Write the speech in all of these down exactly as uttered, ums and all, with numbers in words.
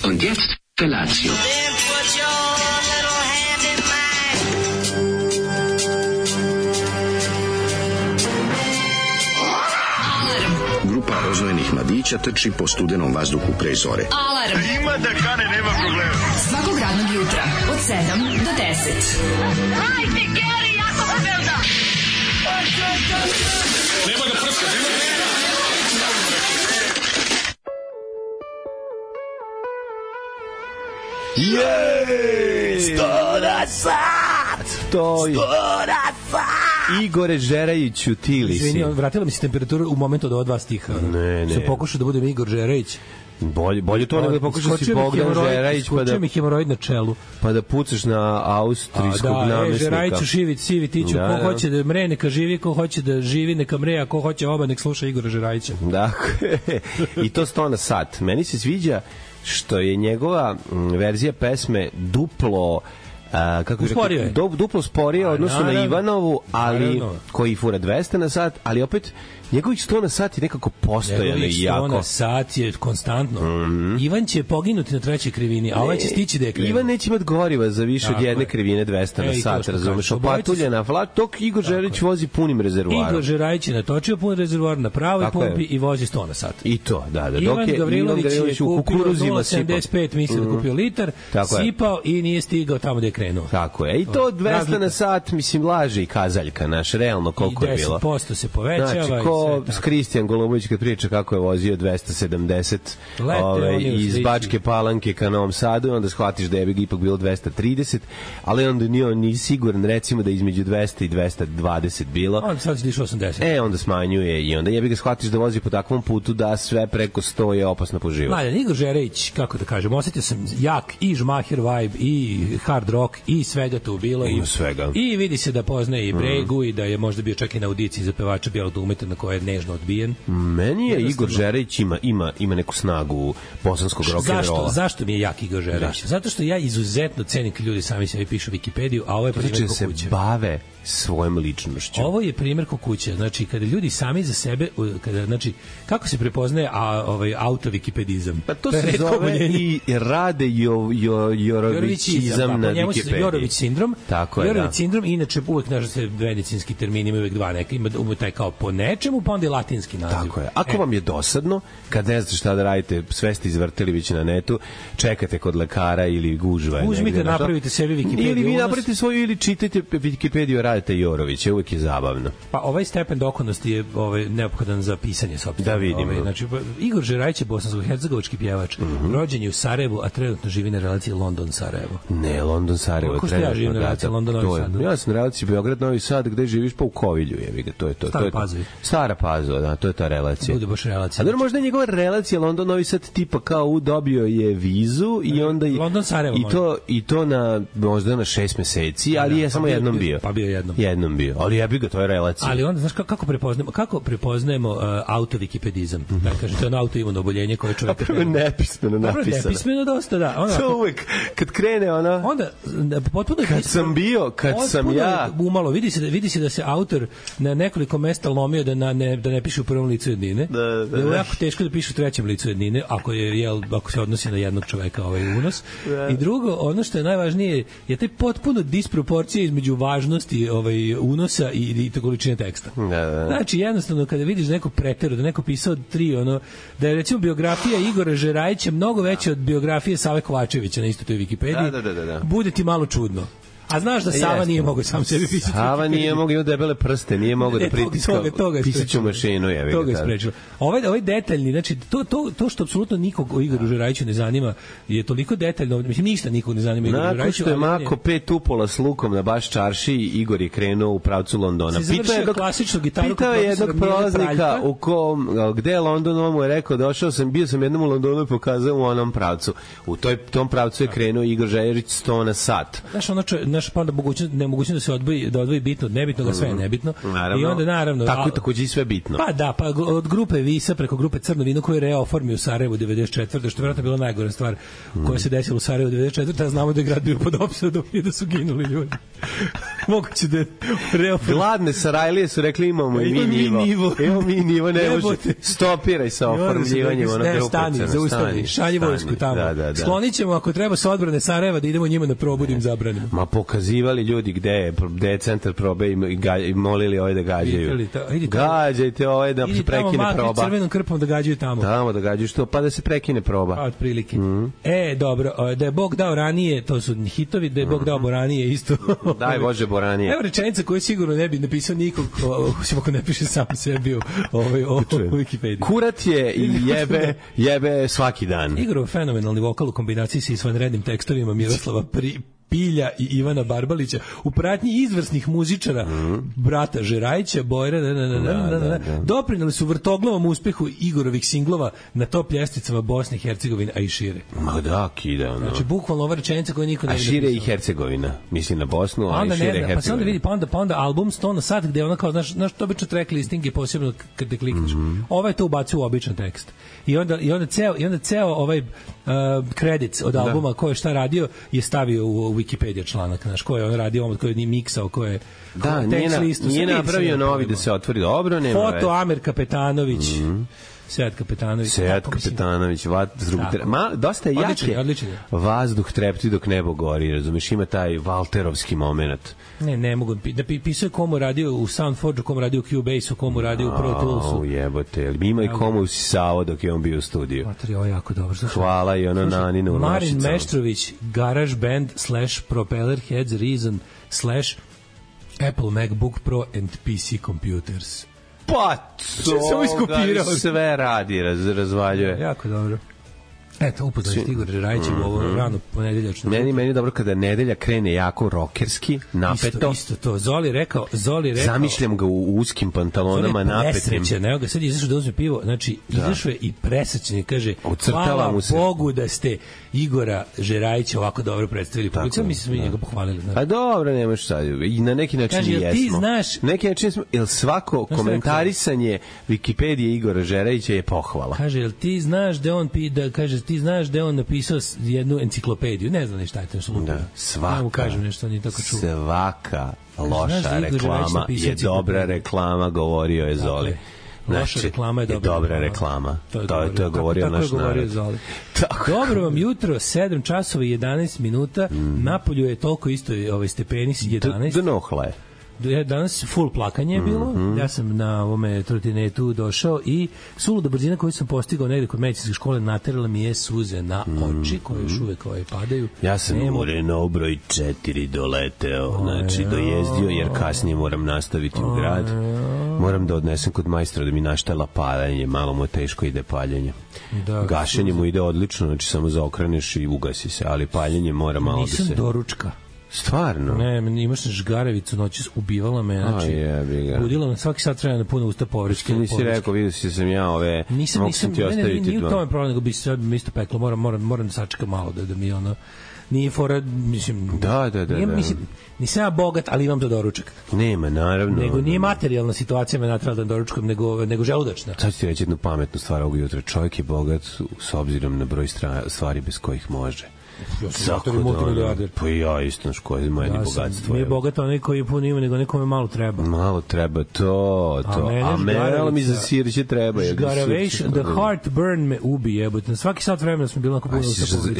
Und jetzt Felatio. Grupa rozvojenih mladića trči po studenom vazduhu pre zore. Alarm! Ima da kane, nema problema. Svakog radnog jutra, od sedam do deset. Hajde, Geri, jako se velda! Nema da prska, nema da prska! Jej! Sto na sat! To je... Sto na sat! Igore Žerajiću, ti li si? Izvini, vratila mi se temperatura u momentu od ova dva stiha. Ne, ne. Sam pokušao da budem Igor Žerajić. Bolje, bolje to nego da pokušaš si Bogdan Žerajić pa da... Skočio mi hemoroid na čelu. Pa da pucaš na austrijskog da, namesnika. Da, Žerajiću, Šivić, Sivi, Tiću, da, ko da. hoće da mre, neka živi, ko hoće da živi, neka mre, a ko hoće oba, nek sluša Igora Žerajića. Dakle, i to sto na sat. Meni se sviđa što je njegova m, verzija pesme duplo a, kako usporio je. Du, duplo sporije odnosno na Ivanovu, ali naravno. Koji fura dvesta na sat, ali opet njegovih sto na sat je nekako postojano i jako. Njegovih sto na sat je konstantno. Mm-hmm. Ivan će poginuti na trećoj krivini, a ovaj će stići da je krenuo. Ivan neće imati goriva za više tako od jedne je. krivine dvesta na sat, razumeš? Opatuljena vlak, dok Igor Žerajić vozi punim rezervoarom. Igor Žerajić je natočio pun rezervoar na pravoj tako pumpi je. I vozi sto na sat. I to, da, da. Ivan dok je Gavrilović Ivan Gavrilović je u kupio kukuruzima sedamdeset pet, misli da kupio litar, sipao i nije stigao tamo da je krenuo. Tako je. I to dvesta na sat, mislim, laže i kazaljka, naš, realno koliko je bilo. I deset posto se povećava. Znači, ko Kristijan Golubović kad priča kako je vozio dvesta sedamdeset ove, iz Bačke Palanke ka Novom Sadu, onda shvatiš da je ipak bilo dvesta trideset, ali onda nije on ni siguran, recimo da je između dvesta i dvesta dvadeset bilo. Onda sad se diše osamdeset. E, onda smanjuje i onda jebi ga shvatiš da vozi po takvom putu da sve preko sto je opasno po život. Mladen, Igor Žerajić, kako da kažem, osjetio sam jak i žmaher vibe, i hard rock, i svega tu bilo. Ima svega. I vidi se da poznaje i Bregu, mm. i da je možda bio čak i na audiciji za pevača Bijelog dugmeta na koje je nežno odbijen. Meni je Igor Žerajić ima, ima, ima neku snagu bosanskog rock and rolla. Zašto? Zašto mi je jak Igor Žerajić? Zato što ja izuzetno cenim kad ljudi sami sebi pišu Wikipediju, a ovo je primjer ko kuće. Se bave svojom ličnošću. Ovo je primjer ko kuće. Znači, kada ljudi sami za sebe, kada, znači, kako se prepoznaje a, ovaj, auto-wikipedizam? Pa to se zove i rade jo, jo, jorovićizam pa, na Wikipediji. Jorović sindrom. Tako je, Jorović da. sindrom, inače uvek, znaš, se medicinski termini ima uvek dva neka, ima, ima taj kao po nečemu, pa onda i latinski naziv. Tako je. Ako e. vam je dosadno, kad ne znate šta da radite, sve ste izvrtili već na netu, čekate kod lekara ili gužva. Uzmite, napravite sebi Wikipediju. Ili vi napravite svoju, ili čitajte Wikipediju, radite Jorovića, uvek je zabavno. Pa ovaj stepen dokonosti je ovaj, neophodan za pisanje sopstveno. Da vidimo. Ovaj, znači, Igor Žerajić je bosansko-hercegovački pjevač. Mm-hmm. Rođen je u Sarajevu, a trenutno živi na relaciji London-Sarajevo. Ne, London-Sarajevo. Kako ste ja živim na relaciji London-Novi Sad? Ja sam na relaciji Beograd-Novi Sad, gde živiš pa u Kovilju. Je, to je to. Stara Pazova. Stara Pazova, da, to je ta relacija. Bude baš relacija. A dobro, možda je njegova relacija London-Novi Sad tipa kao u dobio je vizu i onda London-Sarajevo. I to, i to na, možda na šest meseci, ali je samo jednom bio. Pa bio jednom. Jednom bio. Ali ja bih ga, to je relacija. Ali onda, znaš, kako prepoznajemo, kako prepoznajemo uh, auto-wikipedizam? Mm-hmm. Da kažem, to je ono autoimuno oboljenje koje čovjek... Prvo nepismeno napisano. Nepismeno dosta, da. Ona, to uvek, kad krene ona... Onda, potpuno... Kad sam bio, kad sam ja... Umalo, vidi se, da, vidi se da se autor na nekoliko mesta lomio da, na, ne, da ne piše u prvom licu jednine. Da, da, da. Je jako teško da piše u trećem licu jednine, ako, je, jel, ako se odnosi na jednog čoveka ovaj unos. Da. I drugo, ono što je najvažnije je taj potpuno disproporcija između važnosti ovaj unosa i, i to količine teksta. Da, da. Znači, jednostavno, kada vidiš neko preteru, da neko pisao tri, ono, da je, recimo, biografija Igora Žerajića mnogo veća od biografije Save Kovačevića na isto toj Wikipediji, da, da, da, da. bude ti malo čudno. A znaš da Sava Jeste. Nije mogao sam sebi pisati. Sava nije mogao, ima debele prste, nije mogao da pritiska pisaću mašinu. Je, toga je sprečilo. Ovaj, ovaj detaljni, znači, to, to, to što apsolutno nikog o Igoru Žerajiću ne zanima, je toliko detaljno, mislim, ništa nikog ne zanima Igoru Žerajiću. Nakon što je mako pet upola s lukom na baš čarši, Igor je krenuo u pravcu Londona. Pitao je jednog, pitao je jednog prolaznika u kom, gde je London, on mu je rekao, došao sam, bio sam jednom u Londonu i pokazao u onom pravcu. U toj, tom pravcu je krenuo Igor Žerajić sto na sat. Znaš, ono čo, naš pa onda mogućnost nemogućnost da se odvoji da odvoji bitno od nebitnog, a sve je nebitno. Naravno. I onda naravno tako takođe i sve bitno. Pa da, pa od grupe Visa preko grupe Crno vino koju je Reo oformio u Sarajevu devedeset četvrte što je verovatno bila najgora stvar koja se desila u Sarajevu devedeset četvrte a znamo da je grad bio pod opsadom i da su ginuli ljudi. Moguće da je Reo gladne Sarajlije su rekli imamo i mi nivo. Evo mi nivo, ne može. Stopiraj sa oformljivanjem onog grupe. Stani, zaustavi, šalji vojsku tamo. Da, da, da. Sklonit ćemo ako treba sa odbrane Sarajeva da idemo njima na probu da im zabranimo. Ma pokazivali ljudi gde je, gde je centar probe i, ga, i molili ovaj da gađaju. Gađajte ovaj da se prekine proba. Idi tamo crvenom krpom da gađaju tamo. Tamo da gađaju što, pa da se prekine proba. Pa otprilike. Mm. E, dobro, da je Bog dao ranije, to su hitovi, da je Bog dao Boranije isto. Daj Bože Boranije. Evo rečenica koju sigurno ne bi napisao nikog, osim ako ne piše sam sebi u Wikipediji. Kurat je i jebe, jebe svaki dan. Igorov fenomenalni vokal u kombinaciji sa izvanrednim tekstovima Miroslava Pri Pilja i Ivana Barbalića u pratnji izvrsnih muzičara mm. brata Žerajića, Bojra, da, da, da, da, da, da. doprineli su vrtoglavom uspehu Igorovih singlova na top ljesticama Bosne i Hercegovine, a i šire. Ma da, kida, ono. Znači, bukvalno ova rečenica koja niko ne bi napisao. A šire i Hercegovina, mislim na Bosnu, a i šire Hercegovina. Pa se onda vidi, pa onda, pa onda album sto na sat, gde ona kao, znaš, znaš to obično track listing je posebno kad te klikneš. Mm. Ova je to ubacio u običan tekst. I onda, i onda, ceo, i onda ceo ovaj uh, credits od albuma, da. Ko je šta radio, je stavio u Wikipedia članak, znaš, ko je on radio, ko je ni miksao, ko je da, nije, listu, nije napravio novi da se otvori dobro, nema foto već. Amer Kapetanović mm-hmm. Sead Kapetanović Sead Kapetanović vazduh ma dosta je jake odličan, vazduh trepti dok nebo gori, razumeš, ima taj Valterovski momenat. Ne, ne mogu da pisao komu radio u Soundforge, komu radio u Cubase, komu radio u Pro Toolsu. O, jebote, ima i komu usisao dok je on bio u studiju. Matri, ovo je jako dobro. Hvala i ono Naninu u Marin Meštrović, Garage Band slash Propeller Heads Reason slash Apple MacBook Pro and P C Computers. Pa, to sve radi, raz, razvaljuje. Jako dobro. Eto, upoznali ste Igor Žerajić u ovo rano ponedeljačno. Meni, meni dobro kada nedelja krene jako rokerski, napeto. Isto, isto to. Zoli rekao, Zoli rekao. Zamišljam ga u uskim pantalonama napetim. Presrećen, evo ga sad izašao da uzme pivo, znači izašao je i presrećen, kaže, hvala Bogu da ste Igora Žerajića ovako dobro predstavili. Publika, mi smo njega pohvalili. A dobro, nemaš sad. I na neki način kaže, jesmo. Ti znaš, neki način smo, jel svako komentarisanje Wikipedije Igora Žerajića je pohvala. Kaže, jel ti znaš da on pi, da kaže, ti znaš da je on napisao jednu enciklopediju, ne znam ni šta je to što lupi. Da, svaka, ja mu kažem nešto, nije tako čuo. Svaka loša da reklama je dobra reklama, govorio je Zoli. Dakle, loša znači, reklama je dobra, je dobra reklama. To je, to je, to je govorio naš narod. Dobro vam jutro, sedam časova i jedanaest minuta, mm. Napolju je toliko isto ovaj stepeni, jedanaest. Donohla je. Danas full plakanje je bilo, mm-hmm. Ja sam na ovome trotinetu došao i suluda brzina koju sam postigao negde kod medicinske škole naterala mi je suze na oči koje još uvek ovaj padaju. Ja sam Nemo... u Renault broj četiri doleteo, o, znači ja. dojezdio jer kasnije moram nastaviti u grad. Moram da odnesem kod majstora da mi naštala paljenje, malo mu teško ide paljenje. Da, gašenje suze. Mu ide odlično, znači samo zaokreneš i ugasi se, ali paljenje mora malo Nisam da se... Nisam doručka. Stvarno? Ne, imaš žgarevicu, noći ubivala me, znači, budila me svaki sat treba na puno usta povrečke. Što nisi rekao, vidio si sam ja ove, nisam, mogu nisam, sam ti ne, ostaviti ne, nije dva. u tome problem, nego bi se isto peklo, moram, moram, moram da sačekam malo da, da mi ono, nije fora, mislim, da, da, da, nije, da. mislim, nisam ja bogat, ali imam za doručak. Nema, naravno. Nego nije materijalna situacija me natrala da doručkom, nego, nego želudačna. Sad ću ti reći jednu pametnu stvar ovog jutra. Čovjek je bogat s obzirom na broj stvari bez kojih može. Ja sam multimilijarder. Pa ja isto, što je moje ja bogatstvo. Nije bogat onaj koji puno ima, nego nekome malo treba. Malo treba, to, to. A mene mi za sirće treba. Žgaravation, the heartburn me ubi, jebote. Na svaki sat vremena smo bili na kupovinu.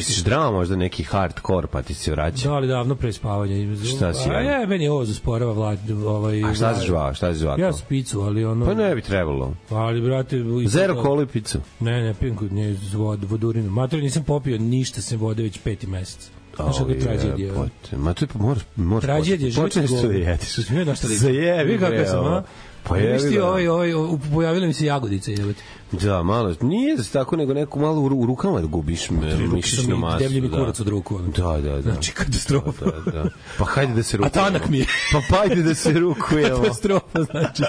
Si drama možda neki hardcore, pa ti se vraća? Da, ali davno pre spavanja. Šta si radio? A je, meni ovo zasporava vlad. Ovaj, a šta si žvao, šta si žvao? Ja spicu, ali ono... Pa ne bi trebalo. Ali, brate... Zero kolu i picu? Ne, ne, pijem kod nje vod, vodurinu. Mater, nisam popio ništa sem vode već peti mesec. Znaš kako je tragedija? Ma to je, moraš, moraš tragedija, počneš to da jediš. Zajebi, kako sam, a? Pa je, ti ovaj, ovaj, pojavile mi se jagodice, jebate. Da, malo, nije tako, nego neko malo u rukama da gubiš mišićnu masu. Deblji mi kurac od ruku. Da, da, da. Znači, katastrofa. Da, da. Pa hajde da se rukujemo. A tanak mi je. Pa hajde da se rukujemo. Katastrofa, znači.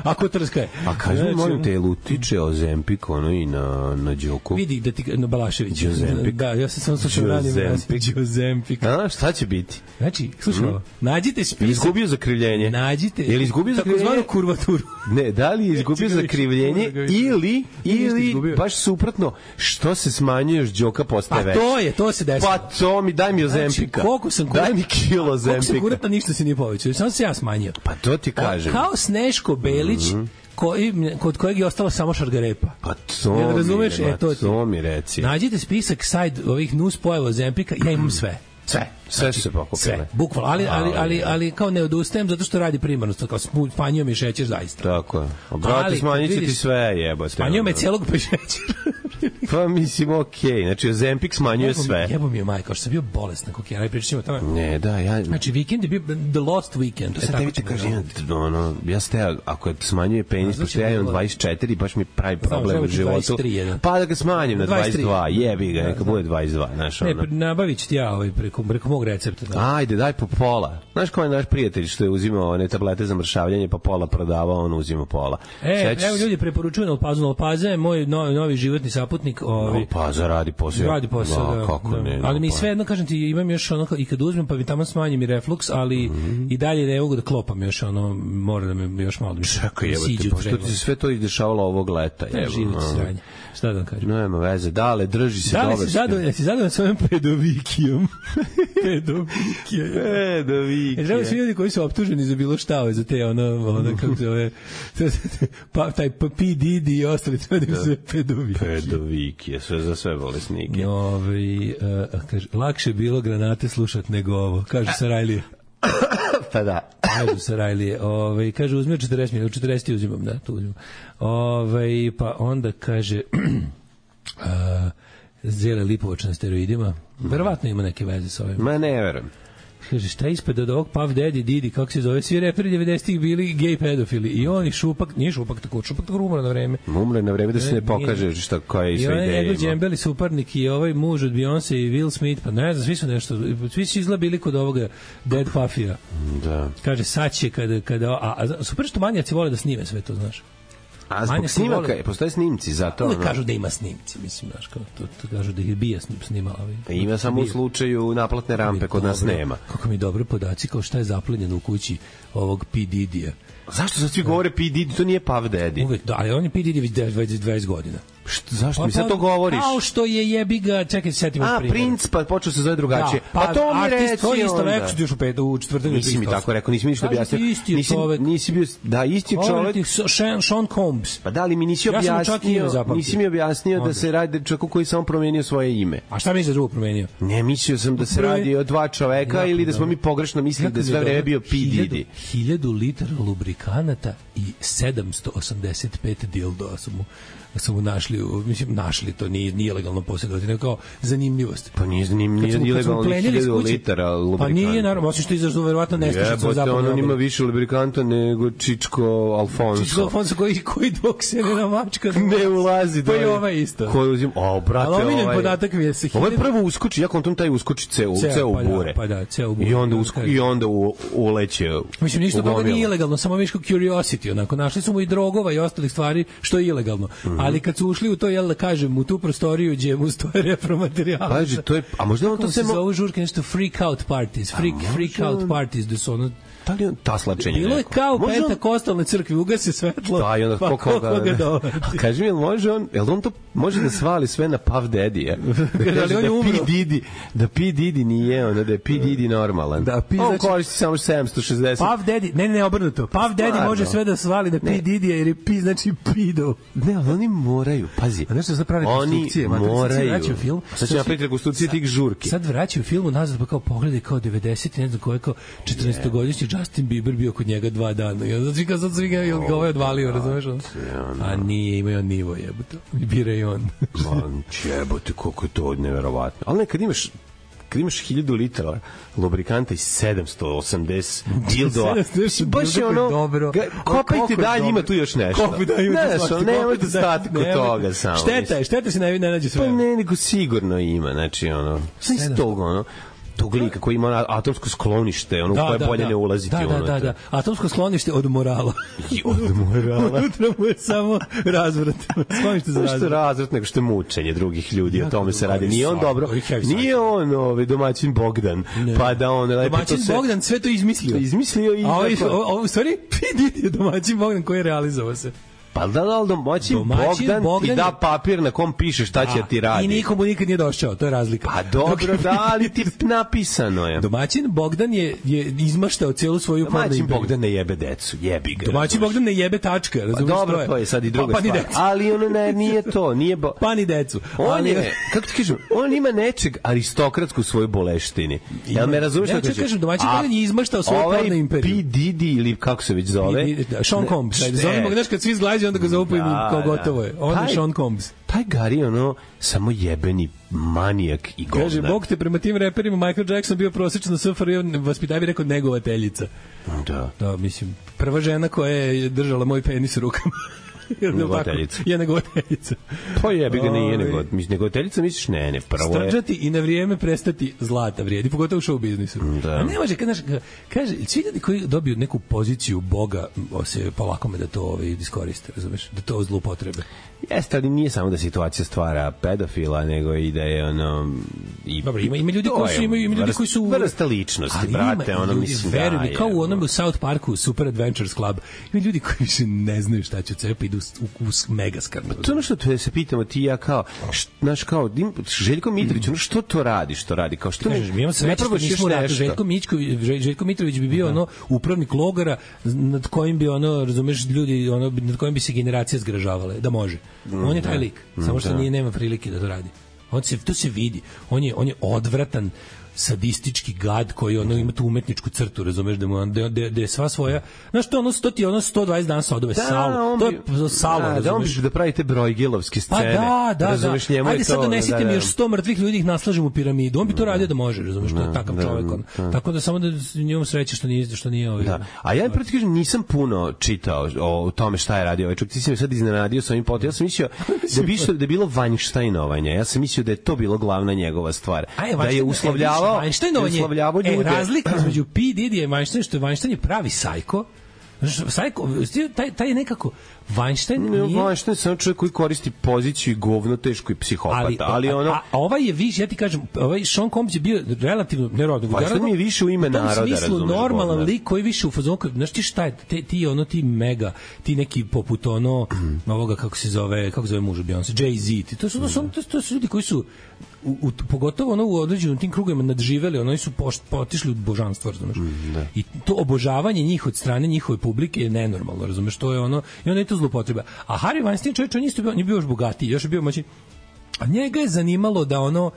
Ako trska je. A kaži mi, molim te, lutiče Ozempik, ono i na, na Đoku. Vidi da ti, na Balašević. Ozempik. Da, ja sam samo slušao ranim. Ozempik. A, šta će biti? Znači, slušaj, mm. nađite spisak. Je izgubio zakrivljenje? Nađite. Je li izgubio zakrivljenje? Takozvanu kurvaturu. Ne, da li je izgubio zakrivljenje ili, ili baš suprotno, što se smanjuješ, Đoka postaje veća. Pa to je, to se desilo. Pa to mi, daj mi Ozempika. Znači, koliko sam kurat, daj mi kilo Ozempika. Koliko sam kuratna, ništa se nije povećao. Samo se ja smanjio. Pa to ti kažem. Kao Sneško Belić, mm-hmm. koji, kod kojeg je ostala samo šargarepa. Pa to ja, mi, razumeš? ma, E, to, to mi reci. Nađite spisak side ovih nus pojava Ozempika, ja imam sve. Sve. Sve znači, se pokupile. Sve, bukvalno, ali, ali, ali, ali kao ne odustajem zato što radi primarno, kao smanjio mi šećer zaista. Tako je. Brate, smanjit će ti sve, jebote. Smanjio me celog pa šećer. Pa mislim, okej. Okay. Znači, Ozempik smanjuje sve. Jebo mi je majka, što sam bio bolestan kokijana i pričamo o tome. Ne, da, ja... Znači, vikend je bio the lost weekend. To sad tebi te kaže, ono, ja ste, ako smanjuje penis, pošto ja imam dvadeset četiri, baš mi pravi problem u životu. Pa da ga smanjim na dvadeset dva, jebi ga, neka bude dvadeset dva, znaš, ono. Ne, nabavit ću ti ja ovaj preko, preko mog recepta. Da. Ajde, daj po pola. Znaš ko je naš prijatelj što je uzimao one tablete za mršavljanje, pa pola prodavao, on uzima pola. E, Seć... evo ljudi preporučuju Nalpazu. Nalpaza je moj novi, novi životni saputnik. Ovi... Nalpaza radi posao. Radi posao, da. Kako da. ne, ali mi sve jedno, kažem ti, imam još ono, i kad uzmem, pa mi tamo smanjim i refluks, ali mm-hmm. i dalje ne mogu da klopam još, ono, mora da me još malo da mi čekaj, evo te, pošto ti se sve to izdešavalo ovog leta. Ne, život sranje. Šta da vam kažem? Nema veze, dale, drži se dobro. Da li si zadovoljan, si zadovoljan svojom pedovikijom? Pedovikija. Pedovikija. E, žele svi ljudi koji su optuženi za bilo šta, za te, ono, ono, kako se ove, pa, taj P. Didi i ostali, treba da im se pedovikije. Pedovikije, sve za sve bolesnike. Ove, uh, kaže, lakše bilo granate slušat nego ovo, kaže Sarajlije. Pa da. Kažu Sarajlije. Ove, kaže, uzmio četrdeset minuta, četrdeset uzimam, da, tu uzimam. Ove, pa onda kaže... uh, Zele Lipovač na steroidima. Verovatno ima neke veze sa ovim. Ma ne verujem. Kaže, šta ispred od ovog Puff Daddy, Didi, kako se zove, svi reperi devedesetih bili gej pedofili. I oni Šupak, nije Šupak tako, Šupak tako umre na vreme. Umre na vreme da se ne pokaže šta koja je sve ideja. I onaj njegov džembeli suparnik i ovaj muž od Beyoncé i Will Smith, pa ne znam, svi su nešto, svi su izlabili kod ovoga Dead Puffija. Da. Kaže, sad će kada, kada a, a super što manjaci vole da snime sve to, znaš. A zbog snimaka, vole... postoje snimci za to? Uvijek no? kažu da ima snimci, mislim, znaš, kao, to, to kažu da ih je bija snimala. Ovaj, pa ima samo u slučaju naplatne rampe, kod nas nema. Kako mi dobro podaci, kao šta je zaplenjeno u kući ovog P. Didija. Zašto sad svi govore P. Didi? To nije Puff Daddy. Uvijek, da, ali on je P. Didi već dvadeset godina. Što, zašto pa, mi sad to govoriš? Kao što je jebi ga, čekaj, setimo A, primjer. Prince, pa počeo se zove drugačije. Da, pa, pa to mi reci to je isto, rekao što još u petu, u četvrtak. Nisi mi tako rekao, nisi mi ništa objasnio. Isti nisi, čovek. Nisi bio, da, isti čovek. Sean, Sean Combs. Pa da li mi nisi objasnio, ja nisi mi objasnio da se radi čovjeku koji samo promenio svoje ime. A šta misliš da drugo promenio? Ne, mislio sam da se radi o dva čoveka ili da smo mi pogrešno mislili da sve vreme bio P. Didi. Hiljadu litara lubrikanata i sedamsto osamdeset pet dildoa su mu su mu našli, mislim, našli to, nije, nije legalno posjedovati, nego kao zanimljivost. Pa nije zanimljivo, nije legalno hiljadu litara lubrikanta. Pa nije, naravno, osim što izažu verovatno nestašica za zapadne obale. On ima više lubrikanta nego Čičko Alfonso. Čičko Alfonso koji, koji dok se ne namačka ne ulazi. Pa i ovaj isto. Koji uzim, o, brate, ali omiljen ovaj... podatak mi je se... Ovo je prvo uskoči, ja kontom taj uskoči ceo, ceo u bure. Pa da, ceo u bure. I onda, usko, i onda u, uleće. Mislim, ništa toga nije ilegalno, samo viško curiosity, onako. Našli su mu i drogova i ostalih stvari, što je ilegalno. Ali kad su ušli u to, jel da kažem, u tu prostoriju gdje mu stoje repromaterijal. Paži, to je, a možda on to se... Kako se zove žurke, nešto freak out parties, freak, freak out parties, da su ono... Da li on taslačenje neko? Bilo je kao u pentakostalnoj crkvi, ugasi svetlo, da, i onda pa koliko ga, ga dovati. A kaži mi, jel može on, jel on to može da svali sve na Puff Daddy-a? Da kaže da, da P. Didi, da P. Didi nije on, da je P. Didi normalan. Da, P. On znači, koristi samo sedamsto šezdeset. Puff Daddy, ne, ne, obrnuto. Puff Daddy Stvarno. može sve da svali na P. Didi-a, jer je P. znači pido. Ne, ali oni moraju, pazi. A nešto sad pravi rekonstrukcije. Oni moraju. Film, sad će napraviti rekonstrukcije tih žurki. Sad vraćaju filmu nazad, pa kao pogledaj kao devedeset, ne znam koje kao četrnaestogodišnji Justin Bieber bio kod njega dva dana. Ja znači kad sad svi ga je ovaj odvalio, razumeš? A nije, ima on nivo, jebote. Bira i on. Man, jebote, koliko je to neverovatno. Ali nekad imaš kad imaš hiljadu litara lubrikanta i sedamsto osamdeset dildoa, baš je ono, dobro. Kopajte dalje, ima tu još nešto. Kopaj da ima nešto. Ne, možete stati kod toga samo. Šteta je, šteta se ne nađe sve. Pa ne, nego sigurno ima, znači ono, sve iz toga, ono, tog lika koji ima atomsko sklonište, ono da, koje da, bolje da. ne ulaziti. Da, ono, da, da, da. Atomsko sklonište od morala. I od morala. Unutra mu je samo razvrat. Sklonište za razvrat. Što je razvrat, nego što je mučenje drugih ljudi, o tome se radi. Nije on dobro, nije on ovaj, domaćin Bogdan, ne. Pa da on... Domaćin se... Bogdan sve to izmislio. Izmislio i... A ovo, u stvari, vidi je domaćin Bogdan koji je realizovao se. Pa da li domaćin, domaćin Bogdan, Bogdan ti da papir na kom piše šta će ti radi. I nikomu nikad nije došao, to je razlika. Pa dobro, da, ali ti napisano je. Domaćin Bogdan je, je izmaštao cijelu svoju pornu imperiju. Domaćin Bogdan ne jebe decu, jebi ga. Domaćin Bogdan ne jebe tačka, razumiješ? Pa dobro, to je sad i druga pa, stvar. Ali ono ne, nije to, nije... Bo... Pa ni decu. On ali... je, kako ti kažem, on ima nečeg aristokratsku svoju boleštini. Jel me razumiješ? Ja ću kažem, domaćin Bogdan je izmaštao svoju pornu imperiju. P. Diddy ili kako se već zove? Sean Combs. Zovemo ga, znaš, kad svi zglađe, onda ga zovu kao gotovo je. On je Sean Combs. Taj Gari, ono, samo jebeni manijak i govnar. Kaže, Bog te, prema tim reperima Michael Jackson bio prosječno S F R I, vaspitav bi rekao negovateljica. Da. Da, mislim, prva žena koja je držala moj penis u rukama. Negovateljica. Je negovateljica. Pa jebi ga, nije negovateljica. Negovateljica misliš, ne, ne, prvo je... Strđati i na vrijeme prestati zlata vrijedi, pogotovo u show biznisu. Da. A ne može, kaže, kaže, svi ljudi koji dobiju neku poziciju Boga, se polako me da to ovaj, iskoriste, razumeš, da to zloupotrebe. Jeste, ali nije samo da situacija stvara pedofila, nego i da je ono... I, dobro, ima, ima ljudi koji su... Ima, ima ljudi koji su vrsta ličnosti, brate, ono ljudi, mislim veruj da mi, je... kao u onom u South Parku, Super Adventures Club, ima ljudi koji se ne znaju šta će od sebe, pa idu u, u, u mega skrnu. To ono što te se pitamo, ti ja kao, znaš, kao, Željko Mitrović, ono što to radi, što radi, kao što kažeš, mi imamo sreće što nismo ratu, Željko, Željko Mitrović bi bio ono upravnik logora nad kojim bi ono, razumeš, ljudi, ono, nad kojim bi se generacije zgražavale, da može. On je taj lik, samo što nije, nema prilike da to radi. On se, to se vidi. On je, on je odvratan, sadistički gad koji ono ima tu umetničku crtu, razumeš, da mu da, da, da je sva svoja, znaš to ono sto ti ono sto dvadeset dana sodove da, salo, to je salo, da, da on bi da pravite brojgilovske scene, pa da, da, razumeš, njemu ajde je to, sad donesite da, da, mi još sto mrtvih ljudi, ih naslažemo u piramidu, on bi to radio da može, razumeš, to je takav da, čovjek on. Da. Tako da samo da njemu sreće što nije što nije ovaj. Da. A ja proti kažem nisam puno čitao o tome šta je radio ovaj čovjek, ti si me sad iznenadio sa ovim potem, ja sam mislio da bi što da je bilo Weinsteinovanje, ja sam mislio da je to bilo glavna njegova stvar, da je uslovljavao uslovljavao ljude. E, razlika između P. Diddy i Weinstein, što je Weinstein je pravi sajko. Sajko, taj, taj je nekako Weinstein nije... Weinstein je samo čovjek koji koristi poziciju i govno teško i psihopata, ali, ali ono... A, a ovaj je više, ja ti kažem, ovaj Sean Combs je bio relativno nerodno. Weinstein je više u ime naroda, razumeš. U tom smislu normalan lik koji više u fazonu, znaš ti šta je, te, ti ono, ti mega, ti neki poput ono, ovoga, kako se zove, kako zove muža Beyoncé, Jay-Z, ti, to su, to, su, to, to su ljudi koji su U, u, pogotovo ono u određenom tim krugovima nadživeli, oni su pošt, potišli u božanstvo, razumeš? Mm, da. I to obožavanje njih od strane njihove publike je nenormalno, razumeš? To je ono, i onda je to zloupotreba. A Harvey Weinstein, čovječ, on, isto bio, on je bio još bogatiji, još je bio moći. A njega je zanimalo da ono,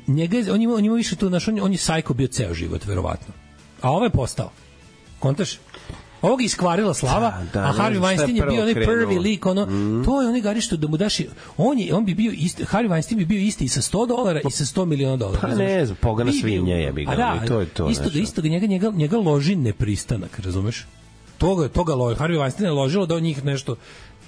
njega je, on ima, on ima više to, znaš, on, on je sajko bio ceo život, verovatno. A ovo je postao. Kontaš? Ovog je iskvarila slava, da, da, a Harvey Weinstein je bio onaj prvi lik, ono, mm. to je onaj gari što da mu daš, on, je, on bi bio isti, Harvey Weinstein bi bio isti i sa sto dolara i sa sto miliona dolara. Pa ne znam, pogana svinja je bi ga, da, to je to. Isto da, isto da njega, njega, njega loži nepristanak, razumeš? Toga, toga loži, Harvey Weinstein je ložilo da od njih nešto,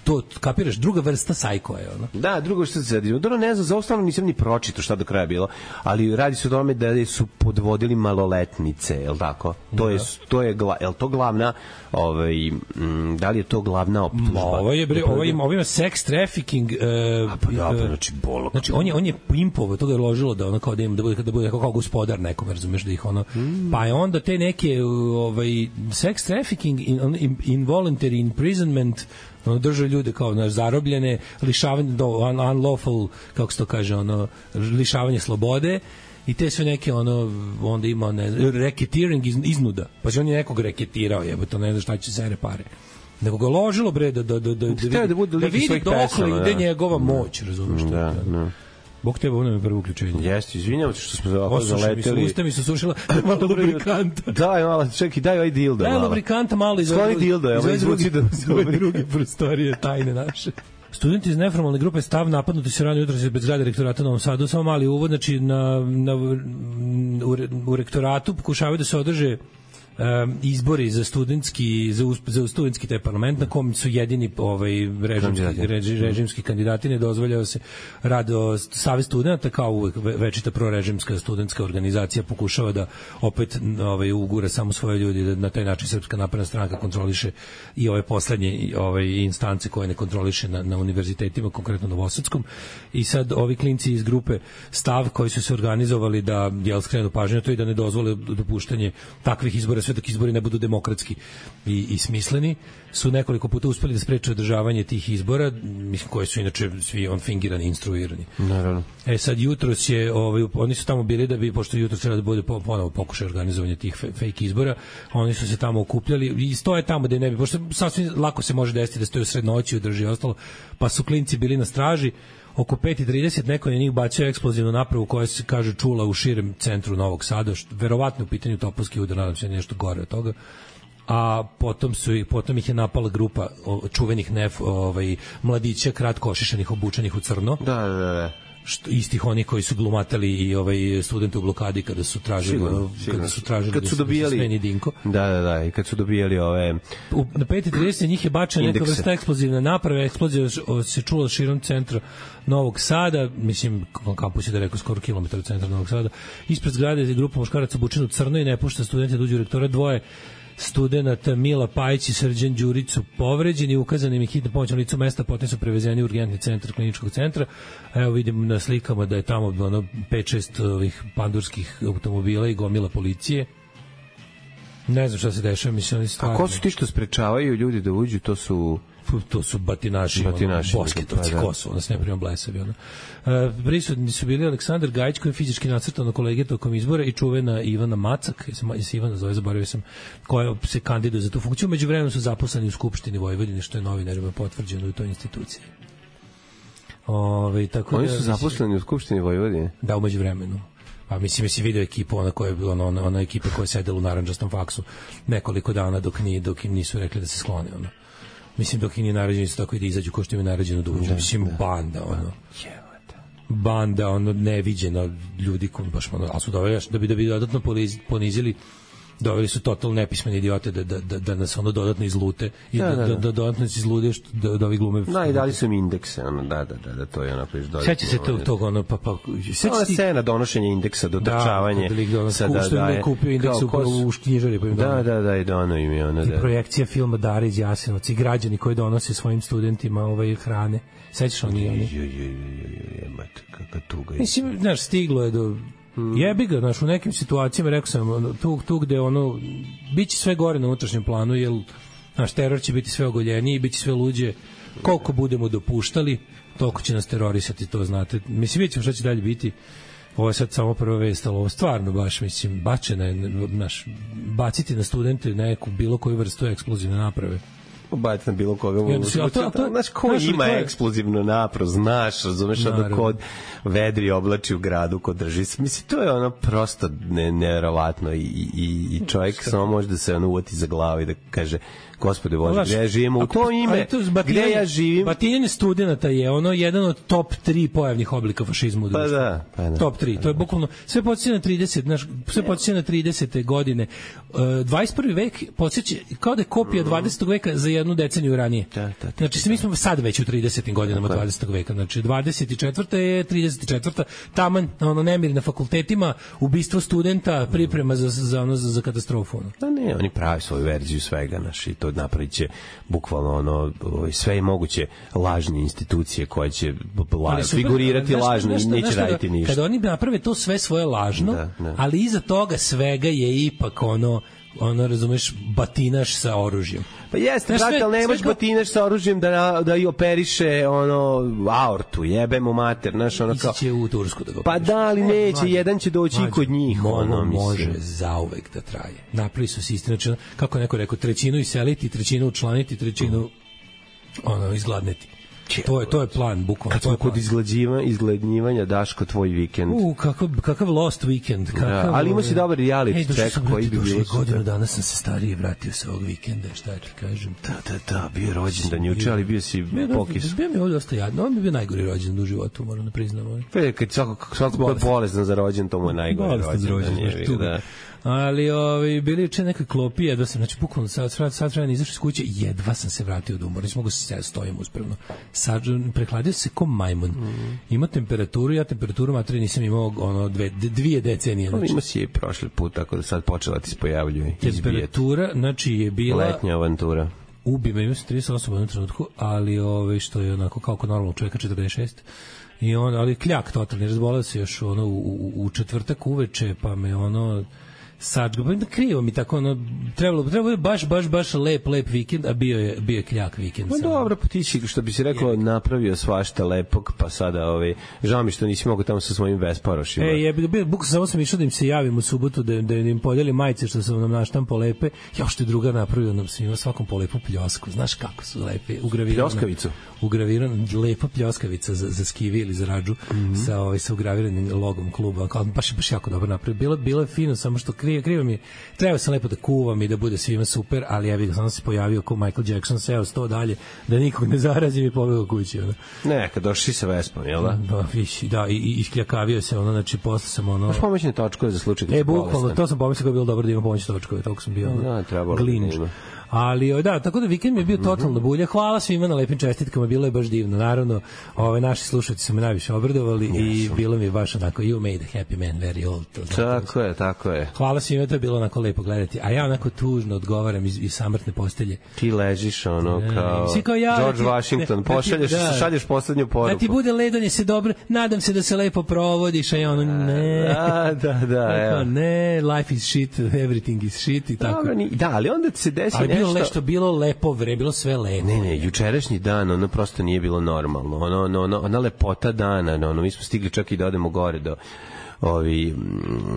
to kapiraš, druga vrsta sajko je ono. Da, drugo što se radi. Dobro, ne znam, za ostalo nisam ni pročitao šta do kraja bilo, ali radi se o tome da su podvodili maloletnice, je l' tako? To je, to je, je li to glavna, ovaj, m, da li je to glavna optužba? Ovo je, bre, ovo ima, ovo ima sex trafficking. Uh, A pa da, pa znači bolo. Znači, on je, on je pimpovo, toga je ložilo da ono kao da ima, da bude, da bude kao gospodar nekom, razumeš, da ih ono, mm. pa je onda te neke, ovaj, sex trafficking, in, in, involuntary imprisonment, ono drža ljude kao naš zarobljene, lišavanje do un, unlawful, kako se to kaže, ono lišavanje slobode i te sve neke ono onda ima ne racketeering iz, iznuda. Pa on je nekog reketirao, jebote, ne znam šta će se pare. Nego ga ložilo bre da da da da, da, da, da, bude da vidi dokle ide njegova moć, razumeš što? Da, da. Bog tebe, ono je prvo uključenje. Jeste, izvinjavam se što smo ovako zaleteli. Usta mi su sušila malo lubrikanta. Daj, malo, čekaj, daj ovaj dildo. Daj lubrikanta malo iz ove dildo, evo izvuci da druge prostorije tajne naše. Studenti iz neformalne grupe Stav napadnuti se rano jutros bez zgrade rektorata u Novom Sadu. Samo mali uvod, znači na, na, u, u rektoratu pokušavaju da se održe Um, izbori za studentski za, za studentski taj parlament na kom su jedini ovaj režimski, reži, režimski kandidati, ne dozvoljava se rad o savez studenata kao uvek večita prorežimska studentska organizacija pokušava da opet ovaj ugura samo svoje ljudi, da na taj način Srpska napredna stranka kontroliše i ove poslednje ovaj instance koje ne kontroliše na, na univerzitetima, konkretno Novosadskom. I sad ovi klinci iz grupe Stav koji su se organizovali da jel skrenu pažnju na to i da ne dozvole dopuštanje takvih izbora sve dok izbori ne budu demokratski i, i smisleni, su nekoliko puta uspeli da spreče održavanje tih izbora, mislim, koji su inače svi on fingirani, instruirani. Naravno. E sad, jutros je, ovaj, oni su tamo bili da bi, pošto jutros treba da bude ponovo pokušaj organizovanja tih fake izbora, oni su se tamo okupljali i stoje tamo da ne bi, pošto sasvim lako se može desiti da stoje u sred noći, drži ostalo, pa su klinci bili na straži. Oko pet i trideset neko je njih bacio eksplozivnu napravu koja se, kaže, čula u širem centru Novog Sada, što, verovatno u pitanju topovski udar, nadam se nešto gore od toga. A potom su potom ih je napala grupa čuvenih nef, ovaj mladića kratko ošišanih, obučenih u crno. Da, da, da. Što istih onih koji su glumatali i ovaj studenti u blokadi kada su tražili sigurno, sigurno. kada su tražili kad su dobijali Dinko. Da, da, da, i kad su dobijali ove u, na pet i trideset njih je bačena neka vrsta eksplozivne naprave, eksplozija se čula širom centra Novog Sada, mislim kampus je da rekao skoro kilometar od centra Novog Sada. Ispred zgrade je grupa muškaraca obučena u crno i ne pušta studente da uđu u rektora. Dvoje studenata Mila Pajić i Srđan Đurić su povređeni, ukazana im je hitna pomoć na licu mesta, potom su prevezeni u urgentni centar kliničkog centra. Evo vidim na slikama da je tamo ono pet šest ovih pandurskih automobila i gomila policije. Ne znam šta se dešava, mislim oni stvarno. A ko su ti što sprečavaju ljudi da uđu? To su to su batinaši, batinaši ono, bosketovci, pa, da. Kosovo, nas ne primam blesavi. Ono. Uh, prisutni su bili Aleksandar Gajić, koji je fizički nacrtao na kolege tokom izbora, i čuvena Ivana Macak, je se Ivana zove, zaboravio sam, koja se kandiduje za tu funkciju. Među vremenom su zaposleni u Skupštini Vojvodine, što je novinarima potvrđeno u toj instituciji. Ove, tako Oni da, su zaposleni u Skupštini Vojvodine? Da, umeđu vremenu. Pa mislim, si video ekipu, ona, koja, ona, ona, ona ekipa koja je sedela u narandžastom faksu nekoliko dana dok, ni, dok im nisu rekli da se sklone. Ono. Mislim, dok im nije naređeno isto tako i da izađu ko što im je naređeno da uđu. Mislim, banda, ono. Banda, ono, neviđena ljudi koji baš, ono, ali su doveli, da bi, da bi dodatno ponizili, doveli su totalno nepismeni idiote da, da, da, da nas ono dodatno izlute i da, da, da, da, da dodatno izlude što, da, da ovi glume. Da, i dali su im indekse, ono, da, da, da, da, to je ono priš dodatno. Seća se tog, tog, ono, pa, pa, seća se scena donošenja indeksa, dotrčavanje. Da, sada da, da, je kupio indeks u, u knjižari, pa im da, da, da, da, i dono im je, ono, da. I projekcija filma Dara iz Jasenovca i građani koji donose svojim studentima ovaj hrane. Sećaš oni, oni? Jo, jo, jo, jo, jo, mate, kakva tuga. Mislim, znaš, stiglo je do... Hmm. Jebi ga, znaš, u nekim situacijama, rekao sam, tu, tu gde ono, bit će sve gore na unutrašnjem planu, jer naš teror će biti sve ogoljeniji, bit će sve luđe, koliko budemo dopuštali, toliko će nas terorisati, to znate. Mislim, vidjet ćemo šta će dalje biti. Ovo je sad samo prva vest, ali ovo stvarno baš, mislim, bačena je, naš, baciti na studente neku bilo koju vrstu eksplozivne naprave. Baciti na bilo koga. Ja, to, to, to, znaš, ko znaš, ima je eksplozivnu napravu, znaš, razumeš, ono kod vedri oblači u gradu, kod drži. Mislim, to je ono prosto ne, neverovatno i, i, i čovjek Šta? samo može da se ono uvati za glavu i da kaže, Gospode Bože, gde ja živimo, u to ime, gde ja živim. Batinjanje studenta je ono jedan od top tri pojavnih oblika fašizma u društvu. Pa da, pa da. Top tri, to je bukvalno, sve podsjeća na trideset, znaš, sve podsjeća na tridesete godine. dvadeset prvi vek podsjeća, kao da je kopija dvadesetog veka za jednu deceniju ranije. Da, da, da, znači, mi smo sad već u tridesetim godinama dvadesetog veka, znači dvadeset četvrta je trideset četvrta taman, ono, nemiri na fakultetima, ubistvo studenta, priprema za, za, ono, za, za katastrofu. Ono. Da ne, oni pravi svoju verziju svega, naš, i to napravit će bukvalno ono, sve moguće lažne institucije koje će la, figurirati super, lažno i neće raditi ništa. Kada oni naprave to sve svoje lažno, da, da. Ali iza toga svega je ipak ono, ono, razumeš, batinaš sa oružjem. Pa jeste, brate, ali nemaš kao... batinaš sa oružjem da, da i operiše ono, aortu, jebemo mater, znaš, ono kao... Ići će u Tursku da ga Pa da, ali neće, mađe, jedan će doći mađe, i kod njih, ono, ono, može zauvek da traje. Napravi su sistem, znači, kako neko rekao, trećinu iseliti, trećinu učlaniti, trećinu, ono, izgladneti. To je to je plan, bukvalno. Kad smo kod izgladnjivanja, izgladnjivanja Daško tvoj vikend. U, kakav kakav lost weekend, kakav. Da, ali ima si dobar reality check koji bi bio. Godinu dana sam se starije vratio sa ovog vikenda, šta ti kažem. Da, da, da, bio rođendan juče, ali bio si pokis. Bio mi ovdje dosta jadno, on bi bio najgori rođendan u životu, moram da priznam. Pe, kad svako svako ko je bolestan za rođendan, to mu je najgori rođendan. Da. Ali ovi bili juče neka klopi, jedva sam, znači bukvalno sad sad sad treba izašao iz kuće, jedva sam se vratio od umora, nisam mogao se stojim uspravno. Sad prehladio se ko majmun. Mm. Ima temperaturu, ja temperaturu materi nisam imao ono dve dvije decenije. Znači. Ima si je prošli put, tako da sad počela ti se pojavljuje. Temperatura, znači je bila letnja avantura. Ubi me, ima se trideset osam u jednom trenutku, ali ove što je onako kao kod normalnog čovjeka četrdeset šest. I on, ali kljak totalni, razbolao se još ono u, u, u četvrtak uveče, pa me ono sad da krivo mi tako ono trebalo trebalo je baš baš baš lep lep vikend, a bio je bio je kljak vikend. Pa dobro, pa ti si, što bi se reklo, napravio svašta lepog, pa sada ovaj žao mi što nisi mogao tamo sa svojim Vesparošima. E, je bio buk samo sam išao da im se javim u subotu da da im podelim majice što sam nam naštampao lepe. Ja što je druga napravio nam svima svakom po lepu pljosku. Znaš kako su lepe, ugravirano. Pljoskavicu. Ugravirano, lepa pljoskavica za za skivi ili za radžu mm -hmm. sa ovaj sa ugraviranim logom kluba. Kao baš baš jako dobro napravio. Bilo bilo je fino, samo što krivo, krivo mi. Treba sam lepo da kuvam i da bude svima super, ali ja bih sam se pojavio kao Michael Jackson, seo sto dalje, da nikog ne zarazim i pobegao kući. Ono. Ne, kad došli sa Vespom, jel da? Da, viši, da, i, i iskljakavio se, ono, znači, posle sam, ono... Možeš pomoćne točkove za slučaj da e, bukvalno, to sam pomislio da je bilo dobro da ima pomoćne točkove, toliko sam bio, ono, da, trebalo glinč. Da ali da, tako da vikend mi je bio totalno bulja. Hvala svima na lepim čestitkama, bilo je baš divno. Naravno, ove naši slušatelji su me najviše obradovali yes. i bilo mi je baš onako you made a happy man very old. To tako je, tako je. Hvala svima, to je bilo onako lepo gledati. A ja onako tužno odgovaram iz, iz samrtne postelje. Ti ležiš ono kao, ne, kao ja, George ti, Washington, ne, pošalješ, da, šalješ poslednju poruku. Da ti bude ledanje se dobro, nadam se da se lepo provodiš, a ja ono ne. Da, da, da. Tako, ne, life is shit, everything is shit i tako. Dobro, da, ali onda se desi ali nešto. Ali bilo nešto, bilo lepo vre, bilo sve lepo. Ne, ne, jučerašnji dan, ono prosto nije bilo normalno. Ono, ono, ono, ona lepota dana, ono, mi smo stigli čak i da odemo gore do ovi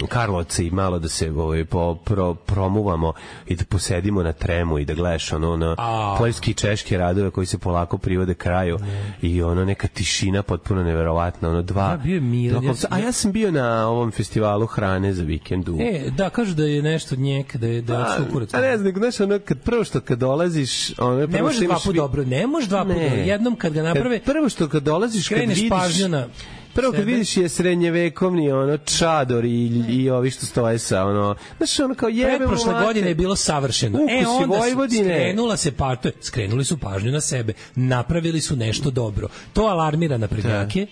Karlovci i malo da se ovaj po pro, promuvamo i da posedimo na tremu i da gledaš ono na poljski i češki radove koji se polako privode kraju ne. I ono neka tišina potpuno neverovatna, ono dva ja, bio mir, dva, ja, a ja sam bio na ovom festivalu hrane za vikendu. E, da, kažu da je nešto njek, da je da je sukurac. A ne znam, znaš, ono kad prvo što kad dolaziš, ono ne može dva puta dobro, ne može dva puta, jednom kad ga naprave. Kad prvo što kad dolaziš, kad vidiš pažnju prvo kad vidiš je srednjevekovni ono čador i, i ovi što stoje sa ono, znaš ono kao jebemo prošle godine je bilo savršeno. Ukusi e onda Vojvodine. Skrenula se pato, skrenuli su pažnju na sebe, napravili su nešto dobro. To alarmira na prednjake.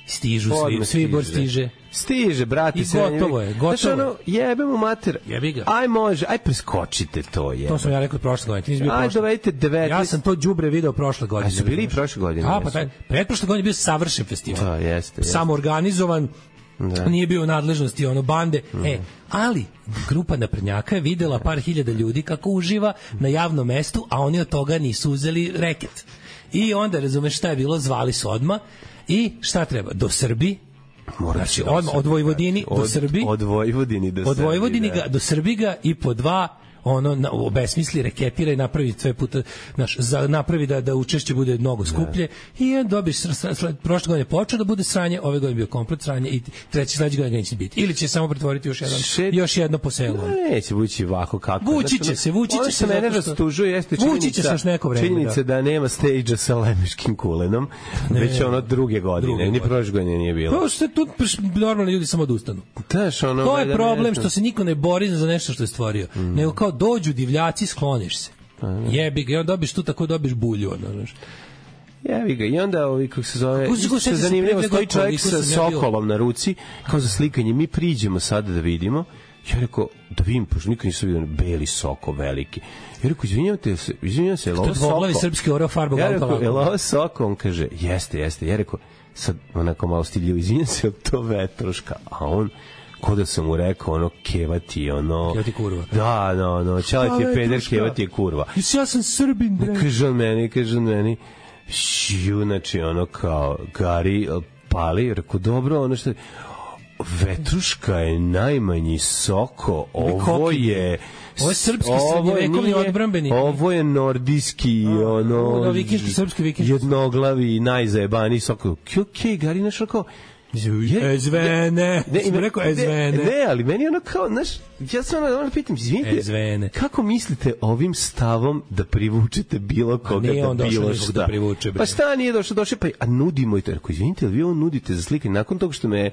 Stižu svi, svi bor stiže. Stiže, brati, se. Gotovo je, gotovo. Znaš ono, jebemo mater. Jebi ga. Aj može, aj preskočite to je. To sam ja rekao prošle godine. Ti nisi bio aj dovedite devetnaest. Ja sam to đubre video prošle godine. A su bili i prošle godine. A pa taj pretprošle godine bio savršen festival. Da, jeste. Samo organizovan. Da. Nije bio u nadležnosti ono bande. Mm. E, ali grupa naprednjaka je videla par hiljada ljudi kako uživa na javnom mestu, a oni od toga nisu uzeli reket. I onda, razumeš šta je bilo, zvali su odma i šta treba? Do Srbije. Znači, od, od Vojvodini do Srbije. Od Vojvodini do Srbije. Od Vojvodini ga, do Srbije i po dva ono na, obesmisli, reketira i napravi sve puta, znaš, za, napravi da, da učešće bude mnogo skuplje ne. I dobiš, prošle godine počeo da bude sranje, ove godine bio komplet sranje i treći sledeći godine neće biti. Ili će samo pretvoriti još, jedan, Šet... još jedno po selu. Neće vući ovako kako. Vući će se, vući će se. Ono što mene rastužuje jeste činjenica, činjenica da. da nema stage-a sa Lemiškim kulenom, ne, već ono druge godine, druge ni prošle godine nije bilo. To što tu normalni ljudi samo odustanu. Daš, ono, to je problem što se niko ne bori za nešto što je stvorio. Mm. Nego kao dođu divljaci, skloniš se. Jebi ga, i onda dobiš tu tako dobiš bulju, ono, znaš. Jebi ga, i onda ovi, kako se zove, isto se zanimljivo, stoji čovjek sa sokolom na ruci, kao za slikanje, mi priđemo sada da vidimo, ja rekao, da vidim, pošto nikad nisam vidio beli soko veliki. Ja rekao, izvinjavate se, izvinjavam se, je li ovo soko? Dvoglavi srpski orao farbu. Ja rekao, je li ovo soko? On kaže, jeste, jeste. Ja rekao, sad onako malo stiljivo, izvinjam se, je to vetroška? A on, ko da sam mu rekao, ono, kevati, ono... Kevati kurva. Da, no, no, čalet je peder, kevati je kurva. Ja sam Srbin, bre. Kaže on meni, kaže on meni, šiju, znači, ono, kao, gari, pali, rekao, dobro, ono što... Vetruška je najmanji soko, ovo je ovo je srpski srednjevekovni odbrambeni. Ovo je nordijski, ono, ono vikinški, srpski vikinški. Jednoglavi, najzajebaniji soko. Okej, Gari, znaš, ako... Ezvene, sam rekao ezvene. Ne, ne, ali meni ono kao, znaš, ja sam ono pitam, izvinite, kako mislite ovim stavom da privučete bilo koga da bilo šta? Da privuče, pa šta nije došlo, došlo, pa a nudimo i to. Rekao, izvinite, ali vi ovo nudite za slikanje nakon toga što me,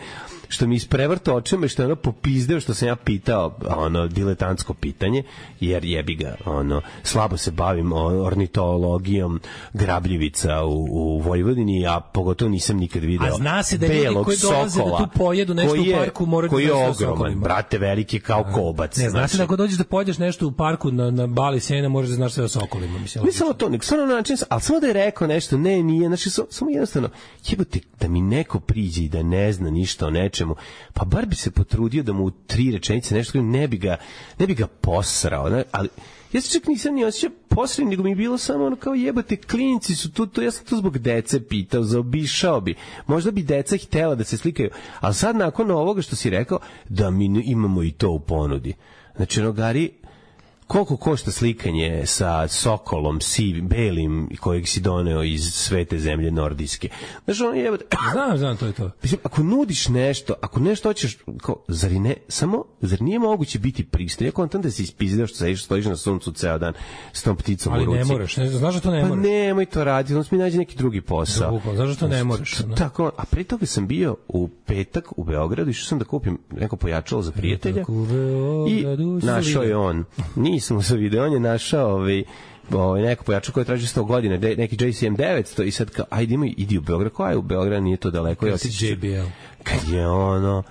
što mi isprevrto očima i što je ono popizdeo što sam ja pitao, ono, diletantsko pitanje, jer jebi ga, ono, slabo se bavim ornitologijom grabljivica u, u Vojvodini, a pogotovo nisam nikad video. A zna se da ljudi koji dolaze da tu pojedu nešto u parku moraju koji je ogroman, brate, veliki kao kobac. Ne, znaš da ako dođeš da pojedeš nešto u parku na, na Bali Sena, možeš da znaš sve o sokolima. Mislim, ne samo to, nek stvarno način, ali samo da je rekao nešto, ne, nije, znači, samo jednostavno, jebote, da mi neko priđe i da ne zna ništa o nečemu, pa bar bi se potrudio da mu u tri rečenice nešto, ne bi ga, ne bi ga posrao, ne, ali ja se čak nisam ni osjećao posredno, nego mi je bilo samo ono kao jebate, klinci su tu, to, ja sam to zbog dece pitao, zaobišao bi. Možda bi deca htjela da se slikaju, ali sad nakon ovoga što si rekao, da mi imamo i to u ponudi. Znači, ono, Gari, koliko košta slikanje sa sokolom, sivim, belim, kojeg si doneo iz svete zemlje nordijske? Znači, ono jebate... Znam, znam, to je to. Mislim, ako nudiš nešto, ako nešto hoćeš, kao, zar ne, samo, zar nije moguće biti pristojno? Ja kontam da si ispizdeo što sediš, stojiš na suncu ceo dan s tom pticom ali u ruci. Ali ne moraš, ne, znaš da to ne pa moraš. Pa nemoj to raditi, onda mi nađe neki drugi posao. Drugo, znaš da to ne moraš. Ne? Tako, a pre toga sam bio u petak u Beogradu, išao sam da kupim neko pojačalo za prijatelja i našao je on. Nisam se video, on je našao ovaj, ovaj, neko pojačalo koje traži sto godina, neki J C M devetsto i sad kao, ajde ima, idi u Beograd, koja je u Beograd, nije to daleko. Kad si J B L. Kad je ono,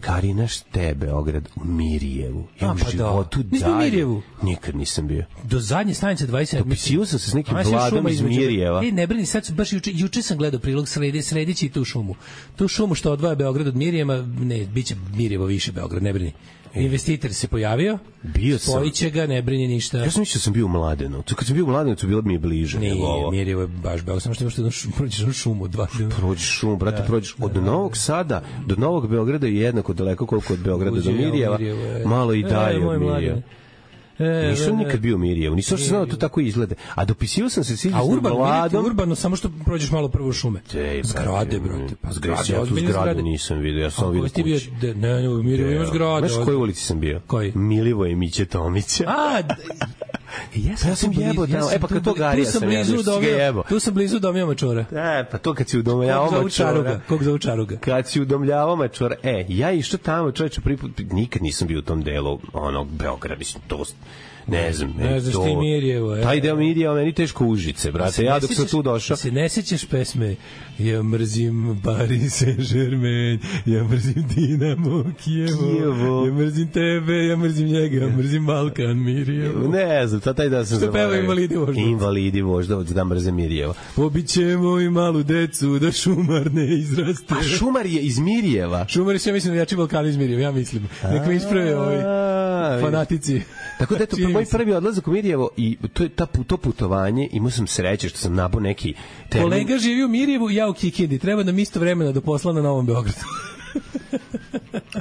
Karina šte Beograd u Mirjevu. Ja u životu dalje. Nikad nisam bio. Do zadnje stanice dvadeset sedam. Dopisio sam se s nekim Vladom iz Mirjeva. E, ne brini, sad baš juče, juče sam gledao prilog sredi, sredići tu šumu. Tu šumu što odvaja Beograd od Mirjeva, ne, bit će Mirjevo više Beograd, ne brini. Investitor se pojavio, bio sam. Spojiće ga, ne brini ništa. Ja sam mislio da sam bio u Mladenovcu. Kad sam bio u Mladenovcu, bilo mi je bliže. Nije, Mirjevo je baš Beograd. Samo što imaš jednu šumu, prođeš jednu šumu. Dva. Prođeš šumu, brate, da, prođeš od da, Novog Sada do Novog Beograda je jednako daleko koliko od Beograda do Mirjeva. Malo i dalje e, od Mirjeva. E, nisam nikad bio u Mirjevu, nisam što znao da to tako izgleda. A dopisio sam se siđe s Vladom. A urbano, samo što prođeš malo prvo šume. Te, zgrade, brate. Pa zgrade, ja tu zgradu nisam vidio, ja sam vidio kući. Ne, ne, u Mirjevu ima zgrade. Znaš u kojoj ulici sam bio? Koji? Milivoje Miće Tomića. A, ja sam, ja sam jebao tamo, e pa kad to Garija sam jebao, što ga jebao. Tu sam blizu Domija Mačora. E, pa to kad si udomljavao Mačora. Kog za Učaruga? Kad si udomljavao Mačora, e, ja išao tamo, čovječe, prvi put, nikad nisam bio u tom delu, onog, Beograda, mislim, to ne znam, ne znaš ti Mirjevo, taj deo Mirjeva meni teško Užice, brate, ja dok sam tu došao. Se ne sećaš pesme ja mrzim Paris Saint-Germain, ja mrzim Dinamo Kijevo, ja mrzim tebe, ja mrzim njega, ja mrzim Balkan Mirjevo. Ne znam, taj da sam zaboravio. Što peva Invalidi vožda. Invalidi vožda, da mrzim Mirjevo. Pobićemo i malu decu da šumar ne izraste. A šumar je iz Mirjeva? Šumar je sve, mislim, jači Balkan iz Mirjeva, ja mislim. Nek me isprave ovi fanatici. Tako da eto, moj prvi odlazak u Mirjevo i to je ta to putovanje, imao sam sreće što sam nabao neki termin. Kolega živi u Mirjevu, ja u Kikindi. Treba nam isto vremena do posla na Novom Beogradu.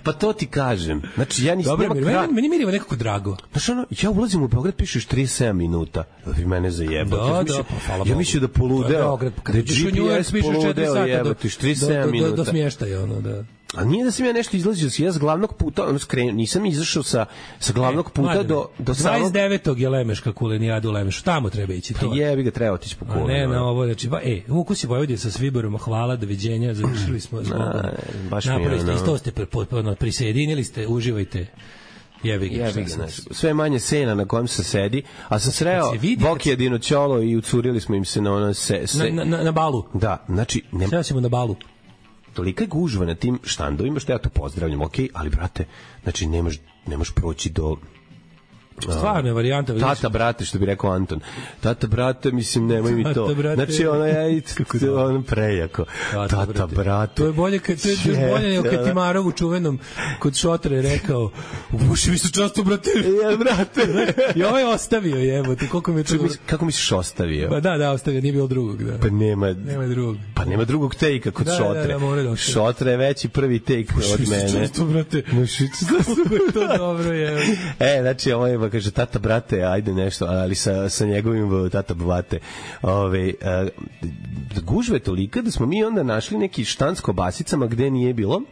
Pa to ti kažem. Znači, ja nisam... Dobro, meni, krat... meni Mirjevo nekako drago. Znači, ono, ja ulazim u Beograd, pišeš trideset sedam minuta. Vi mene zajebate. Da, ja da, pa hvala ja mislio da poludeo. Da, da je G P S poludeo, jebate, trideset sedam minuta. Do, do, do smještaja, ono, da. A nije da sam ja nešto izlazio, ja s glavnog puta, ono skrenuo, nisam izašao sa sa glavnog puta e, do do samog dvadeset devetog je Lemeška kulenijada u Lemešu, tamo treba ići to. Pa jebi ga, treba otići po kolu. Ne, na ovo, znači, ba, e, Vukus i Vojvodina sa Sviborom, hvala, doviđenja, završili smo zbogom. Baš mi je, isto ste potpuno prisjedinili ste, uživajte. Jebi ga, jebi ga, sve manje sena na kojem se sedi, a sam sreo Bokija Dinoćolo i ucurili smo im se na ono se, se na, na, na balu. Da, znači, ne srećemo na balu. Tolika je gužva na tim štandovima što ja to pozdravljam, okej, okay, ali brate, znači nemaš, nemaš proći do Stvarno je varijanta. Vidiš? Tata, brate, što bi rekao Anton. Tata, brate, mislim, nemoj mi to. Tata, brate. Znači, ono je ono prejako. Tata, Tata brate. brate. To je bolje, kad, to je još bolje nego kad Timarov u čuvenom kod Šotra je rekao, u buši mi su často, brate. Ja, brate. I ovaj ostavio, jebote, koliko mi je to... Kako misliš ostavio? Pa da, da, ostavio, nije bilo drugog, da. Pa nema... Nema drugog. Pa nema drugog take-a kod da, Šotre. Da, da, da, Šotre je veći prvi take od mene. Buši mi su často, brate. Buši mi su často, brate. To dobro je. E, znači, ovo je, kaže, tata, brate, ajde nešto, ali sa, sa njegovim tata, brate. Ove, a, gužve tolika da smo mi onda našli neki štanc kobasicama gde nije bilo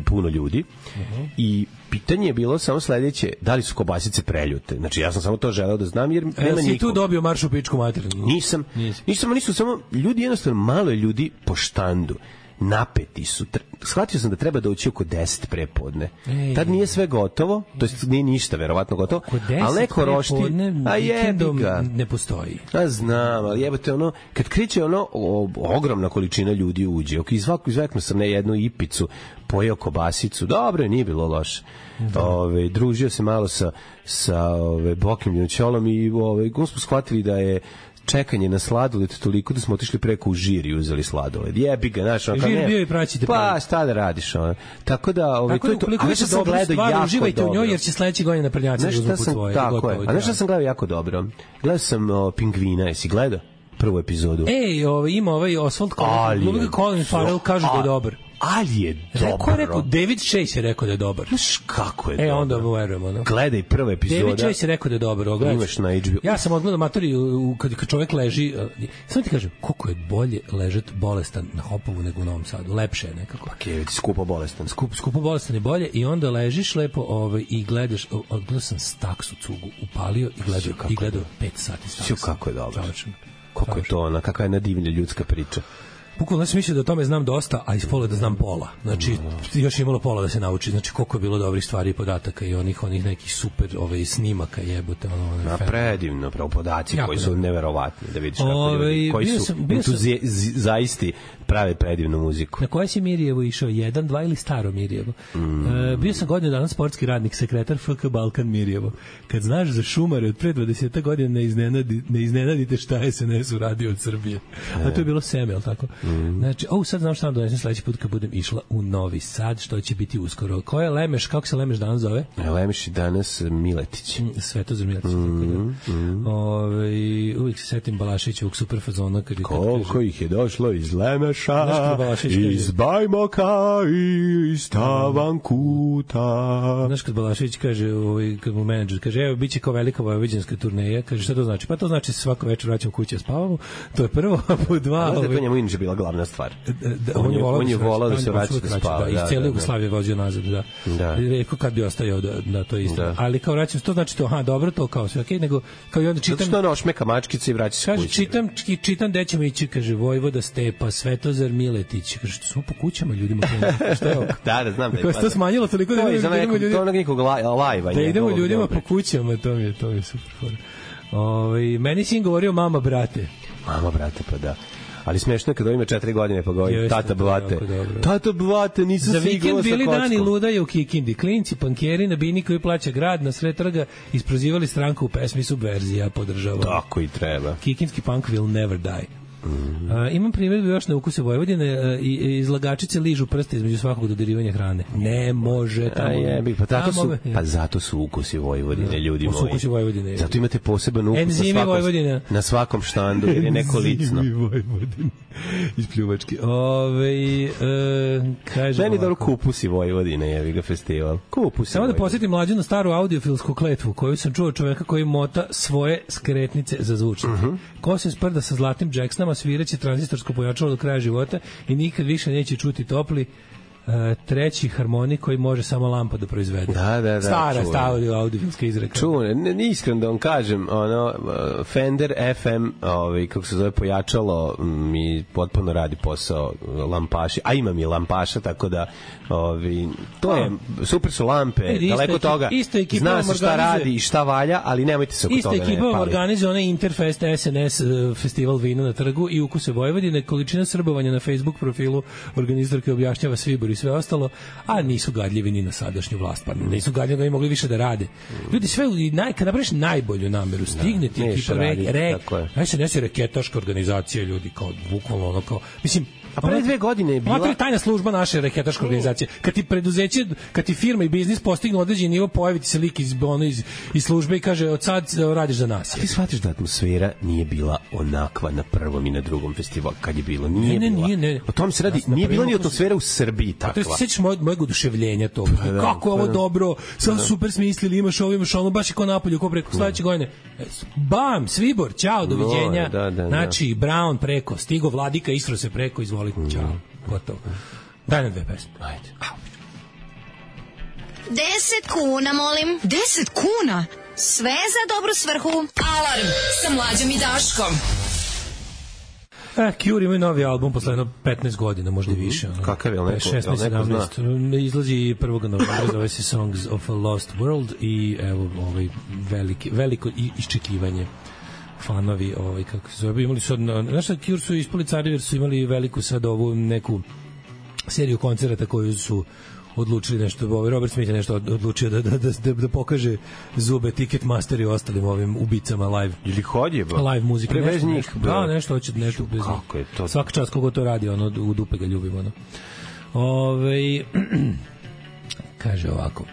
puno ljudi uh-huh. i pitanje je bilo samo sledeće, da li su kobasice preljute. Znači, ja sam samo to želeo da znam, jer e, nema si nikog. Tu dobio marš u pičku materinu? Nisam. Nisam. Nisam, nisu samo, ljudi jednostavno, malo je ljudi po štandu. Napeti su. Shvatio sam da treba doći oko deset prepodne. Ej, tad nije sve gotovo, to jest nije ništa verovatno gotovo, ali neko rošti, a jebi ga. Ne postoji. A znam, ali jebate ono, kad kriče ono, o, ogromna količina ljudi uđe. Ok, izvako, izvekno sam ne jednu ipicu, pojeo kobasicu, dobro, nije bilo loše. Da. Ove, družio se malo sa, sa ove, Bokim Ljučolom i ove, smo shvatili da je čekanje na sladoled toliko da smo otišli preko u žir i uzeli sladoled. Jebi ga, znaš, ono, žir bio i praćite. Pa, šta da radiš, ono. Tako da, ovaj, tako to je to. Ali što sam gledao jako dobro. Uživajte u njoj, jer će sledeće godine na prnjaci da uzmu po svoje. Tako je. A znaš šta sam gledao jako dobro? Gledao sam o, Pingvina, jesi gledao prvu epizodu? Ej, ovaj, ima ovaj Oswald Colin, Colin Farrell, kaže da je dobar. Ali je dobro. Rekao je rekao, David Chase je rekao da je dobar. Znaš kako je e, dobro. E, onda mu verujemo. No. Gledaj prva epizoda. David Chase je rekao da je dobar. Ogledaj. Imaš na H B O. Ja sam odgledao matori kad, kad čovjek leži. Uh, samo ti kažem, koliko je bolje ležet bolestan na Hopovu nego u Novom Sadu. Lepše je nekako. Pa okay, ti skupo bolestan. Skup, skupo bolestan je bolje i onda ležiš lepo ovaj, i gledaš. Odgledao sam Staksu cugu, upalio i gledao, i gledao pet sati Staksa. Sjo kako je dobro. Kako je to ona, kakva je nadivlja ljudska priča. Bukvalno sam mislio da o tome znam dosta, a iz pola da znam pola. Znači, još je imalo pola da se nauči. Znači, koliko je bilo dobrih stvari i podataka i onih onih nekih super ovaj, snimaka jebote. Ono, ono, na predivno, pravo podaci jako koji su neverovatni. Da vidiš kako ove, ljudi, koji su entuzijaisti prave predivnu muziku. Na koje si Mirjevo išao? Jedan, dva ili staro Mirjevo? Mm. E, bio sam godinu dana sportski radnik, sekretar F K Balkan Mirjevo. Kad znaš za šumare od pre dvadeset godina ne, iznenadi, ne iznenadite šta je S N S uradio od Srbije. E. A to je bilo seme, ali tako? Mm. Znači, o, sad znam šta vam donesem sledeći put kad budem išla u Novi Sad, što će biti uskoro. Ko je Lemeš, kako se Lemeš danas zove? Lemeš je danas Miletić. Mm, Svetozar Miletić. Mm, tako da. Mm. Ove, uvijek se setim Balašićevog super fazona. Kad koliko kaže, ih je došlo iz Lemeša, iz Bajmoka i iz Tavankuta. Znaš kad Balašić kaže, ovaj, kad mu menadžer kaže, evo, bit će kao velika vojvođanska turneja, kaže, šta to znači? Pa to znači se svako večer vraćam kući, spavamo. To je prvo, a po dva... Ali to njemu inače bila glavna stvar. Da, on, je on je volao da se vraća da spava. Da, iz cijele Jugoslavije vozio nazad, da. Da. Rekao kad bi ostajao da, da to je isto. Da. Ali kao vraćam, to znači to, aha, dobro, to kao sve okej, okay, nego kao i onda čitam... Zato što ono šmeka mačkice i vraća se kući. Čitam, čitam gde ćemo ići, kaže, Vojvoda Stepa, Svetozar Miletić, kaže, što smo po kućama ljudima. Šta je ovo? Da, da, znam da je. Kako se to smanjilo toliko da idemo ljudima... To onog nekog lajva. Da idemo ljudima po kućama, to mi je, to je super fora. Ovaj meni sin govorio mama, brate. Mama, brate, pa da. Ali smešno je kad on ima četiri godine pa govori tata bvate. Tata bvate, nisam za vikend bili dani ludaje u Kikindi. Klinci, pankjeri na bini koji plaća grad na sred trga isprozivali stranku u pesmi Subverzija, podržavam. Tako i treba. Kikinski punk will never die. Mm-hmm. Uh, imam primjer još na ukuse Vojvodine uh, i, i izlagačice ližu prste između svakog dodirivanja hrane. Ne može tamo. A je, pa, tako su, pa zato su ukusi Vojvodine, ljudi moji. Ukusi Vojvodine. Zato imate poseban ukus na svakom, na svakom štandu, jer je neko licno. Enzimi Vojvodine. Iz pljuvački. Ove, uh, kaže meni dobro kupusi Vojvodine, jevi ga festival. Kupusi Samo da posjetim mlađu na staru audiofilsku kletvu koju sam čuo čoveka koji mota svoje skretnice za zvučnike. Uh-huh. Ko se sprda sa zlatnim Jacksonama, sviraće tranzistorsko pojačalo do kraja života i nikad više neće čuti topli uh, treći harmonik koji može samo lampa da proizvede. Da, da, da. Stara, stara audiofilska izreka. Čune, ne, ne iskreno da vam kažem, ono, Fender F M, ovaj, kako se zove, pojačalo, mi potpuno radi posao lampaši, a imam i lampaša, tako da ovi, to je, super su lampe, e, daleko isto, toga, isto zna se šta radi i šta valja, ali nemojte se oko isto toga ne pali. Isto ekipa organizuje onaj Interfest S N S festival vina na trgu i ukuse Vojvodine, količina srbovanja na Facebook profilu organizatorke objašnjava Svibor i sve ostalo, a nisu gadljivi ni na sadašnju vlast, pa nisu gadljivi da bi mogli više da rade. Ljudi, sve, naj, kada napraviš najbolju nameru, stigne ti ekipa, rek, rek, aj se nesi reketaška organizacija, ljudi, kao bukvalno ono, kao, mislim, a pre dve godine je bila... Ona je tajna služba naše reketaške organizacije. Kad ti preduzeće, kad ti firma i biznis postignu određeni nivo, pojavi ti se lik iz, ono, iz, iz službe i kaže, od sad radiš za nas. A ti shvatiš da atmosfera nije bila onakva na prvom i na drugom festivalu, kad je bilo? Nije ne, ne, bila. Nije, ne. O tom se radi, nije bila ni atmosfera u Srbiji takva. A to se sećaš mojeg, mojeg oduševljenja toga. Pa da, kako je ovo pa dobro, sad da. Super smislili, imaš ovo, imaš ono, baš i ko napolju, ko preko sledeće godine. Bam, Svibor, ćao, doviđenja. Da, da, da, znači, Brown preko, stigo Vladika, Isro se preko, izvoli, ćao. Gotovo. Daj nam dve pesme. Ajde. Deset kuna, molim. Deset kuna? Sve za dobru svrhu. Alarm sa Mlađom i Daškom. Eh, Cure imaju novi album posle jedno petnaest godina, možda i više. Ono. Kakav je, neko, šesnaest, neko zna? Izlazi prvog novembra, zove se Songs of a Lost World i evo ovaj veliki, veliko iščekivanje. Fanovi, ovaj, kako se zove, imali su, znaš šta, Cure su ispali cari jer su imali veliku sad ovu neku seriju koncerata koju su odlučili nešto, ovaj Robert Smith je nešto odlučio da, da, da, da pokaže zube Ticketmaster i ostalim ovim ubicama live. Ili hodje, ba? Live muzika. Prevez njih. Da, nešto hoće, nešto bez njih. Kako je to? Svaka čast kogo to radi, ono, u dupe ga ljubimo, ono. Ove, kaže ovako.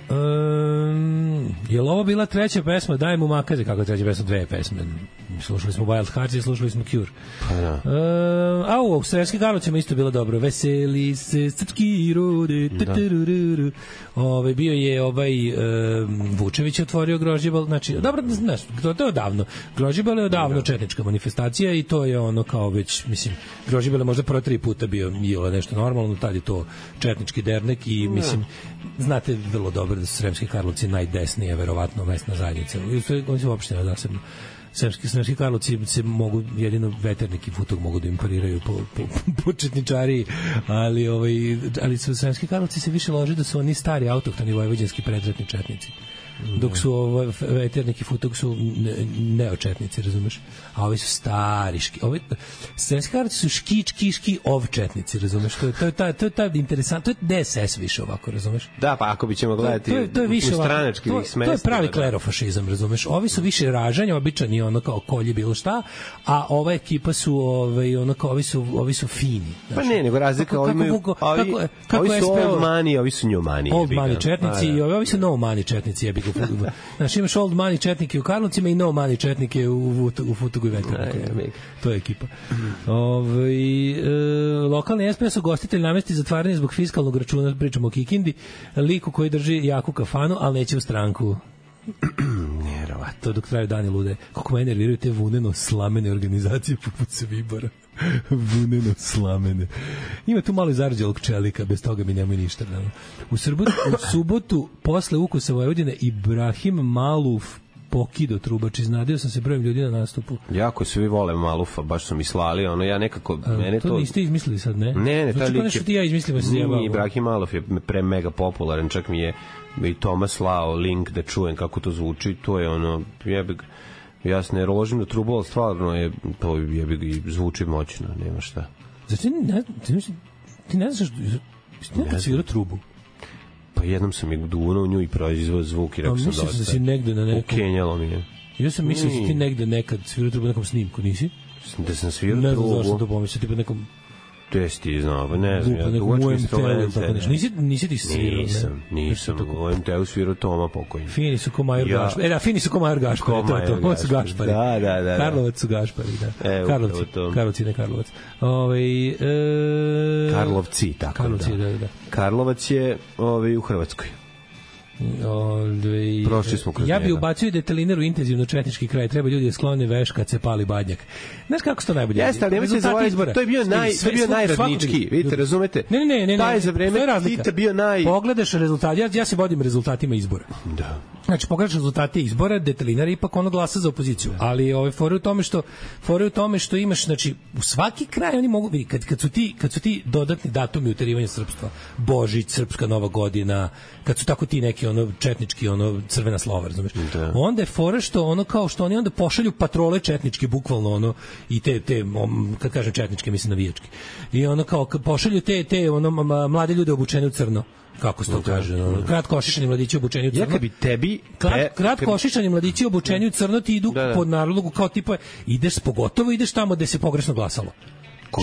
Um, je li ovo bila treća pesma? Daj mu makaze. Kako je treća pesma? Dve pesme. Slušali smo Wild Hearts i slušali smo Cure. Pa da. Uh, a u Sremskim Karlovcima isto bilo dobro. Veseli se srpski rode. Ove, bio je ovaj um, Vučević otvorio Grožđebal. Znači, dobro, znaš, to, to je odavno. Grožđebal je odavno četnička manifestacija i to je ono kao već, mislim, Grožđebal je možda prvo tri puta bio jelo nešto normalno, tad je to četnički dernek i mislim, znate vrlo dobro da su Sremski Karlovci najdesnije, verovatno, mesna zajednica. Oni su uopšte zasebno. Sremski, Sremski Karlovci se mogu, jedino veternik i futog mogu da im pariraju po, po, po četničariji, ali, ovaj, ali su Sremski Karlovci se više lože da su oni stari autohtoni vojvođanski predratni četnici. Dok su ovaj veternik i futog su neočetnici, razumeš? A ovi su stariški. Ovi Sremski Karlovci su škičkiški ovčetnici, razumeš? To je to je ta to je ta interesantno, to je D S S više ovako, razumeš? Da, pa ako bićemo gledati to je, to je više stranački to, smesta. To je pravi klerofašizam, razumeš? Ovi su više ražanja, običani ono kao kolje bilo šta, a ova ekipa su ovaj ono kao ovi su ovi su fini. Pa ne, nego razlika, ovi imaju ovi, ovi su old money, ovi su new money. Old money četnici i ovi su no money četnici, jebi ga. Znaš, imaš old money četnike u Karlovcima i no money četnike u, u Futogu i Veterniku. To je ekipa. Ove, e, lokalni espresso gostitelj namesti zatvaranje zbog fiskalnog računa, pričamo o Kikindi, liku koji drži jaku kafanu, ali neće u stranku. Nerovatno. To dok traju dani lude. Kako me nerviraju te vuneno slamene organizacije poput Svibora. Vuneno slamene. Ima tu malo zarđalog čelika, bez toga mi nemoj ništa. Ne? U, Srbotu, u subotu, posle Ukusa Vojvodine, Ibrahim Maluf pokido trubač, iznadio sam se brojem ljudi na nastupu. Jako svi vole Malufa, baš su mi slali, ono, ja nekako... A, mene to, to niste izmislili sad, ne? Ne, ne, znači, taj lik je... ti ja izmislimo se zjebao. Ibrahim Maluf je pre mega popularan, čak mi je i Toma slao link da čujem kako to zvuči, to je ono, jebig, ja se ne rožim na trubu, ali stvarno je, to jebig i zvuči moćno, nema šta. Znači, ti ne, ti, ti ne znaš, ti nekad svirao trubu? Pa jednom sam je dunuo u nju i proizvao zvuk i rekao sam dosta. Mislim da si negde na nekom... Ukenjalo mi je. Ja sam mislio da si ti negde nekad svirao trubu na nekom snimku, nisi? Da sam svirao trubu. Ne znam zašto sam to pomislio, tipa nekom... Gde si ti znao, pa ne znam, ja duvački instrumente. Nisi, nisi ti svirao, nisam, ne? Nisam, u O M T-u svirao Toma pokojni. Fini su ko Major ja. Gašpar. E da, fini su ko Major Gašpar, to je to, ovo su Gašpari. Da, da, da. Karlovac su Gašpari, da. E, Karlovci, Karlovci, ne Karlovac. Ove, e... Karlovci, tako Karlovci, da. da, da. Karlovac je ovaj, u Hrvatskoj. Ove, Prošli smo kroz ja bi ubacio detaliner u intenzivno četnički kraj. Treba ljudi da sklone veš kad se pali badnjak. Znaš kako se to najbolje? Jeste, ali nemojte zaboraviti, to je bio naj, to je bio najradnički. Vidite, razumete? Ne, ne, ne, ne. Taj za vreme Tita bio naj... Pogledaš rezultat, ja, ja se vodim rezultatima izbora. Da. Znači, pogledaš rezultate izbora, detaliner ipak ono glasa za opoziciju. Ali ove fore u tome što fore u tome što imaš, znači, u svaki kraj oni mogu vidjeti, kad, kad, su ti, kad su ti dodatni datumi uterivanja srpstva, Božić, Srpska Nova godina, kad su tako ti neki jugoslovenski ono četnički ono crvena slova, razumeš? Da. Onda je fora što ono kao što oni onda pošalju patrole četničke bukvalno ono i te te kad kažem četničke mislim navijačke. I ono kao pošalju te te ono mlade ljude obučene u crno. Kako se to kaže, no, kratko ošišani mladići obučeni u crno. Ja kad bi tebi Krat, kratko ošišani mladići obučeni u crno ti idu da, da. pod nalogu kao tipa ideš pogotovo ideš tamo gde se pogrešno glasalo.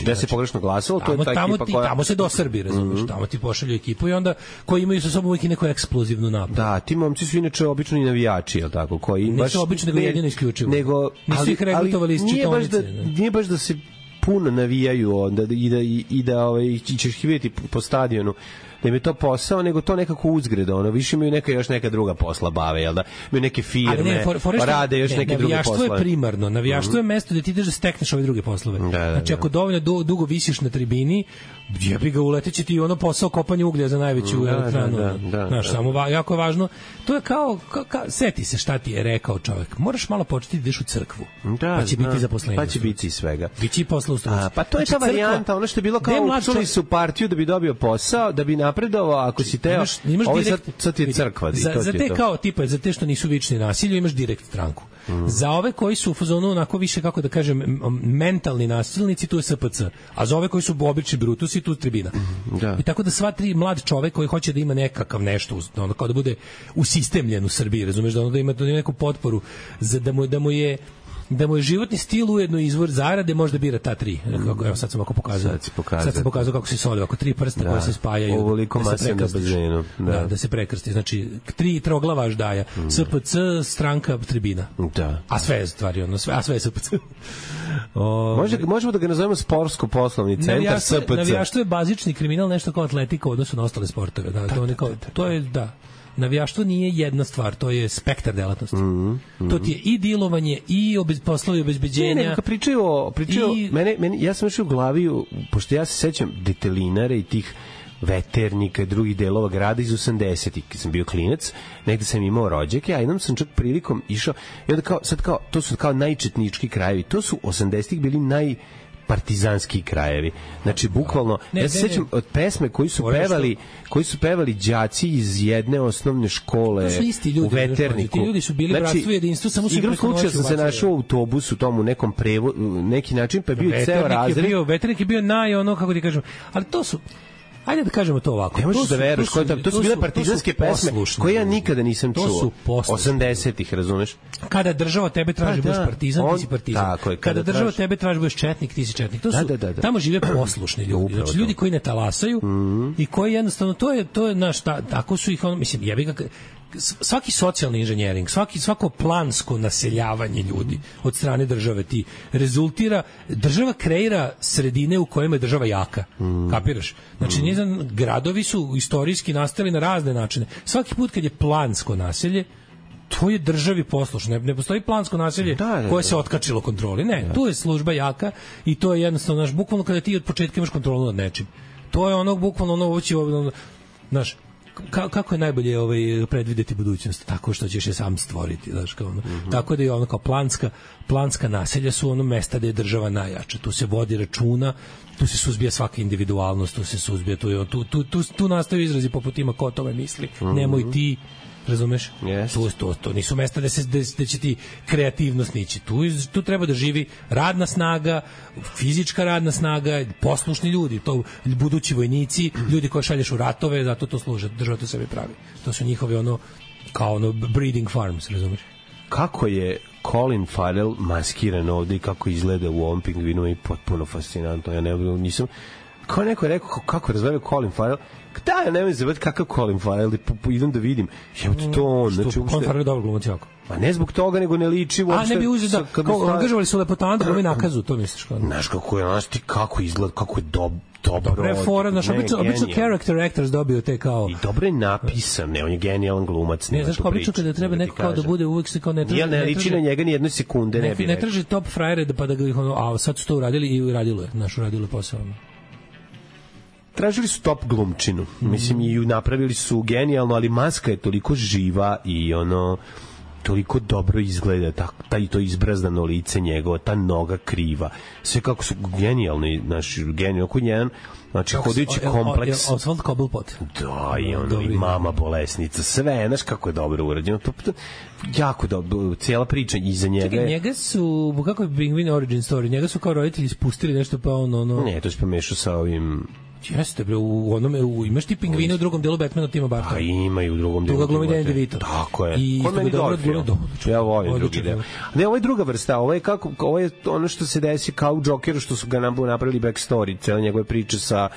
Gde se pogrešno glasalo, to je ta tamo ekipa ti, koja... Tamo se do Srbi, razumiješ, mm-hmm. tamo ti pošalju ekipu i onda koji imaju sa sobom uvijek neku eksplozivnu napad. Da, ti momci su inače obično i navijači, je li tako? Koji ne baš, su obično, nego jedino isključivo. Nego, nisu ih regrutovali iz čitonice. Da, nije baš da se puno navijaju onda, i da, i, i da ovaj, ćeš ih vidjeti po stadionu da im je to posao, nego to nekako uzgreda, ono, više imaju neka još neka druga posla bave, jel da? Imaju neke firme, ne, for, for rade još ne, neke druge poslove. Navijaštvo je primarno, navijaštvo je mesto da ti ideš da stekneš ove druge poslove. Da, da, znači, ako dovoljno du, dugo visiš na tribini, jebi ga, uleteće ti ono posao kopanja uglja za najveću da, elektranu. Da, da, da, znaš, da. Samo va, jako je važno. To je kao, ka, ka, seti se šta ti je rekao čovjek. Moraš malo početi da ideš u crkvu. Da, pa će biti zaposlenje. Pa će biti svega. Biće i posla u struci. Pa to je ta varijanta, ono što je bilo kao učili su partiju da bi dobio posao, da bi napredovao, ako si teo, imaš, imaš ovo direkt, sad, sad ti je crkva. Za, to za te kao tipa, za te što nisu vični nasilju, imaš direkt stranku. Mm. Za ove koji su u fazonu onako više, kako da kažem, mentalni nasilnici, tu je S P C. A za ove koji su obični brutusi, tu je tribina. Mm, da. I tako da sva tri mlad čovek koji hoće da ima nekakav nešto, ono, kao da bude usistemljen u Srbiji, razumeš, da ono da ima, da ima neku potporu, za, da, mu, da mu je da mu je životni stil ujedno izvor zarade, možda bira ta tri. Kako, evo sad sam ovako pokazao. Sad, sad sam pokazao kako se soli, ovako tri prsta da, koje se spajaju. Ovoliko da se prekrstiš. Da. Da, da se prekrsti. Znači, tri troglava ždaja. Mm. S P C, stranka, tribina. Da. A sve je stvari, ono, sve, a sve je S P C. O, Može, možemo da ga nazovemo sportsko-poslovni centar S P C. Navijaštvo je bazični kriminal, nešto kao atletika u odnosu na ostale sportove. Da, da, to, da, kao, da, da, to je, da. Navijaštvo nije jedna stvar, to je spektar delatnosti. Mm -hmm. To ti je i dilovanje, i obez, poslovi obezbeđenja. Ne, ne, kad pričaju o... Pričaju, i... mene, mene, ja sam još u glavi, pošto ja se sećam detelinare i tih veternika i drugih delova grada iz osamdesetih, kad sam bio klinac, negde sam imao rođake, a jednom sam čak prilikom išao, i onda kao, sad kao, to su kao najčetnički krajevi, to su osamdesetih bili naj partizanski krajevi. Znači bukvalno ne, ja se sećam od pesme koji su Ove pevali, što... koji su pevali đaci iz jedne osnovne škole ljudi, u Veterniku. Ti ljudi su bili znači, bratstvo i jedinstvo, samo su igrom slučaja sam se našao u autobusu tomu nekom prevo, neki način pa je bio Veternik ceo razred. Bio, Veternik je bio naj ono kako ti kažem, ali to su ajde da kažemo to ovako. Ne možeš da veruješ, to, to, to su bile partizanske pesme koje ja nikada nisam čuo. To su osamdesetih, razumeš? Kada država tebe traži da budeš partizan, on, ti si partizan. Tako je, kada, kada država traži... tebe traži budeš četnik, ti si četnik. To su, da, da, da. Tamo žive poslušni ljudi. Znači, ljudi koji ne talasaju mm -hmm. i koji jednostavno, to je, to je naš, ta, tako su ih, ono, mislim, jebi ga, svaki socijalni inženjering, svaki, svako plansko naseljavanje ljudi od strane države ti rezultira, država kreira sredine u kojima je država jaka. Mm. Kapiraš? Znači, mm. nizam, gradovi su istorijski nastali na razne načine. Svaki put kad je plansko naselje, to je državi poslušno. Ne, ne postoji plansko naselje da, da, koje se otkačilo kontroli. Ne, da. Tu je služba jaka i to je jednostavno, znaš, bukvalno kada ti od početka imaš kontrolu nad nečim. To je ono, bukvalno ono, ovo će, ono, znaš, Ka, kako je najbolje ovaj predvideti budućnost tako što ćeš je sam stvoriti, znači kao ono. Mm -hmm. Tako da je ono kao planska planska naselja su ono mesta gde je država najjača. Tu se vodi računa, tu se suzbija svaka individualnost, tu se suzbija tu tu tu tu, tu nastaju izrazi poput ima ko o tome misli. Mm -hmm. Nemoj ti, razumeš? Yes. To, to, to nisu mesta da se da će ti kreativnost nići. Tu tu treba da živi radna snaga, fizička radna snaga, poslušni ljudi, to budući vojnici, ljudi koje šalješ u ratove, zato to služe, država to sebi pravi. To su njihovi ono kao ono breeding farms, razumeš? Kako je Colin Farrell maskiran ovde i kako izgleda u ovom Pingvinu je potpuno fascinantno. Ja ne nisam kao neko je rekao kako razveo Colin Farrell. Da, ja ne znam kakav Colin Farrell, idem da vidim. Jebote to on, znači Colin Farrell je dobar glumac jako. A ne zbog toga, nego ne liči uopšte. A ne bi uzeo da, kao angažovali su lepotana da glumi nakazu, to misliš kao? Znaš kako je, znaš ti kako izgleda, kako je dob, dobro. Dobro je fora, znaš, obično, obično character actors dobio te kao... I dobro je napisan, ne, on je genijalan glumac. Ne, znaš, obično kada treba neko kao da bude uvijek se kao ne traži... Ja ne liči na njega ni jedne sekunde, ne bi ne traži top frajere pa da ga ih ono, a sad su to uradili i uradilo je, znaš, uradilo je posao. Tražili su top glumčinu. Mislim, i napravili su genijalno, ali maska je toliko živa i ono... toliko dobro izgleda, ta, taj to izbrazdano lice njegovo, ta noga kriva, sve kako su genijalni, naši genijalni, oko jedan, znači hodajući kompleks. Oswald Cobblepot. Da, i ono, i mama bolesnica, sve, znaš kako je dobro urađeno, to, to jako dobro, cijela priča iza njega. Čekaj, njega su, kako je Penguin Origin Story, njega su kao roditelji spustili nešto pa ono, ono... Ne, to se pomešao sa ovim... Jeste, bre, u onome, u, imaš ti Pingvine u drugom delu Batmana Tima Bartona. Pa ima i u drugom delu. Tu ga glumi Danny DeVito. Tako je. I Ko meni dobro film. Ja volim drugi deo. Ne, ovo je druga vrsta, ovo je, kako, ovo je ono što se desi kao u Jokeru, što su ga napravili backstory, cijela njegove priče sa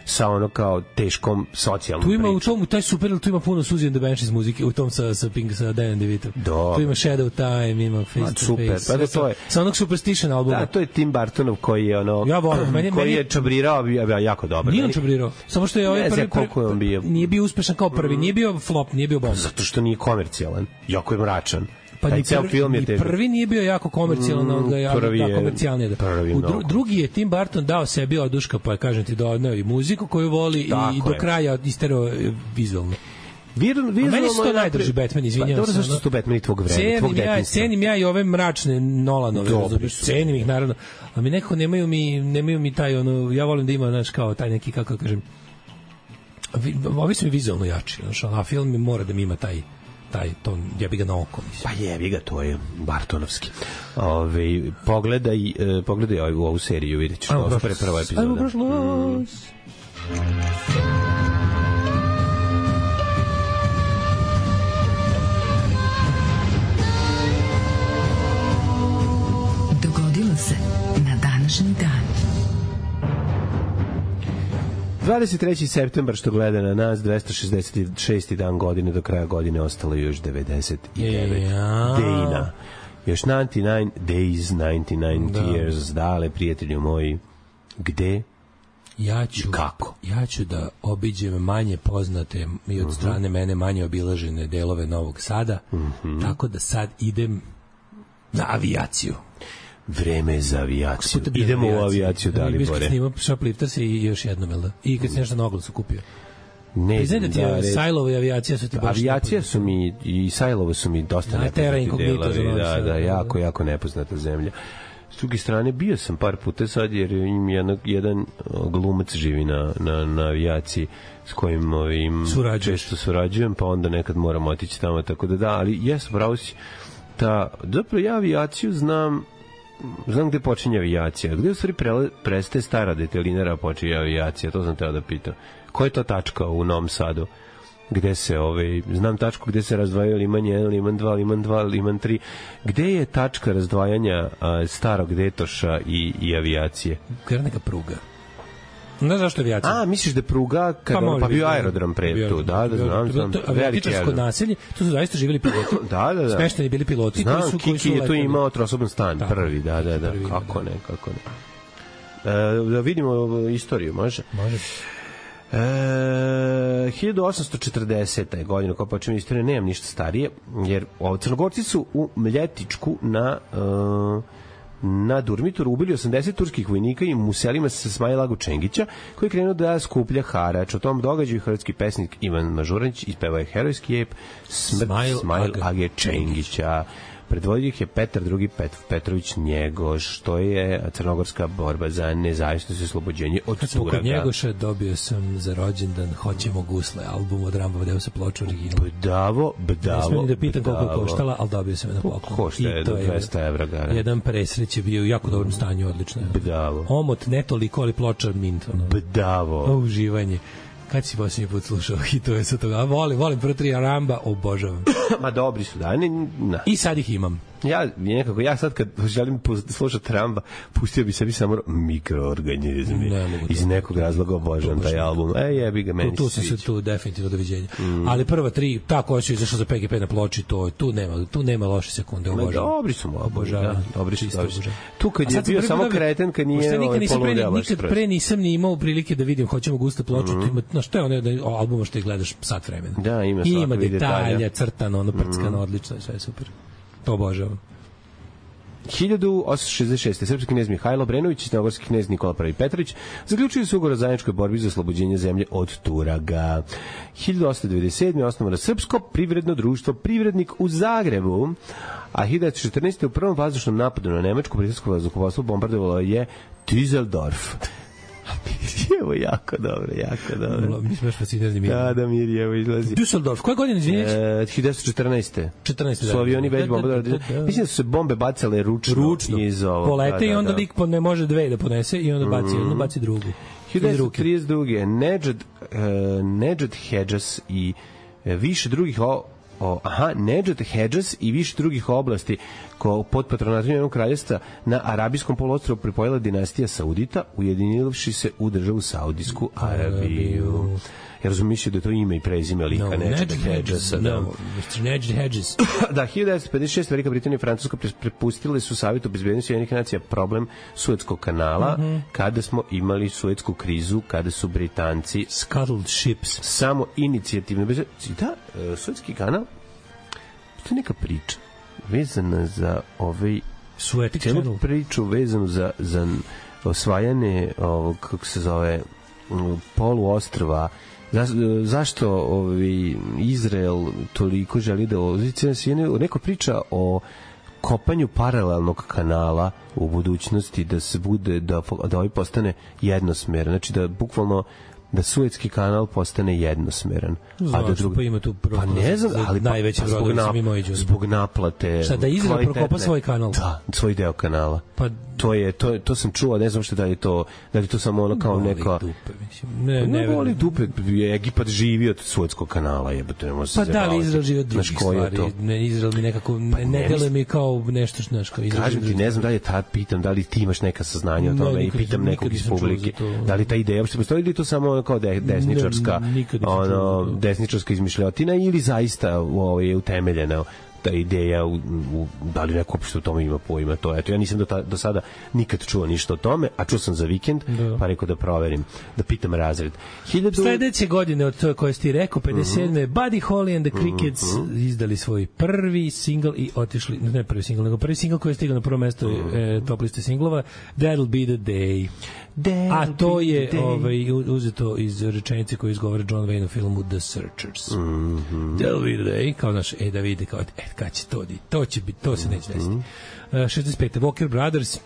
sa ono kao teškom socijalnom pričom. Tu ima pričom. u tom, taj super, tu ima puno Suzy and the Banshees muzike, u tom sa, sa Pink, sa Danny DeVito. Tu ima Shadow Time, ima Face Ma, to super, Face. Pa da to je. Sa onog Superstition albuma. Da, to je Tim Burtonov koji je ono... Ja volim. Meni, koji meni, je čabrirao, ja, jako dobro. Nije on čabrirao. Samo što je ovaj prvi, prvi, je on bio. Nije bio uspešan kao prvi, nije bio flop, nije bio bomba. Zato što nije komercijalan. Jako je mračan. Pa ni prvi, film je ni prvi nije bio jako komercijalan, mm, ga jako komercijalni. U dru, drugi je Tim Burton dao sebi oduška, pa kažem ti da odneo i muziku koju voli i, i do kraja isterao vizualno. Vir, vizualno meni se to najdraži Batman, izvinjavam pa, se. Dobro, zašto su to Batman i tvog vremena, tvog ja, cenim ja i ove mračne Nolanove, cenim ih naravno, a mi nekako nemaju mi, nemaju mi taj, ono, ja volim da ima, znaš, kao taj neki, kako kažem, ovi su mi vizualno jači, znaš, a film mi mora da mi ima taj taj ton, jebi ga na oko, mislim. Pa jebi ga, to je Bartonovski. Ove, pogledaj, e, pogledaj ovu, ovu seriju, vidjet ćeš. Ovo je prva epizoda. Ajmo prošlo. Mm. Dogodilo se na današnji dan. dvadeset treći septembar, što gleda na nas, dvesta šezdeset šesti dan godine, do kraja godine ostalo još devedeset devet ja. dejina. Još devedeset devet days, devedeset devet da. Years, dale, prijatelju moji, gde ja ću, i kako? Ja ću da obiđem manje poznate i od strane uh-huh. mene manje obilažene delove Novog Sada, uh-huh. tako da sad idem na avijaciju. Vreme je za avijaciju. Idemo u avijaciju, da li Bore? Snima Shoplifters i još jednom, jel da? I kad si nešto na oglasu kupio. Ne znam, da ti je Sajlova i avijacija su ti baš... Avijacija su mi i Sajlova su mi dosta nepoznati delovi. Da, da, jako, jako nepoznata zemlja. S druge strane, bio sam par puta sad, jer im jedan, jedan glumac živi na, na, na avijaciji s kojim ovim često surađujem, pa onda nekad moram otići tamo, tako da da, ali jes, pravo si, ta, zapravo ja avijaciju znam znam gde počinje avijacija. Gde u stvari pre, prestaje stara detelinara, a počinje avijacija? To sam teo da pitam. Koja je to tačka u Novom Sadu? Gde se, ovaj, znam tačku gde se razdvajaju Liman jedan, Liman dva, Liman dva, Liman tri. Gde je tačka razdvajanja a, starog detoša i, i avijacije? Gde je neka pruga? Ne zašto avijacija. A, misliš da pruga, kada, pa, pa bio aerodrom pre tu, da, da, znam, znam. Aviatičarsko naselje, tu su zaista živjeli piloti. Da, da, da. Smešteni bili piloti. Znam, su, Kiki je tu imao trosoban stan, prvi, da, da, da. Kako ne, kako ne. E, da vidimo istoriju, može? Može. E, hiljadu osamsto četrdesete godine, kao počinje istorije, nemam ništa starije, jer ovo, Crnogorci su u Mljetičku na... Uh, na Durmitoru ubili osamdeset turskih vojnika i muselima se Smajla Agu Čengića, koji je krenuo da skuplja harač. O tom događaju hrvatski pesnik Ivan Mažuranić ispevao je herojski ep Smrt Smajl Age Čengića. Predvodio ih je Petar drugi Pet, Petrović Njegoš, što je crnogorska borba za nezavisnost i oslobođenje od Kad smo Suraga. Kod Njegoša dobio sam za rođendan Hoćemo gusle, album od Ramba, deo se ploču original. Bdavo, bdavo, ne smijem da pitam koliko je koštala, ali dobio sam je na poklon. Košta je do dvesta evra gara. Jedan presreć je bio u jako dobrom stanju, odlično. Bdavo. Omot ne toliko, ali ploča mint. Ono. Bdavo. O, uživanje. Kad si posljednji put slušao hitove sa toga? Volim, volim prvo tri Ramba, obožavam. Ma dobri su, da. Ne, na. I sad ih imam. Ja nekako, ja sad kad želim slušati Ramba, pustio bi sebi samo mikroorganizmi. Ne, iz nekog razloga obožavam taj album. E, jebi ga, meni tu, tu se sviđa. Tu tu definitivno doviđenja. Mm. Ali prva tri, ta koja su izašla za P G P na ploči, to tu nema, tu nema loše sekunde, obožavam. Dobri su mu, obožavam. Da, dobri su, dobri su. Tu kad je bio samo kreten, kad nije ovaj poludeo. Nikad pre nisam ni imao prilike da vidim Hoćemo guste ploču, na što je ono albuma što je gledaš sat vremena. Da, ima svakog ima detalja, crtano, ono prckano, odlično, sve super. To obožavam. hiljadu osamsto šezdeset šeste. Srpski knez Mihajlo Obrenović i crnogorski knez Nikola Prvi Petrović zaključili su ugovor o zajedničkoj borbi za oslobođenje zemlje od Turaga. hiljadu osamsto devedeset sedme. osnovano Srpsko privredno društvo Privrednik u Zagrebu, a hiljadu devetsto četrnaeste. u prvom vazdušnom napadu na nemačko britansko vazduhoplovstvo bombardovalo je Düsseldorf. Evo, jako dobro, jako dobro. Mi smo još fascinirani Mirjem. Da, da, Mirjem izlazi. Düsseldorf, koje godine, izvinješ? E, hiljadu devetsto četrnaeste. četrnaeste. Su avioni već bombardovali. Mislim da su se bombe bacale ručno, ručno. iz ovo. Polete da, da, i onda da. lik ne može dve da ponese i onda baci, mm. onda baci drugu. hiljadu devetsto trideset druge. Nedžad, uh, Nedžad Hedžas i uh, više drugih o, o, aha, Nedžad Hedžas i više drugih oblasti ko pod patronatom Ujedinjenog kraljevstva na Arabijskom poluostrvu pripojila dinastija Saudita, ujedinivši se u državu Saudijsku Arabiju. Ja razumiješ da je to ime i prezime lika no, Nedžad Hedžasa. No, mister Nedžad Hedžas. Da, hiljadu devetsto pedeset šeste. Velika Britanija i Francuska prepustile su Savetu bezbednosti Ujedinjenih nacija problem Suetskog kanala, mm -hmm. kada smo imali Suetsku krizu, kada su Britanci scuttled ships. Samo inicijativno. Da, Suetski kanal, to je neka priča vezana za ovaj Suetic celu channel. Priču vezanu za, za osvajanje ovog, kako se zove, poluostrva. Za, zašto ovi Izrael toliko želi da ozice neko priča o kopanju paralelnog kanala u budućnosti, da se bude da da ovaj postane jednosmeran, znači da bukvalno da Suetski kanal postane jednosmeran. Znaš, a da drugi... pa ima tu pa ne znam, ali pa, najveći pa zbog, nap... zbog naplate. Šta, da Izrael prokopa svoj kanal? Da, svoj deo kanala. Pa to je to to sam čuo, ne znam šta da je to, da li to samo ono kao neka dupe, mislim. Ne, ne, ne voli dupe, Egipat živi od Suetskog kanala, jebote, ne može se. Pa da li Izrael živi od drugih stvari? Ne, Izrael mi nekako ne, ne deluje mi kao nešto znaš kao Izrael. Kažem ti, ne znam da li je ta pitam, da li ti imaš neka saznanja o tome i pitam nekog iz publike, da li ta ideja uopšte postoji ili to samo ono kao desničarska, ono desničarska izmišljotina ili zaista ovo je utemeljena ta ideja u, u, da li neko uopšte o tome ima pojma, to eto ja nisam do, ta, do sada nikad čuo ništa o tome, a čuo sam za vikend, da. Pa rekao da proverim, da pitam razred. Hiljadu... Sledeće godine od toje koje si ti rekao, pedeset sedme. Mm-hmm. Buddy Holly and the Crickets mm-hmm. izdali svoj prvi singl i otišli, ne prvi singl, nego prvi singl koji je stigao na prvo mesto mm-hmm. e, top liste singlova, That'll Be the Day. That'll a to je ovaj, uzeto iz rečenice koju izgovara John Wayne u filmu The Searchers. Mm-hmm. That'll Be the Day, kao naš, e da vidi, kao, e, kad će to, to će biti, to se neće desiti. Uh, šezdeset pete. Walker Brothers uh,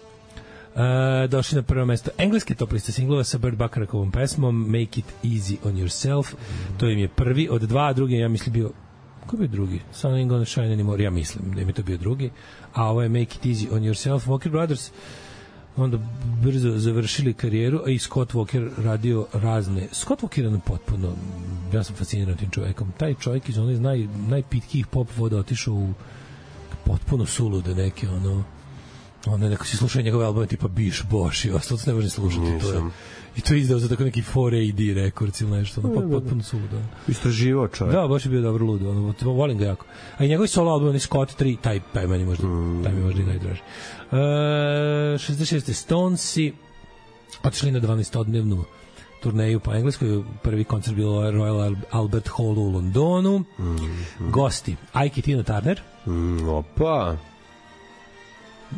došli na prvo mesto engleske top liste singlova sa Burt Bacharachom pesmom Make It Easy on Yourself. Mm. To im je prvi od dva, a drugi ja mislim bio, ko je bio drugi? Sun Ain't Gonna Shine Anymore, ja mislim da im je to bio drugi, a ovo je Make It Easy on Yourself. Walker Brothers onda brzo završili karijeru, a i Scott Walker radio razne. Scott Walker je potpuno, ja sam fasciniran tim čovekom. Taj čovjek iz onih naj, najpitkijih pop voda otišao u potpuno sulude neke, ono, ono neko si slušao njegove albume tipa Biš, Boš i ostalo se ne može slušati. To je, i to je izdao za tako neki four A D rekords ili nešto, ono, potpuno suludo. Istraživao čovjek. Da, baš je bio dobro ludo, ono, volim ga jako. A i njegovi solo album, oni Scott tri, taj, taj meni možda, taj mi možda i najdraži. Uh, šezdeset šeste. Stonesi otišli na dvanaestodnevnu turneju po Engleskoj. Prvi koncert bilo Royal Albert Hall u Londonu. Mm, mm. Gosti Ike i Tina Turner. Mm, opa.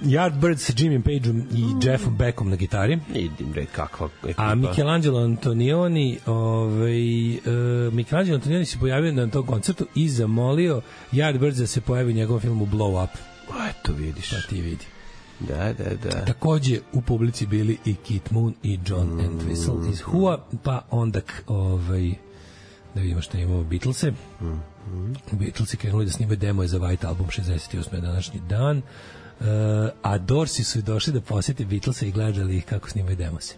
Yardbirds sa Jimmy Pageom i mm. Jeffom Beckom na gitari. Idim red, kakva ekipa. A Michelangelo Antonioni, ovaj, uh, Michelangelo Antonioni se pojavio na tom koncertu i zamolio Yardbirds da se pojavi u njegovom filmu Blow Up. Eto vidiš. Pa ti vidi. Da, da, da. Takođe u publici bili i Keith Moon i John mm. Entwistle iz Who-a, pa onda ovaj, da vidimo šta imamo Beatlese. Mm. Beatlesi krenuli da snimaju demo za White Album, šezdeset osme današnji dan. Uh, a Dorsi su došli da posete Beatlese i gledali ih kako snimaju demose.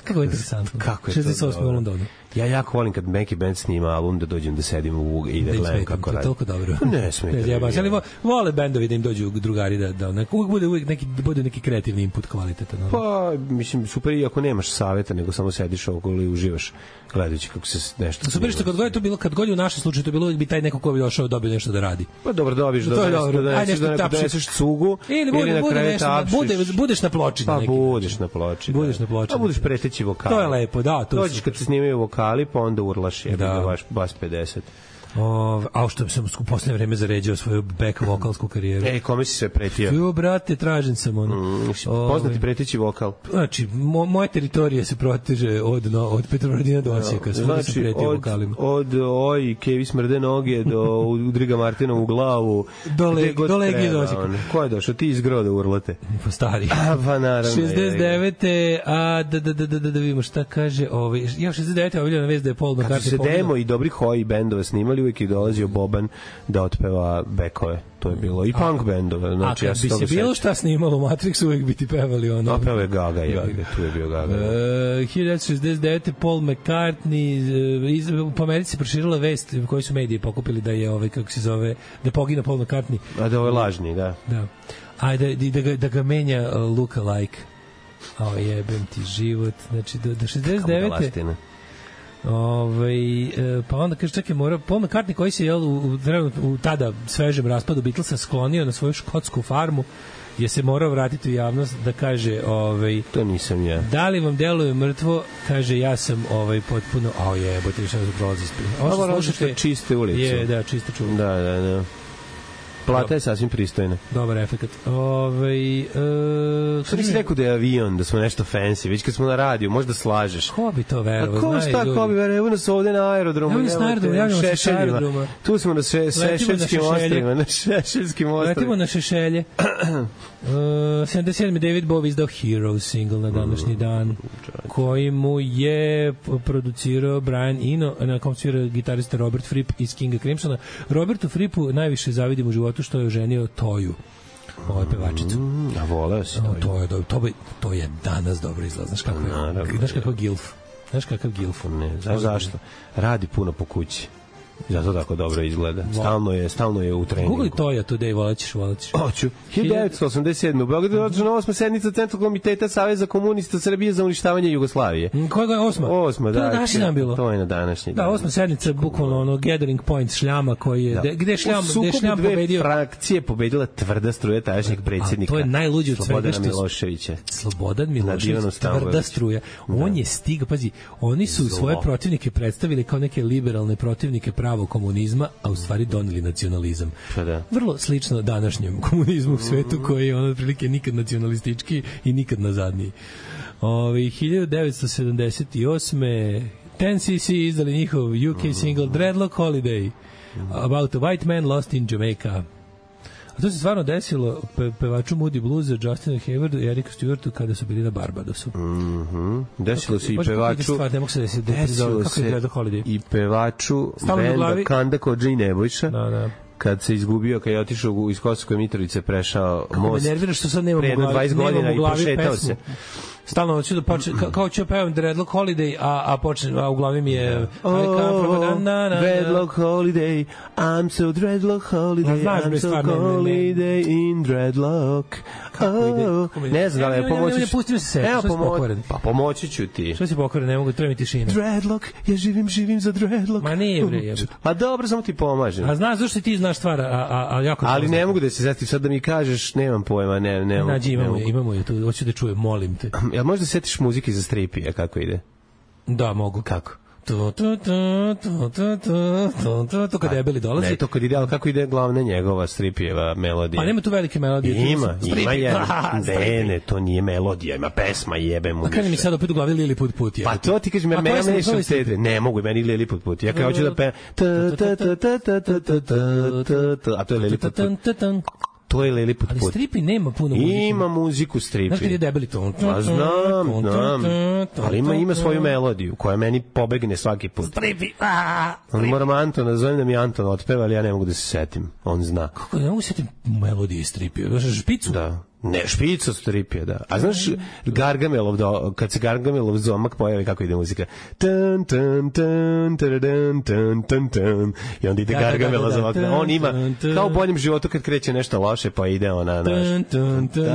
Kako je interesantno. Kako je šezdeset osme u Londonu. Ja jako volim kad neki band snima album da dođem da sedim u i da gledam kako radi. To je toliko dobro. Ne smije. Ne, ja baš, ali vole bendovi da im dođu drugari da da neko uvek bude uvek neki bude neki kreativni input kvalitetan. Pa mislim super i ako nemaš saveta nego samo sediš okolo i uživaš gledajući kako se nešto. Super što kad god je to bilo, kad god je u našem slučaju to bilo bi taj neko ko bi došao dobio nešto da radi. Pa dobro dobiš da da doneseš cugu ili bude nešto, bude budeš na ploči neki. Pa budeš na ploči. Budeš na ploči. A budeš preteći vokal. To je lepo, da, to. Dođeš kad se snimaju vokali, pa onda urlaš je da baš bas pedeset. O, a što sam u poslednje vreme zaređao svoju back vokalsku karijeru. Ej, kome si se pretio? Jo, brate, tražen sam ono. Mm, poznati preteći vokal. Znači, mo, moje teritorije se proteže od, no, od Petrovaradina do Osijeka. Svuda znači, sam pretio od, vokalima. Od oj, Kevi smrde noge do Udriga Martina u glavu. Do, le, do Legije do Osijeka. Ko je došao? Ti iz Groda urlate. Pa stari. A, pa naravno. šezdeset devete a da, da, da, da, da, da vidimo šta kaže. Ovaj, ja šezdeset devete objavljena vez da je Paul McCartney. Kad su se demo i dobri hoji bendova snimali, uvijek je dolazio Boban da otpeva bekove. To je bilo i punk bendove. Znači, a ja kad bi se bilo šta snimalo u Matrixu, uvijek bi ti pevali ono. A peo je Gaga, je, tu je bio Gaga. Uh, hiljadu devetsto šezdeset devete Paul McCartney, uh, iz, po Americi se proširila vest koji su mediji pokupili da je, ovaj, kako se zove, da je poginuo Paul McCartney. A da ovo je lažni, da. Da. A da, da, ga, da ga menja uh, look alike. O, jebem ti život. Znači, do, do šezdeset devete Ovaj pa onda kaže čekaj mora Paul McCartney koji se je u, u, u tada svežem raspadu Beatlesa sklonio na svoju škotsku farmu je se morao vratiti u javnost da kaže ovaj to nisam ja. Da li vam deluje mrtvo? Kaže ja sam ovaj potpuno a jebote više ne prolazi. Ovo slušate čiste ulice. Je, da, čiste čuva. Da, da, da. Plata je sasvim pristojna. Dobar efekat. Ovaj e, što nisi rekao da je avion, da smo nešto fancy, već kad smo na radiju, možda slažeš. Ko bi to verovao? A ko šta, ko bi verovao? Evo nas ovde na aerodromu. Evo nas na aerodromu, javljamo se sa aerodroma. Tu smo na Šešeljskim ostrvima, na Šešeljskim ostrvima. Letimo na Šešelje. Uh, sedamdeset sedme David Bowie izdao Heroes single na današnji dan, koji mu je producirao Brian Eno, na kom svira gitarista Robert Fripp iz Kinga Crimsona. Robertu Frippu najviše zavidim u životu što je oženio Toju, ovaj pevačicu. Mm, a voleo si Toju. To je, to, je, to je danas dobro izgleda. Znaš kako je? Znaš kakav gilf? Znaš kakav gilf? Ne, znaš zašto? Radi puno po kući. Zato tako dobro izgleda. Stalno je, stalno je u treningu. Google Toja today, volećeš, volećeš. Hoću. hiljadu devetsto osamdeset sedme u Beogradu je održana osma sednica Centralnog komiteta Saveza komunista Srbije za uništavanje Jugoslavije. Koja je osma? Osma, da. To je na današnji dan bilo. To je na današnji dan. Da, osma sednica, bukvalno ono gathering point šljama koji je, da. Gde je šljam, gde je šljam pobedio. Frakcije pobedila tvrda struja tadašnjeg predsjednika. To je najluđe od svega što Miloševića. Slobodan Milošević, tvrda struja. On je stigao, pazi, oni su svoje protivnike predstavili kao neke liberalne protivnike pravog komunizma, a u stvari doneli nacionalizam. Pa da. Vrlo slično današnjem komunizmu u svetu koji je ono otprilike nikad nacionalistički i nikad nazadniji. Ove, hiljadu devetsto sedamdeset osme ten C C izdali njihov U K single Dreadlock Holiday about a white man lost in Jamaica. A to se stvarno desilo pe, pevaču Moody Bluesa, Justinu Haywardu i Eriku Stewartu kada su bili na Barbadosu. Mhm. Desilo se i pevaču. Stvar, ne mogu se desiti. Desilo kako se je i pevaču benda Kanda Kodža i Nebojša. Da, da. Kad se izgubio, kad je otišao iz Kosovske Mitrovice, prešao kako most. Me nervira što sad nemam u glavi, dvadeset godina i prošetao pesmu. Se. Stalno hoću da počne, ka, kao ću pevam Dreadlock Holiday, a, a, počne, a u glavi mi je oh, I come from a na, na, Dreadlock Holiday, I'm so Dreadlock Holiday, znaš, I'm so holiday in Dreadlock. Oh, ne znam, ali pomoći ću. Pusti mi se sve, što si pokvaren? Pa pomoći ću ti. Što si pokvaren, ne mogu, treba mi tišina. Dreadlock, ja živim, živim za Dreadlock. Ma nije, bre, jebut. Pa dobro, samo ti pomažem. A znaš zašto ti znaš stvar, a, a, a jako... Ali ne mogu da se zeti, sad da mi kažeš, nemam pojma, ne, ne. Nađi, imamo je, imamo je, tu, hoću da čujem, molim te. Jel možda setiš muzike za stripija, kako ide? Da, mogu. Kako? To to to to to to to to kad debeli dolazi. Ne, to kad ide, al kako ide glavna njegova stripijeva melodija. Pa nema tu velike melodije. Ima, ima je. Ne, ne, to nije melodija, ima pesma, jebe mu. A kaže mi sad opet u glavi Lili put put je. Pa to ti kažeš, meni nešto sede. Ne mogu, meni Lili put put. Ja kao hoću da pevam. A to je Lili put put. To je Lili put put. Ali stripi nema puno muzike. Ima muziku stripi. Znaš kad je debeli ton? Pa znam, znam. Ali ima, ima svoju melodiju koja meni pobegne svaki put. Stripi. On moram Antona, zovem da mi Anton otpeva, ali ja ne mogu da se setim. On zna. Kako ne mogu se setim melodije stripi? Znaš špicu? Da. Ne, špica stripija, da. A znaš Gargamelov, do, kad se Gargamelov zomak pojavi, kako ide muzika? Tan, tan, tan, tan, tan, tan, tan. I onda ide da, Gargamela da, da, da, zomak. On ima, kao u boljem životu kad kreće nešto loše, pa ide ona, naš.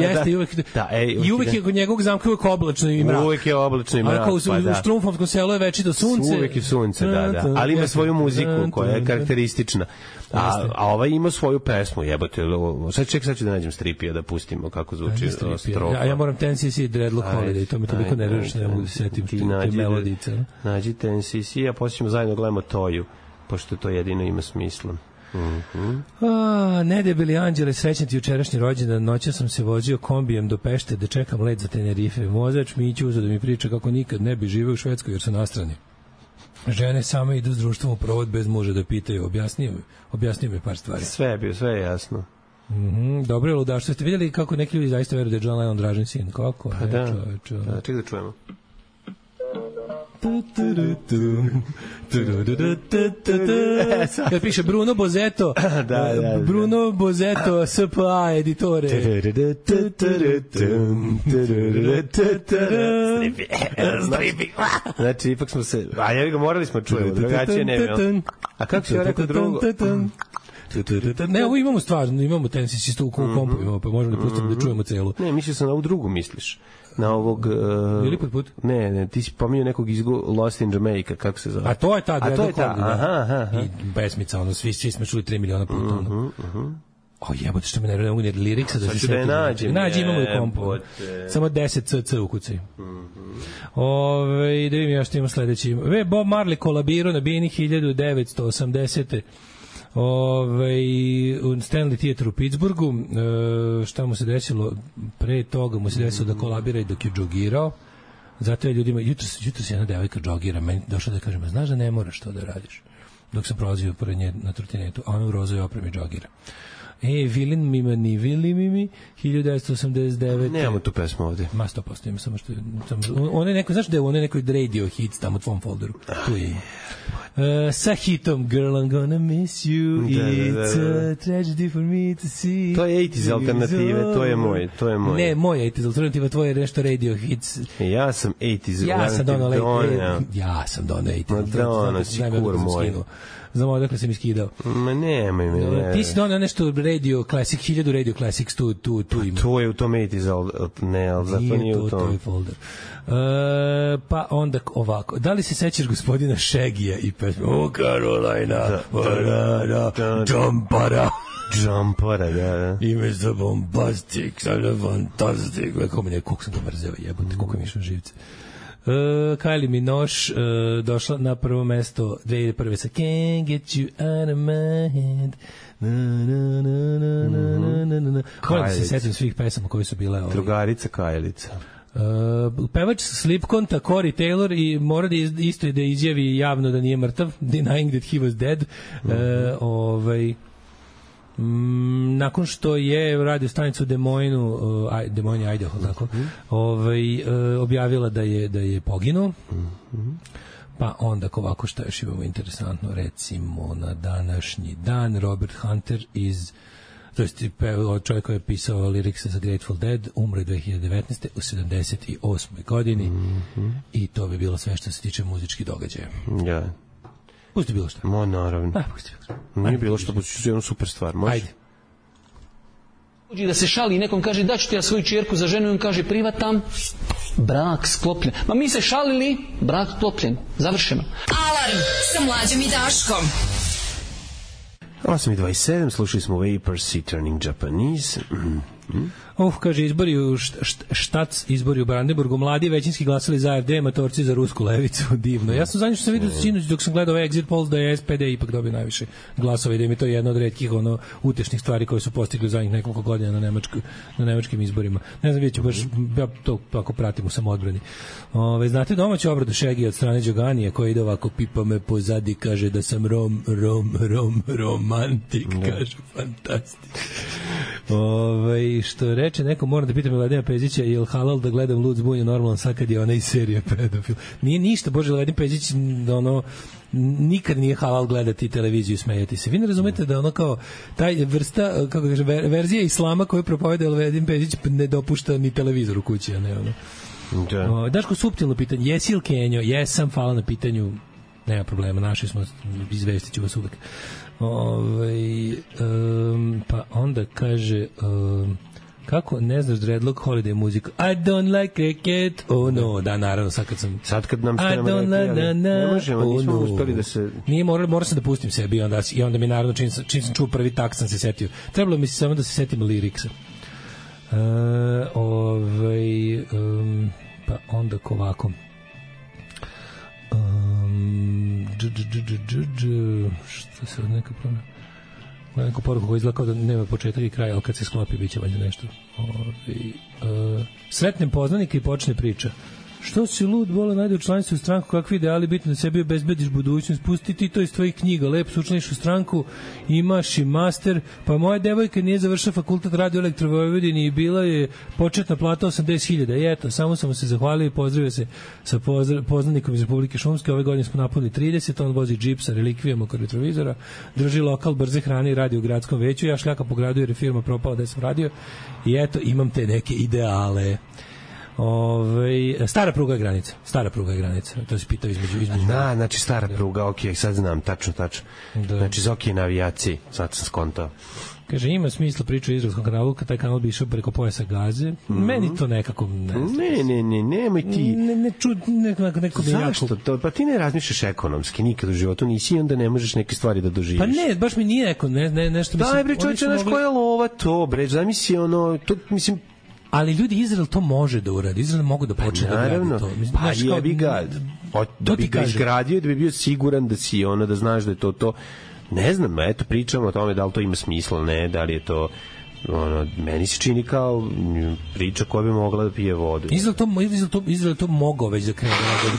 Jeste, i uvek, da, ej, i uvek je kod njegovog zamka uvek oblačno i mrak. Uvek je oblačno i mrak, pa da. U Štrumfovskom selu je večito sunce. Uvek je sunce, da, da. Ali ima svoju muziku koja je karakteristična. A, a ovaj ima svoju pesmu, jebote. Sad ček, sad ću da nađem stripija da pustimo kako zvuči strofa. Ja, ja moram ten C C Dreadlock Holiday, to mi toliko nervira što ne mogu da setim te melodice. Nađi ten C C, a poslije ćemo zajedno gledamo Toju. pošto to jedino ima smisla. Mm-hmm. A, nedebeli anđele, srećan ti jučerašnji rođendan. Noća sam se vozio kombijem do Pešte da čekam let za Tenerife. Vozač Miću uzeo da mi priča kako nikad ne bi živeo u Švedskoj jer su nastrani. Žene same idu s društvom u provod bez muža da pitaju. Objasnio mi, objasnio mi par stvari. Sve je bio, sve je jasno. Mm-hmm. Dobro je ludaštvo. Ste vidjeli kako neki ljudi zaista veruju da je John Lennon Dražin sin? Kako? Pa ne, da, čoveče. da, ček da čujemo. Kad piše Bruno Bozeto, da, da, da. Bruno Bozeto S P A editore. Znači, ipak smo se... A ja ga morali smo čujemo, drugačije ne bi. A kako si joj rekao drugo? Ne, ovo imamo stvarno, imamo tenis isto u kompu, imamo, pa možemo da pustimo da čujemo celu. Ne, mislio sam na ovu drugu misliš. Na ovog... Uh, Ili put put? Ne, ne, ti si pominjao nekog izgo Lost in Jamaica, kako se zove? A to je ta, A to je ta, aha, aha, aha. I pesmica, ono, svi, svi smo čuli tri miliona puta, ono. Uh-huh, uh-huh. O jebote, što me ne ne mogu ni liriksa da se setim. Da je nađem. Nađi, imamo u kompu. Samo deset cc ukucaj. Ove, da vidim ja što imamo sledeći. Ve, Bob Marley kolabirao na Bini hiljadu devetsto osamdesete. Ove, u Stanley Theater u Pittsburghu. E, šta mu se desilo? Pre toga mu se desilo da kolabira i dok je džogirao. Zato je ljudima, jutro, jutro se jedna devojka džogira, meni došla da kažem, znaš da ne moraš to da radiš. Dok sam prolazio pored nje na trotinetu, a ona u rozoj opremi džogira. E, Vilin Mima ni Vili Mimi, hiljadu devetsto osamdeset devete. Nemamo tu pesmu ovde. Ma sto posto ima, samo što... On je neko, znaš da je on je nekoj radio hits tamo u tvom folderu. Tu je ima. Uh, sa hitom Girl I'm gonna miss you, da, it's da, da, da. A tragedy for me to see. To je osamdeset alternative, to je moj, to je moj. Ne, moj osamdeset alternativa, tvoj je nešto radio hits. Ja sam osamdeset ja sam donao alternative. Ja sam donao osamdeset alternative. Madonna, si kur moj. Znam odakle sam iskidao. Ma nemoj me. Ne. Ti si donao nešto radio classic, hiljadu radio classics, tu, tu, tu ima. To je u tom osamdeset, ne, ali zato nije, nije u tom. To je folder. Uh, pa onda ovako. Da li se sećaš gospodina Shaggy-a i pesme O Carolina, Jumpara. Jumpara, da, da. Ime za bombastic, sada fantastic. Kako mi ne, koliko sam ga mrzeo, jebote, koliko mi išao živce. Uh, Kylie Minogue uh, došla na prvo mesto dve hiljade prve sa Can't Get You Out of My Head. Na, na, na, na, na, na, na, na. Moram da se setim svih pesama koje su bile ovdje. Drugarica Kajlica. Uh, pevač Slipkonta Corey Taylor i mora da isto da izjavi javno da nije mrtav, denying that he was dead. Uh, ovaj Mm, nakon što je radio stanicu Des Moines, uh, Des Moines, Idaho, tako, mm-hmm. ovaj, uh, objavila da je, da je poginuo. Mm-hmm. Pa onda ovako šta još imamo interesantno, recimo na današnji dan Robert Hunter iz to jest čovjek koji je pisao lirikse za Grateful Dead, umre dve hiljade devetnaeste u sedamdeset osmoj godini. Mm-hmm. I to bi bilo sve što se tiče muzičkih događaja. Ja. Yeah. Pusti bilo što. Mo, naravno. A, pusti bilo što. Nije bilo što, pusti jednu super stvar. Može? Ajde. Uđi da se šali i nekom kaže da ću ti ja svoju čerku za ženu i on kaže privatam, brak sklopljen. Ma mi se šalili, brak sklopljen. Završeno. Alarm sa Mlađom i Daškom. osam i dvadeset sedam, slušali smo Vaporsi Turning Japanese. Mm-hmm. Uf, kaže, izbori u št, štac, izbori u Brandenburgu, mladi većinski glasali za A F D, matorci za rusku levicu, divno. Ja sam zadnji što sam vidio sinoć dok sam gledao ovaj exit polls da je S P D ipak dobio najviše glasova i da im je to jedna od retkih ono, utešnih stvari koje su postigli u zadnjih nekoliko godina na, nemačku, na nemačkim izborima. Ne znam, vidjet ću baš, ja to ako pratim u samoodbrani. Ove, znate domaću obradu Šegi od strane Đoganije koja ide ovako, pipa me pozadi, kaže da sam rom, rom, rom, romantik, kaže, fantastik. Ove, što reče neko, moram da pitam Vladimira Pezića, je li halal da gledam Lud zbunju normalno sad kad je ona iz serije pedofil? Nije ništa, Bože, Vladim Pezić, ono, nikad nije halal gledati televiziju i smejati se. Vi ne razumete da ono kao, taj vrsta, kako kaže, verzija islama koju propoveda Vladim Pezić ne dopušta ni televizor u kući, a ne ono. Da. O, Daško, suptilno pitanje, jesi li Kenjo? Jesam, hvala na pitanju, nema problema, našli smo, izvestit ću vas uvek. Ove, um, pa onda kaže um, kako ne znaš Dreadlock Holiday muziku, I don't like cricket, oh no, da naravno sad kad sam sad kad nam I don't like na, na, ne možemo, oh nismo no. uspeli da se nije, morao, morao sam da pustim sebi i onda, i onda mi naravno čim, čim sam čuo prvi tak sam se setio, trebalo mi se samo da se setim liriksa. Uh, ovaj, um, pa onda ovako um, Što se od neka promena? Neku poruku koja izgleda kao da nema početak i kraj, ali kad se sklopi bit će valjda nešto. Ovi, uh, sretnem poznanike i počne priča. Što si lud, bola najde u članstvu u stranku, kakvi ideali, bitno da sebi obezbediš budućnost, pusti ti to iz tvojih knjiga, lepo se učlaniš u stranku, imaš i master, pa moja devojka nije završila fakultet radio elektrovojvodini i bila je početna plata osamdeset hiljada i eto, samo sam se zahvalio i pozdravio se sa pozdrav, poznanikom iz Republike Šumske, ove godine smo napunili trideset, on vozi džip sa relikvijama kod retrovizora, drži lokal brze hrane i radi u gradskom veću, ja šljaka po gradu jer je firma propala da sam radio i eto, imam te neke ideale. Ove, stara pruga je granica. Stara pruga je granica. To se pitao između između. Da, znači stara pruga, okej, sad znam tačno tačno. Da. Znači za okej na avijaciji, sad sam skontao. Kaže, ima smisla priča o izraelskom kanalu, kad taj kanal bi išao preko pojasa Gaze. Mm. Meni to nekako ne znam. Ne, ne, ne, nemoj ti. Ne, ne, čud, nekako, nekako zašto jako... to? Pa ti ne razmišljaš ekonomski, nikad u životu nisi i onda ne možeš neke stvari da doživiš. Pa ne, baš mi nije neko, ne, ne, nešto mislim. Daj bre, čovječe, znaš mogli... koja je lova to, bre, zamisli ono, to, mislim, ali ljudi, Izrael to može da uradi. Izrael mogu da počne pa, da gradi to. Mislim, pa jebi ga. O, da bi ga izgradio, da bi bio siguran da si ono, da znaš da je to to. Ne znam, eto, pričamo o tome da li to ima smisla, ne, da li je to ono, meni se čini kao priča koja bi mogla da pije vodu. Izrael to, Izrael to, Izrael to mogao već da krene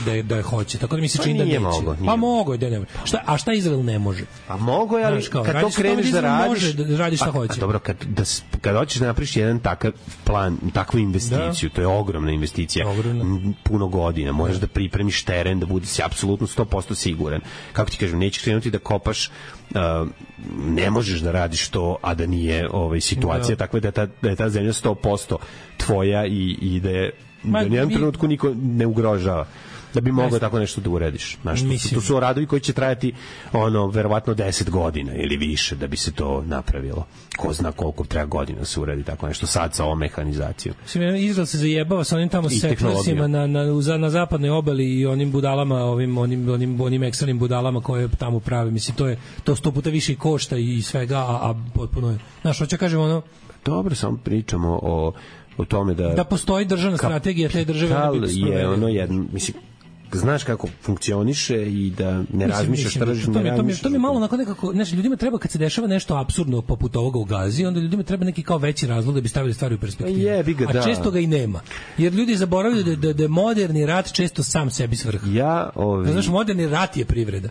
da, da, da je hoće, tako da mi se čini pa da neće. Mogo, pa mogo je da ne može. Šta, a šta Izrael ne može? A mogo je, ali kao, kad to kreneš da radiš... Može da radi šta a, hoće. A dobro, kad, da, kad hoćeš da napriš jedan takav plan, takvu investiciju, da. To je ogromna investicija, ogromna. Puno godina, možeš da pripremiš teren, da budeš apsolutno sto posto siguran. Kako ti kažem, nećeš krenuti da kopaš. Uh, ne možeš da radiš to, a da nije ovaj, situacija, da. Takva da je ta, da je ta zemlja sto posto tvoja i, i da je Ma, da u nijednom mi... trenutku niko ne ugrožava da bi mogao tako nešto da urediš. Znaš, to, to su radovi koji će trajati ono, verovatno deset godina ili više da bi se to napravilo. Ko zna koliko treba godina da se uredi tako nešto sad sa ovom mehanizacijom. Izrael se zajebava sa onim tamo sektlersima na, na, na, na zapadnoj obali i onim budalama, ovim, onim, onim, onim ekstranim budalama koje tamo prave. Mislim, to je to sto puta više i košta i svega, a, a potpuno je. Znaš, hoće kažem ono... Dobro, samo pričamo o, o tome da... Da postoji državna strategija te države. Kapital je ono jedno, mislim, znaš kako funkcioniše i da ne razmišljaš tržišno, ne razmišljaš. To mi je malo onako nekako, znači ljudima treba kad se dešava nešto apsurdno poput ovoga u Gazi, onda ljudima treba neki kao veći razlog da bi stavili stvari u perspektivu. Jebi ga, da. A često ga i nema. Jer ljudi zaboravljaju da, da, da moderni rat često sam sebi svrha. Ja, ovi... Znaš, moderni rat je privreda.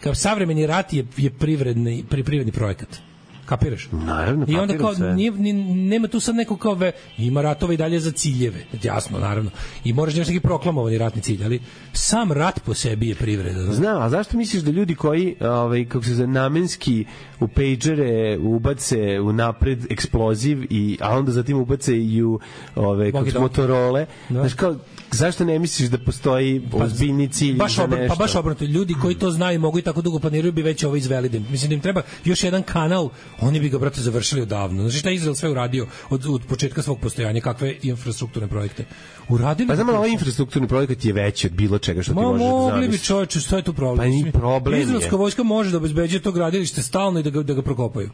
Kao savremeni rat je, je privredni, privredni projekat. Kapiraš? Naravno, i onda kao nije, nije, nema tu sad neko kao ve, ima ratova i dalje za ciljeve, jasno, naravno. I moraš da imaš neki proklamovani ratni cilj, ali sam rat po sebi je privreda. Znači. Znam, a zašto misliš da ljudi koji ovaj, kako se zove, namenski u pejđere ubace u napred eksploziv, i, a onda zatim ubace i u ove, Motorole, da. Znaš kao, zašto ne misliš da postoji ozbiljni cilj baš za obr, nešto? Pa baš obrnuto, ljudi koji to znaju mogu i tako dugo planiraju bi već ovo izveli. Mislim da im treba još jedan kanal, oni bi ga, brate, završili odavno. Znači šta je Izrael sve uradio od, od početka svog postojanja, kakve infrastrukturne projekte? Uradili. Pa znamo, ovaj infrastrukturni projekat je veći od bilo čega što Ma, ti možeš da zamisliš. Mogli bi, čoveče, što je tu problem? Pa ni problem je. Izraelska vojska može da obezbeđuje to gradilište stalno i da ga, da ga prokopaju.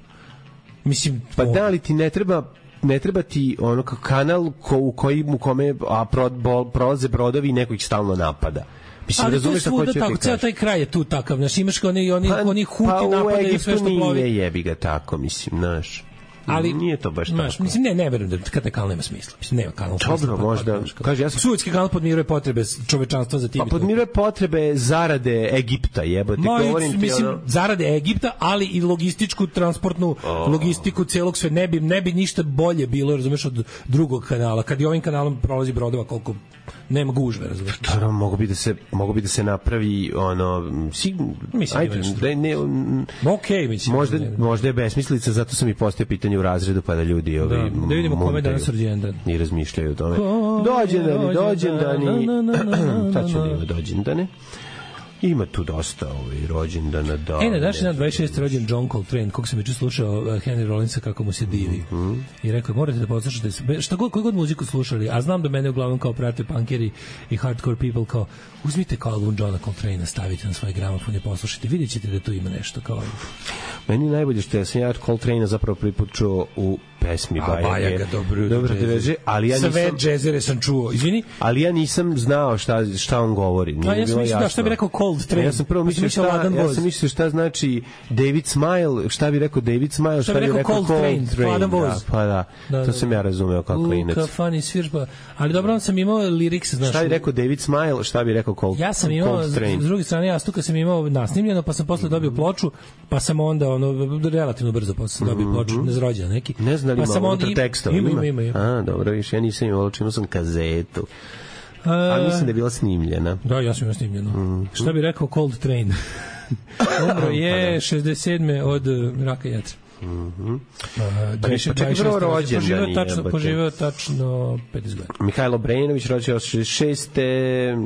Mislim, pa da li ti ne treba ne treba ti ono kao kanal ko, u kojim u kome a pro, bo, prolaze brodovi i neko ih stalno napada. Mislim, ali to je svuda tako, ceo taj kraj je tu takav, znaš, imaš kao oni, oni, pa, oni huti pa napadaju sve što plovi. Pa u Egiptu nije, jebi ga tako, mislim, znaš. Ali nije to baš znaš, tako. Mislim, ne, ne verujem da kad taj kanal nema smisla. Mislim, nema kanal. Dobro, možda. Kaže, ja sam... Suetski kanal podmiruje potrebe čovečanstva za tim. Pa podmiruje potrebe zarade Egipta, jebote, govorim ti mislim, ono... zarade Egipta, ali i logističku, transportnu oh. logistiku celog sve. Ne bi, ne bi ništa bolje bilo, razumeš, od drugog kanala. Kad i ovim kanalom prolazi brodova koliko nema gužve, razumeš. Dobro, mogu bi da se, mogu bi da se napravi ono... Si, mislim, ajde, da ne... Okej, mislim. Možda, možda je besmislica, zato sam i postao pitanje u razredu, pa da ljudi ovi, da, da vidimo kome danas rođendan i razmišljaju o tome. Dođendani, dođendani, sad ću da ima dođendane. Ima tu dosta ovaj rođendana da. E, na današnji dan dvadeset šesti rođen John Coltrane, kog sam juče slušao Henry Rollinsa kako mu se divi. Mm -hmm. I rekao morate da poslušate šta god koju god muziku slušali, a znam da mene uglavnom kao prate punkeri i hardcore people kao uzmite kao album Johna Coltrane, stavite na svoj gramofon i poslušajte, vidjećete da tu ima nešto kao. Meni najbolje što je sam ja Coltrane zapravo prvi put čuo u pesmi Bajage. Bajaga, dobro, dobro te veže, ali ja nisam... Sve džezere sam čuo, izvini. Ali ja nisam znao šta, šta on govori. Nije A ja sam mislio da šta bi rekao Cold Train. Ja sam prvo mislio šta, ja sam mislio šta znači David Smile, šta bi rekao David Smile, šta, šta bi rekao, rekao Cold, Cold Train. train. Hladan voz. Da, pa da, da, to sam ja razumeo kao klinac. U, kafani svirba. Ali dobro, on sam imao lyrics, znaš. Šta bi rekao David Smile, šta bi rekao Cold Train. Ja sam imao, s druge strane, jastuka sam imao nasnimljeno, pa sam posle dobio ploču, pa sam onda, ono, relativno brzo posle sam dobio ploču, nezrođena neki. Ne znam li ima unutar tekstova. Ima, ima, ima. A, dobro, više, ja nisam imao, imao sam kazetu. A mislim da je bila snimljena. Da, ja sam imao snimljeno. Mm. Šta bi rekao Cold Train? Umro je šezdeset sedme od raka jetre. Mhm. Uh, pa čekaj, prvo rođen poživeo tačno, poživeo tačno pedeset godina. Mihajlo Brejnović rođen šezdeset šeste.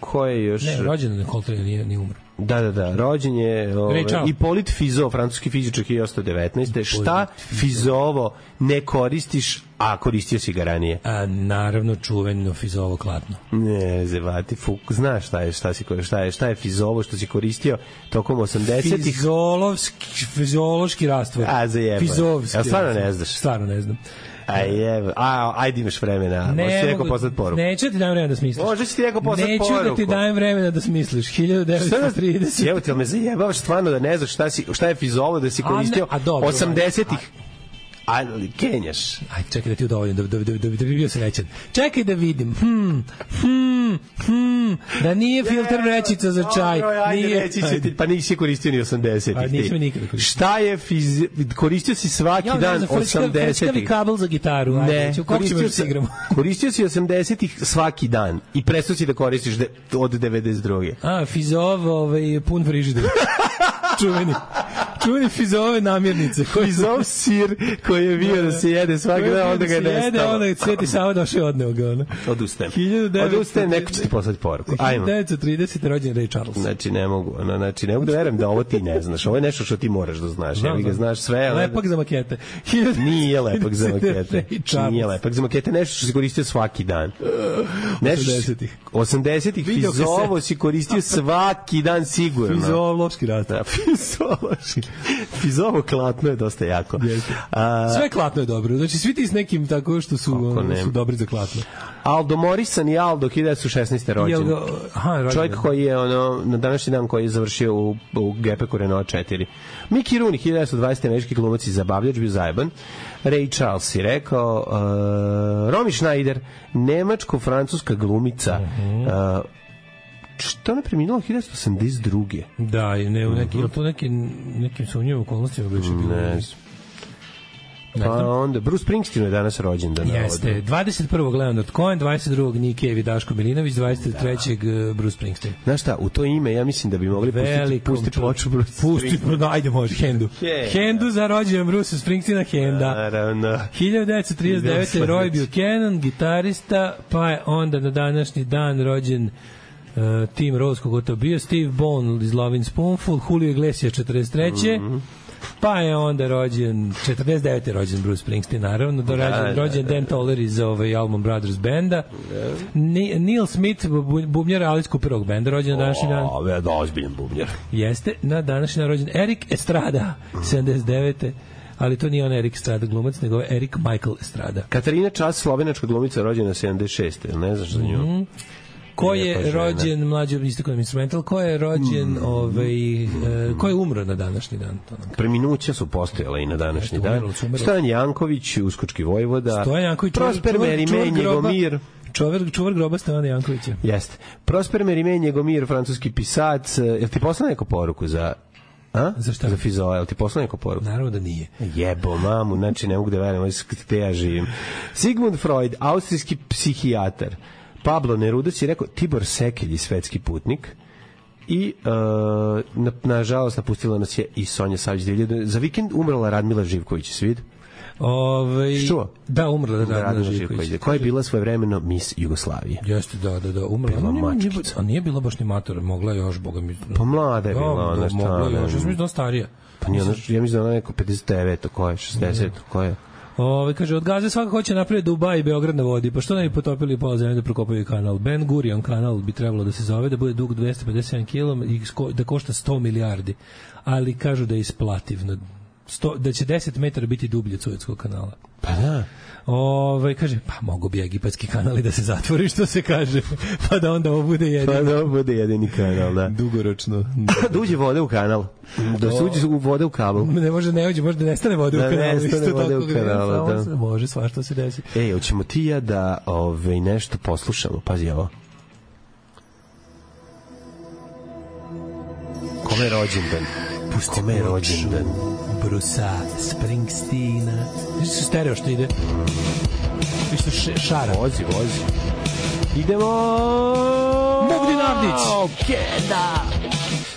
Ko je još? Ne, rođen je Cold Train, nije, nije umro. Da, da, da, rođen je ove, Hippolyte Fizeau, francuski fizičar hiljadu osamsto devetnaeste. Šta Fizeovo ne koristiš, a koristio si ga ranije? A, naravno, čuveno Fizeovo klatno. Ne, zevati, fuk, znaš šta je, šta, si, šta je, šta je Fizeovo što si koristio tokom osamdesetih? Fizolovski, fiziološki rastvor. A, zajebaj. Fizovski. Ja stvarno ne znaš? Stvarno ne znam. Aj, evo, a, ajde imaš vremena. Ne, možeš ti neko poslati poruku. Neću ti dajem vremena da smisliš. Možeš ti neko poslati neću poruku. Neću da ti dajem vremena da smisliš. hiljadu devetsto trideset. Evo ti, ali me zajebavaš stvarno da ne znaš šta, si, šta je Fizovo da si koristio a ne, a dobro, osamdesetih. Ali kenjaš. Aj, čekaj da ti udovoljim, da, da, da, da, da bi bio srećan. Čekaj da vidim. Hmm, hmm, hmm, da nije filter vrećica za čaj. Dobro, ajde, nije, reći ću ti, pa nisi koristio ni osamdesetih. A nisam nikada koristio. Šta je fiz... Koristio si svaki ja, dan osamdesetih. Frčkavi kabel za gitaru. Ajde, ne, ću, koristio, si, koristio si osamdesetih svaki dan i prestao si da koristiš de, od devedeset druge. A, Fizov, ovaj, pun frižider. Čuveni. Čuveni Fizove namirnice. Fizov sir koji je bio da se jede svaki dan, onda ga je nestalo. Jede, onda je Sveti Sava došao i odneo ga. Ono. Odustajem. Odustajem, neko će ti poslati poruku. hiljadu devetsto tridesete rođen Ray Charles. Znači, ne mogu, ono, znači, ne mogu da verujem da ovo ti ne znaš. Ovo je nešto što ti moraš da znaš. Ja vi ga znaš sve. Lepak za makete. Nije lepak za makete. Nije lepak za makete. Nešto što si koristio svaki dan. osamdesetih. osamdesetih Fizovo si koristio svaki dan sigurno. Fizovlovski rat. Fizovlovski. Fizovo klatno je dosta jako. A, sve klatno je dobro. Znači, svi ti s nekim tako što su, ono, su dobri za klatno. Aldo Morrison i Aldo hiljadu devetsto šesnaeste rođen. Ga, aha, rođen. Čovjek koji je ono, na današnji dan koji je završio u, u Gepeku Renault četiri. Mickey Rooney, hiljadu devetsto dvadesete američki glumac i zabavljač, bio zajeban. Ray Charles si rekao. Uh, Romy Schneider, nemačko-francuska glumica. Uh-huh. Uh, što ona preminula hiljadu devetsto osamdeset druge. Da, ne, u neki, uh-huh. to neki, nekim sumnjivim okolnostima bi će bilo. Ne Pa onda, Bruce Springsteen je danas rođendan. Jeste, dvadeset prvog Leonard Cohen, dvadeset drugog Nick Cave i Daško Milinović, dvadeset trećeg Da. Bruce Springsteen. Znaš šta, u to ime ja mislim da bi mogli pustiti, pustiti ploču Bruce Springsteen. Pusti, ajde može, Hendu. Yeah. Hendu za rođendan Bruce Springsteena, Henda. Naravno. hiljadu devetsto trideset devete Roy Buchanan, gitarista, pa je onda na današnji dan rođen Uh, Tim Rose, kogo to bio, Steve Bone iz Lovin' Spoonful, Julio Iglesias četrdeset treće Mm-hmm. Pa je onda rođen, četrdeset devete rođen Bruce Springsteen, naravno, do rođen, da, rođen da, Dan Toller iz ovaj Allman Brothers benda. Da. Neil Smith, bubnjar Alice Cooperovog benda, rođen na današnji dan. O, da, ozbiljan bubnjar. Jeste, na današnji dan rođen Eric Estrada, sedamdeset devete Ali to nije on Erik Estrada glumac, nego Erik Michael Estrada. Katarina Čas, slovenačka glumica, rođena sedamdeset šeste Ne znaš za nju? Mm-hmm. Ko je rođen, mlađi isto instrumental, ko je rođen, mm. ovaj, e, ko je umro na današnji dan? To nam Preminuća su postojala i na današnji Jeste, dan. Umrlo, Stojan Janković, uskočki vojvoda. Stojan Janković, Prosper Merime, Njegomir. Čuvar, čuvar groba Stojana Jankovića. Jeste. Prosper Merime, Njegomir, francuski pisac. Jel ti poslao neku poruku za... A? Za šta? Za Fizoa, jel ti poslao neku poruku? Naravno da nije. Jebo, mamu, znači ne mogu da verujem, ovo te ja živim. Sigmund Freud, austrijski psihijatar. Pablo Neruda si rekao Tibor Sekelj, svetski putnik. I uh, na, nažalost napustila nas je i Sonja Savić. Za vikend umrla Radmila Živković, svid? Ove, Što? Da, umrla da, Radmila, Radmila Živković. Živković. Koja je bila svojevremeno Miss Jugoslavije. Jeste, da, da, da, umrla. Bila mačkica. A nije bila baš ni matora, mogla još, boga mi. Pa mlada je bila, ona šta. Mogla još, ja mislim da starija. Pa nije, ona, ja mislim da ona neko pedeset devet ko je, šezdeset ko je. Ove, kaže, od Gaze svaka hoće napraviti Dubaj i Beograd na vodi, pa što ne bi potopili pola zemlje da prokopaju kanal? Ben Gurion kanal bi trebalo da se zove, da bude dug dvesta pedeset sedam kilometara i da košta sto milijardi, ali kažu da je isplativno. sto, da će deset metara biti dublje od Suetskog kanala. Pa Da. Ove, kaže, pa mogu bi egipatski kanali da se zatvori, što se kaže, pa da onda ovo bude jedini. Pa da ovo bude jedini kanal, da. Dugoročno. Da uđe vode u kanal. Da se uđe u vode u kabel. Ne može, ne uđe, može da nestane vode da u kanalu. Da nestane vode u kanalu, da. Se može, svašta se desi. Ej, hoćemo ti ja da ove, nešto poslušamo, pazi ovo. Kome je rođendan? Pusti Kome je rođendan? Brusa Springsteena. Viš su stereo što ide? Viš su šara? Vozi, vozi. Idemo! Bogdan Avdić! Ok, da!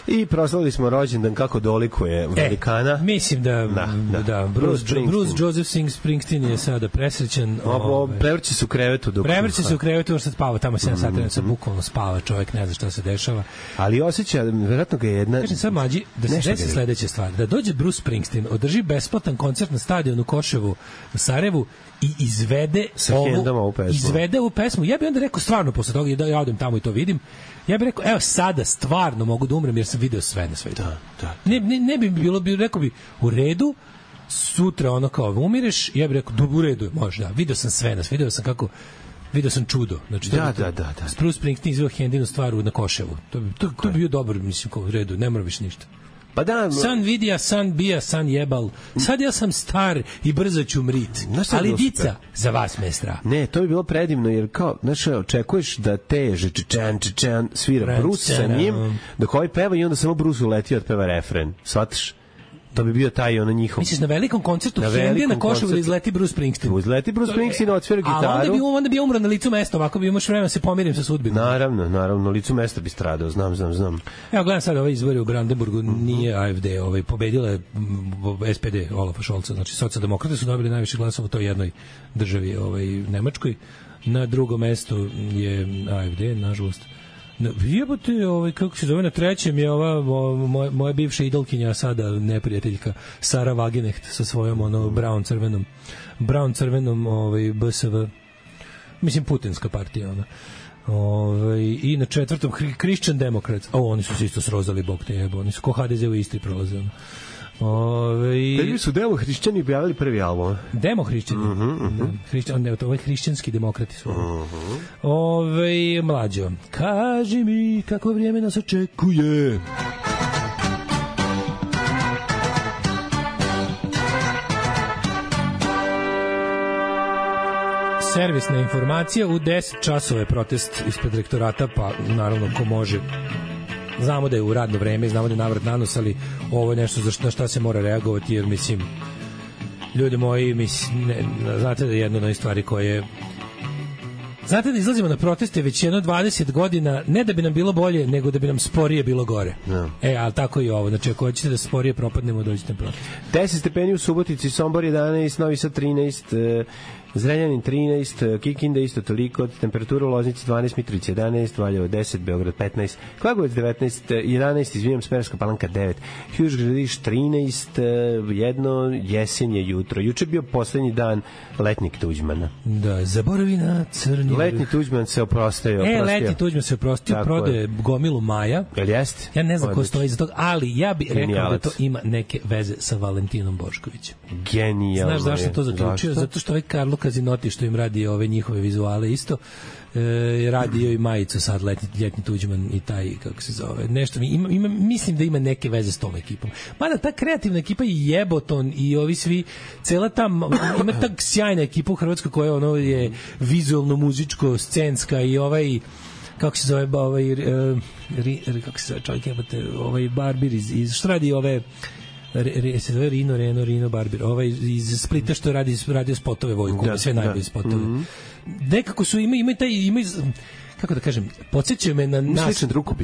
I proslavili smo rođendan kako dolikuje velikana. E, mislim da, da, da. da Bruce, Bruce, Bruce Joseph Springsteen je sada presrećan. Ove, prevrće se u krevetu. Dok prevrće se u krevetu, što spava tamo sedam sati, mm -hmm. bukvalno spava čovjek, ne zna šta se dešava. Ali osjeća, verovatno ga je jedna... Kažem sad mlađi, da se desi sledeća stvar, da dođe Bruce Springsteen, održi besplatan koncert na stadionu Koševu u Sarajevu i izvede ovu, ovu izvede ovu pesmu. Ja bih onda rekao stvarno posle toga da ja odem tamo i to vidim. Ja bih rekao, evo sada stvarno mogu da umrem jer sam video sve na svetu. Da, da. Ne, ne, ne bi bilo, bi, rekao bi, u redu, sutra ono kao umireš, ja bih rekao, u redu, možda, video sam sve na svetu, video sam kako, video sam čudo. Znači, da, da, da, da, da. Bruce Springsteen izveo Hendinu stvaru na Koševu. To bi, to, to bi bio dobro, mislim, kao u redu, ne mora više ništa. Pa da, san vidija, san bija, san jebal. Sad ja sam star i brzo ću mrit. Ali dica, za vas me strah. Ne, to bi bilo predivno, jer kao, znaš, očekuješ da teže čečan, čečan, svira Bruce sa njim, dok ovaj peva i onda samo Bruce uleti od peva refren. Shvataš? To bi bio taj ono njihov. Misliš na velikom koncertu Hendi na Koševu da izleti Bruce Springsteen? Izleti Bruce Springsteen, odsvira gitaru. A onda bi, onda bi umro na licu mesta, ovako bi imaš vremena se pomirim sa sudbinom. Naravno, naravno, na licu mesta bi stradao, znam, znam, znam. Evo, gledam sad ovaj izbori u Brandenburgu, nije A F D, ovaj, pobedila je S P D Olafa Scholza, znači socijaldemokrati su dobili najviše glasova u toj jednoj državi, ovaj, Nemačkoj. Na drugom mestu je A F D, nažalost. Jebote, ovaj, kako se zove, na trećem je ova moja, moja bivša idolkinja, sada neprijateljka Sara Wagenknecht sa svojom ono brown crvenom brown crvenom ovaj B S V, mislim putinska partija ona. Ovaj, i na četvrtom Christian Democrats. O, oni su se isto srozali, bog te jebo, oni su ko H D Z u Istri prolaze. Ove... Prvi su demohrišćani objavili prvi album. Demohrišćani? Uh -huh, uh -huh. Hrišćan, ne, to ovaj hrišćanski demokrati su. Uh -huh. Ove, mlađo, kaži mi kako vrijeme nas očekuje. Servisna informacija, u deset časova je protest ispred rektorata, pa naravno ko može. Znamo da je u radno vreme, znamo da je navrat nanos, ali ovo je nešto za šta, šta se mora reagovati, jer mislim, ljudi moji, mislim, ne, znate da je jedna od onih stvari koje... Znate da izlazimo na proteste već jedno dvadeset godina, ne da bi nam bilo bolje, nego da bi nam sporije bilo gore. No. E, ali tako i ovo. Znači, ako hoćete da sporije propadnemo, dođite na protest. deset stepeni u Subotici, Sombor jedanaest, Novi Sad trinaest, Zrenjanin trinaest, Kikinda isto toliko, temperatura u Loznici dvanaest, Mitrovica jedanaest, Valjevo deset, Beograd petnaest, Kragujevac devetnaest, jedanaest, izvinjam, Smederevska Palanka devet, Huž Gradiš trinaest, jedno, jesen je jutro. Juče bio poslednji dan letnjeg Tuđmana. Da, zaboravi na crni. Letnji Tuđman se oprostio. E, letnji Tuđman se oprostio, prodaje gomilu Maja. Jel jeste? Ja ne znam ko stoji za toga, ali ja bih rekao da to ima neke veze sa Valentinom Boškovićem. Genijalno. Znaš zašto to zaključio? Zato što ovaj Karlo Kazinoti što im radi ove njihove vizuale isto, e, radio i majicu sad letni, ljetni Tuđman i taj, kako se zove, nešto mi ima, ima, mislim da ima neke veze s tom ekipom. Mada ta kreativna ekipa i Jeboton i ovi svi, cela ta, ima ta sjajna ekipa u Hrvatskoj koja ono je vizualno, muzičko, scenska i ovaj kako se zove, ovaj, ri, kako se zove čovjek jebote, ovaj Barbir iz, iz što radi ove Re, re, se zove Rino, Reno, Rino Barbir, ovaj iz Splita što radi radio spotove Vojku, da, sve najbolje spotove. Mm -hmm. Nekako su ima ima taj ima kako da kažem, podsjećaju me na naš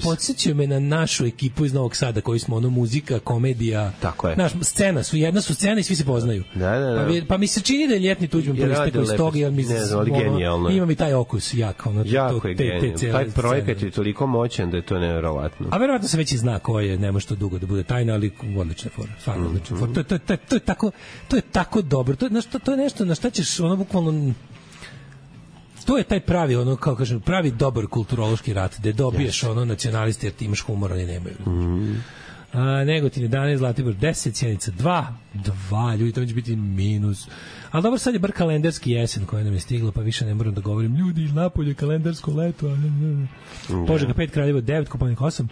podsjećaju me na našu ekipu iz Novog Sada koji smo ono muzika, komedija, tako je. Naš scena su jedna su scena i svi se poznaju. Da, da, da. Pa, mi, pa mi se čini da je ljetni Tuđman proistekao iz toga, ja mislim, ono, ima mi taj okus jako, ono, jako to, je te, te, te taj projekat scene je toliko moćan da je to neverovatno. A verovatno se već i zna ko je, nema što dugo da bude tajna, ali odlična fora, stvarno mm -hmm. odlična fora. To, to, to, to je tako, to je tako dobro. To je nešto, to je nešto na šta ćeš ono bukvalno, to je taj pravi, ono, kao kažem, pravi dobar kulturološki rat, gde dobiješ yes. ono nacionaliste jer ti imaš humor, oni nemaju. Mm. A, Negotin jedanaest, Zlatibor deset, Sjenica dva, dva, ljudi, to će biti minus. Ali dobro, sad je bar kalendarski jesen koja nam je stigla, pa više ne moram da govorim, ljudi, iz napolje, kalendarsko leto. Požega pet, Kraljevo devet, Kopaonik osam.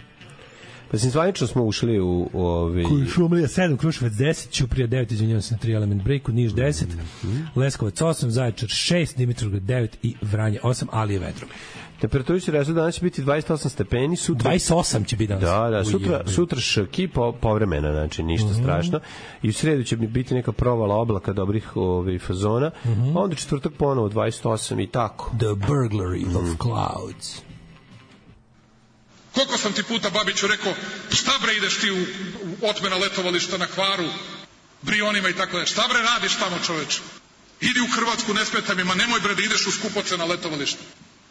Pa sam zvanično smo ušli u... u ovi... Šumlija sedam, Kruševac deset, Ćuprija devet, izvinjavam se na tri element breaku, Niš deset, mm-hmm. Leskovac osam, Zaječar šest, Dimitrovgrad devet i Vranje osam, ali je vedro. Temperatura će reći danas će biti dvadeset osam stepeni, sutra dvadeset osam će biti danas. Da, da, sutra sutra ški po, povremena, znači ništa mm-hmm. strašno. I u sredu će biti neka provala oblaka dobrih ovih fazona. Mm-hmm. Onda četvrtak ponovo dvadeset osam i tako. The burglary mm. of clouds. Koliko sam ti puta, Babiću, rekao, šta bre ideš ti u, u otmena letovališta na Hvaru, Brionima i tako da. Šta bre radiš tamo, čoveče? Idi u Hrvatsku, ne smeta mi, ma nemoj bre da ideš u skupoce na letovalište.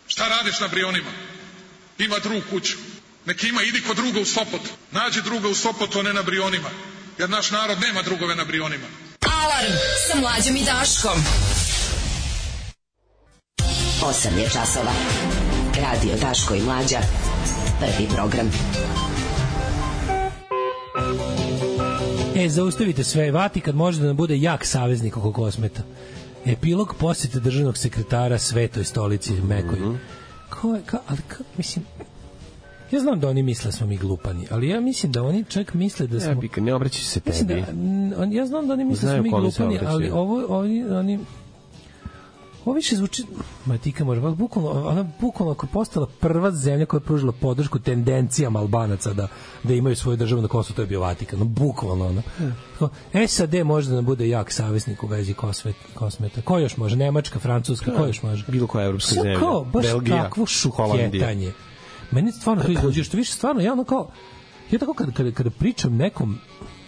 Šta radiš na Brionima? Ima drug kuću. Neki ima, idi kod druga u Sopot. Nađi druga u Sopotu, a ne na Brionima. Jer naš narod nema drugove na Brionima. Alarm sa Mlađom i Daškom. osam je časova. Radio Daško i Mlađa. Prvi program. E, zaustavite sve. Vatikan može da nam bude jak saveznik oko kosmeta. Epilog posjete državnog sekretara Svetoj stolici Mekoj. Mm-hmm. Ko je, ka, ali ka, mislim, ja znam da oni misle smo mi glupani, ali ja mislim da oni čak misle da smo... Ja, Pika, ne obraćaj se tebi. Da, ja znam da oni misle da smo mi glupani, ali ovo, oni, oni, ovo više zvuči, ma tika može, bukvalno, ona bukvalno ako je postala prva zemlja koja je pružila podršku tendencijama Albanaca da, da imaju svoju državu na Kosovu, to je bio Vatikan, no, bukvalno ono. S A D može da nam bude jak saveznik u vezi kosmet, kosmeta. Ko još može? Nemačka, Francuska, ko još može? Bilo koja evropska zemlja. Kao, baš Belgija, takvo šukjetanje. Meni stvarno to izluđuje, što više stvarno, ja ono kao, ja tako kada, kada, kada pričam nekom,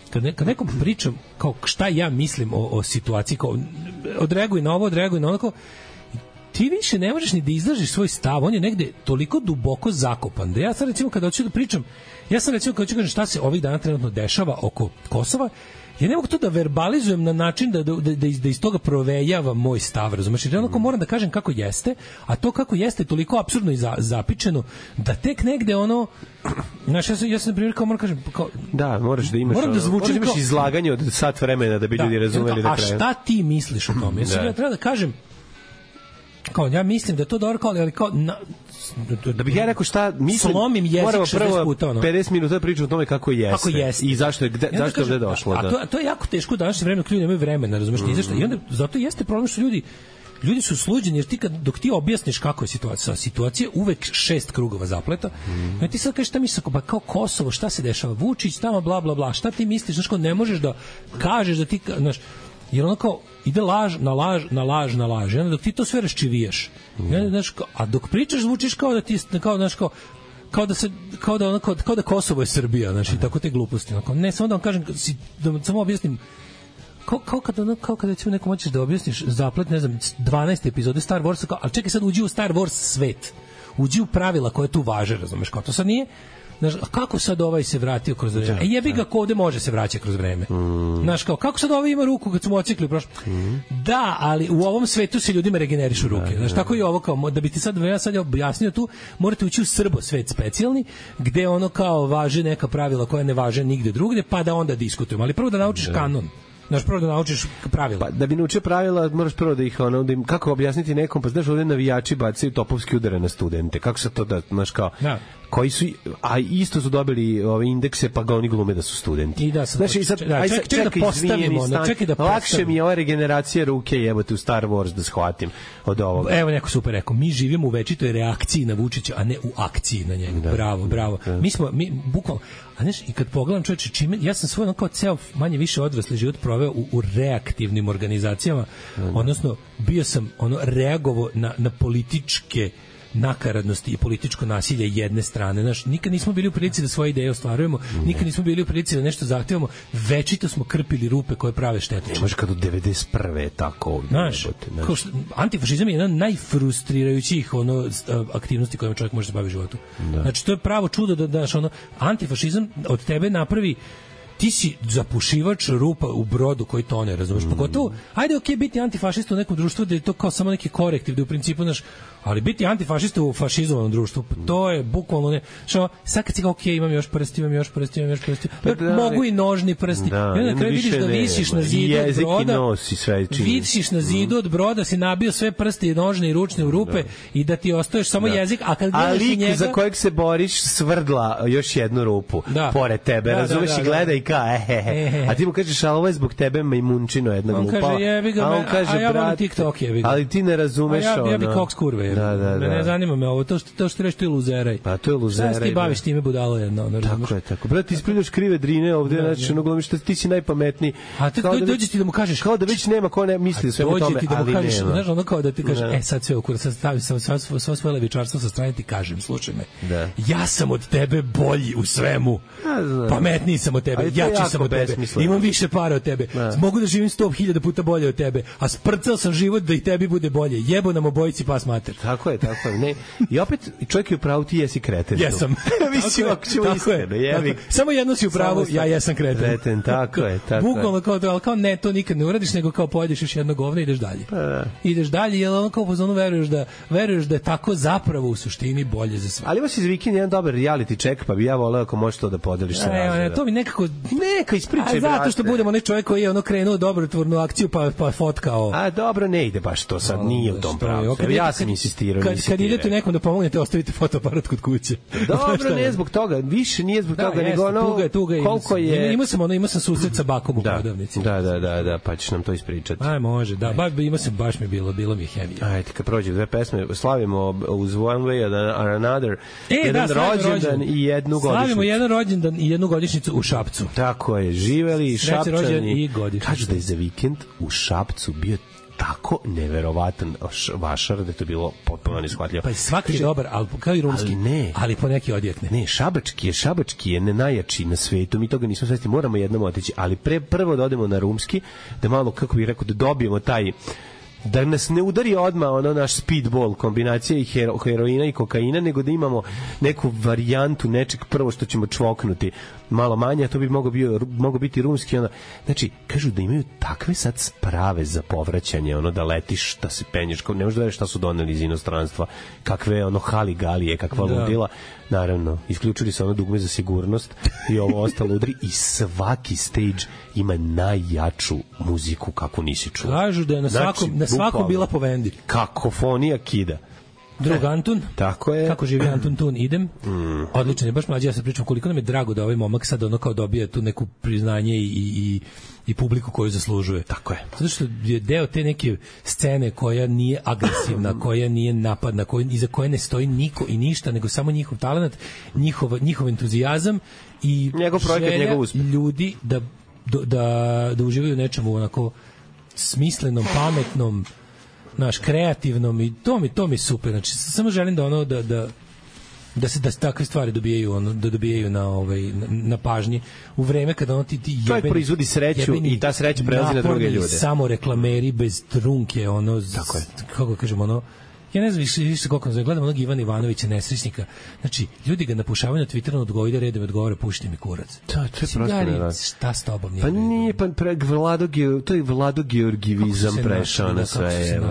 kad, ne, kad nekom pričam kao šta ja mislim o, o situaciji, kao odreaguj na ovo, odreaguj na ono, kao, ti više ne možeš ni da izlažiš svoj stav, on je negde toliko duboko zakopan, da ja sad recimo kada hoću da pričam, ja sam recimo kada hoću da kažem šta se ovih dana trenutno dešava oko Kosova, ja ne mogu to da verbalizujem na način da, da, da, da iz toga provejava moj stav, razumeš? Jer onako moram da kažem kako jeste, a to kako jeste je toliko apsurdno i za, zapičeno, da tek negde ono, znaš, ja sam, ja sam na primjer kao moram kažem, kao, da, moraš da imaš, moram da zvuči, moraš da imaš izlaganje od sat vremena da bi da, ljudi razumeli da treba. A šta ti misliš o tome? Ja sam ja treba da kažem, kao, ja mislim da je to dobro, kao, ali kao, na, da bih ja rekao šta mislim, slomim jezik šezdeset puta, ono. pedeset minuta da pričam o tome kako jeste. Kako jeste. I zašto je, gde, zašto je ovde došlo. A, da. a, to, a to je jako teško u današnje vreme, ljudi nemaju vremena, razumeš, mm. I onda zato jeste problem što ljudi ljudi su sluđeni, jer ti kad, dok ti objasniš kako je situacija, situacija uvek šest krugova zapleta, mm. ti sad kažeš šta misliš, pa kao Kosovo, šta se dešava, Vučić, tamo, bla, bla, bla, šta ti misliš, znaš, ne možeš da kažeš da ti, znaš, jer ono kao ide laž na laž na laž na laž, onda dok ti to sve raščivijaš, mm. ja, znaš, a dok pričaš zvučiš kao da ti kao, znaš, kao kao da se kao da ono, kao, kao da Kosovo je Srbija, znači mm. tako te gluposti, onako. Ne, samo da vam kažem, da vam samo objasnim, kao, kao kada ono, kao kada ćemo nekom hoćeš da objasniš zaplet, ne znam, dvanaeste epizode Star Warsa, kao, ali čekaj sad uđi u Star Wars svet, uđi u pravila koje tu važe, razumeš, kao to sad nije. Znaš, kako sad ovaj se vratio kroz vreme? E jebi ga, ko ovde može se vraća kroz vreme. Mm. Znaš, kao, kako sad ovaj ima ruku kad smo ocikli prošlo? Mm. Da, ali u ovom svetu se ljudima regenerišu ruke. Znaš, tako i ovo, kao, da bi ti sad, ja sad objasnio tu, morate ući u Srbo svet specijalni, gde ono kao važe neka pravila koja ne važe nigde drugde, pa da onda diskutujemo. Ali prvo da naučiš da. kanon. Znaš, prvo da naučiš pravila. Pa, da bi naučio pravila, moraš prvo da ih, ono, da im, kako objasniti nekom, pa znaš, ovdje navijači bacaju topovski udare na studente. Kako se to da, znaš, kao, da. Koji su, a isto su dobili ove indekse, pa ga oni glume da su studenti. I da, sam, znači, sad, da, aj, ček, ček, ček da postavimo, stan, čekaj da postavimo. Lakše mi je ova regeneracija ruke, jebote, u Star Wars da shvatim od ovoga. Evo neko super rekao, mi živimo u večitoj reakciji na Vučića, a ne u akciji na njega. Da, bravo, bravo. Da. Mi smo, mi, bukvalno, a znaš, i kad pogledam čovječe, čime, ja sam svoj, ono, kao ceo manje više odrasli život proveo u, u reaktivnim organizacijama, da, da. Odnosno, bio sam, ono, reagovao na, na političke nakaradnosti i političko nasilje jedne strane. Znaš, nikad nismo bili u prilici da svoje ideje ostvarujemo, nikad nismo bili u prilici da nešto zahtevamo, večito smo krpili rupe koje prave štetu. Možeš kad u devedeset prve je tako. Znaš, znaš. Antifašizam je jedna najfrustrirajućih ono, aktivnosti kojima čovjek može se baviti u životu. Da. Znači, to je pravo čudo da daš ono, antifašizam od tebe napravi ti si zapušivač rupa u brodu koji tone, razumeš? Mm. Pogotovo, ajde, okej, okay, biti antifašista u nekom društvu da je to kao samo neki korektiv, da u principu, znaš, ali biti antifašista u fašizovanom društvu, to je bukvalno ne, što sad kad si kao, okej, okay, imam još prsti, imam još prsti, imam još prsti, pa da, mogu i nožni prsti, da, i onda kraj vidiš da visiš na zidu od broda, visiš na zidu od broda, si nabio sve prsti i nožne i ručne u rupe da. I da ti ostaješ samo da. Jezik, a kad gledaš i njega... za kojeg se boriš svrdla još jednu rupu da. Pored tebe, da, razumeš da, da, i gleda i ka, ehehe, a ti mu kažeš, a ovo je zbog tebe majmunčino jedna glupa, on kaže, jebi ga, a on kaže, a ja volim TikTok, jebi ga, ali ti ne razumeš ono, ja bi koks kurve, da, da, da. Ne zanima me ovo, to što, to što reći, to je luzeraj. Pa to je luzeraj. Šta ti baviš time budalo jedno? Ne tako je, tako. Brate, ti isprinjaš krive drine ovde, znači, ono glomiš, ti si najpametniji. A ti dođe ti da mu kažeš, kao da već nema ko ne misli sve o tome, ali nema. Znaš, ono kao da ti kažeš, e, sad sve ukura, sad stavi sam svo svoje levičarstvo sa strane, ti kažem, slušaj me, ja sam od tebe bolji u svemu, pametniji sam od tebe, jači sam od tebe, imam više para od tebe, mogu da živim sto hiljada puta bolje od tebe, a sprcao sam život da i tebi bude bolje, jebo nam obojici pas mater. Tako je, tako je. Ne. I opet čovjek je u pravu, ti jesi kreten. Jesam. Mislim, ako ćemo iskreno, jebi. Samo jedno si u pravu, ja jesam kreten. Kreten, tako je, tako je. Bukvalno kao to, ali kao ne, to nikad ne uradiš, nego kao pojedeš još jedno govno i ideš dalje. Pa, ideš dalje, jer ono kao pozvano veruješ da, veruješ da je tako zapravo u suštini bolje za sve. Ali ovo si za vikend jedan dobar reality check, pa bi ja voleo ako možeš to da podeliš sa razredom. Ne, to mi nekako... Neka ispričaj, brate. Zato što budemo onaj čovjek koji je ono krenuo dobrotvornu akciju, pa, pa fotkao. A dobro, ne ide baš to sad, nije u tom pravu. Ja sam insistirao. Kad, kad idete nekom da pomognete, ostavite fotoaparat kod kuće. Dobro, ne zbog toga, više nije zbog toga, nego ono koliko je... Imao sam, ono, imao sam susret sa bakom u prodavnici. Da, da, da, da, pa ćeš nam to ispričati. Aj, može, da, ba, imao sam, baš mi bilo, bilo mi je hemija. Ajde, kad prođe dve pesme, slavimo uz One Way or Another, e, jedan da, rođendan i jednu godišnjicu. Slavimo jedan rođendan i jednu godišnjicu u Šapcu. Tako je, živeli Šapčani. Kažu da je za vikend u Šapcu bio tako neverovatan vašar da je to bilo potpuno neshvatljivo. Pa svaki je dobar, ali kao i rumski, ali, ne, ali po neki odjekne. Ne, šabački je, šabački je ne najjači na svetu, mi toga nismo svesni, moramo jednom otići, ali pre, prvo da odemo na rumski, da malo, kako bih rekao, da dobijemo taj, da nas ne udari odmah ono naš speedball kombinacija i hero, heroina i kokaina, nego da imamo neku varijantu nečeg prvo što ćemo čvoknuti malo manje, a to bi mogao, bio, mogao biti rumski. Ono. Znači, kažu da imaju takve sad sprave za povraćanje, ono da letiš, da se penješ, ne možeš da veriš šta su doneli iz inostranstva, kakve ono haligalije, kakva da. Ludila. Naravno, isključili su ono dugme za sigurnost i ovo ostalo udri i svaki stage ima najjaču muziku kako nisi čuo. Kažu da je na svakom, znači, na svakom bila po vendi. Kakofonija kida. Drug Antun. Tako je. Kako živi Antun Tun, idem. Mm. Odlično je, baš mlađi, ja se pričam koliko nam je drago da ovaj momak sad ono kao dobija tu neku priznanje i, i, i publiku koju zaslužuje. Tako je. Zato što je deo te neke scene koja nije agresivna, koja nije napadna, koja, iza koje ne stoji niko i ništa, nego samo njihov talent, njihov, njihov entuzijazam i njegov projekat, njegov uspeh. Ljudi da, da, da uživaju u nečemu onako smislenom, pametnom, naš kreativnom i to mi to mi super. Znači samo želim da ono da da da se da takve stvari dobijaju ono da dobijaju na ovaj na, na pažnji u vreme kada ono ti ti jebeni, to proizvodi sreću i ta sreća prelazi na druge ljude. Samo reklameri bez trunke, ono tako je. Kako kažemo, ono ja ne znam više, više koliko ne gledam onog Ivana Ivanovića nesrećnika. Znači, ljudi ga napušavaju na Twitteru, odgovide redom, odgovore, pušti mi kurac. To, to je prosto ne šta s tobom nije? Pa nije, pa pre, Vlado, to je Vlado Georgivizam prešao na sve. Je,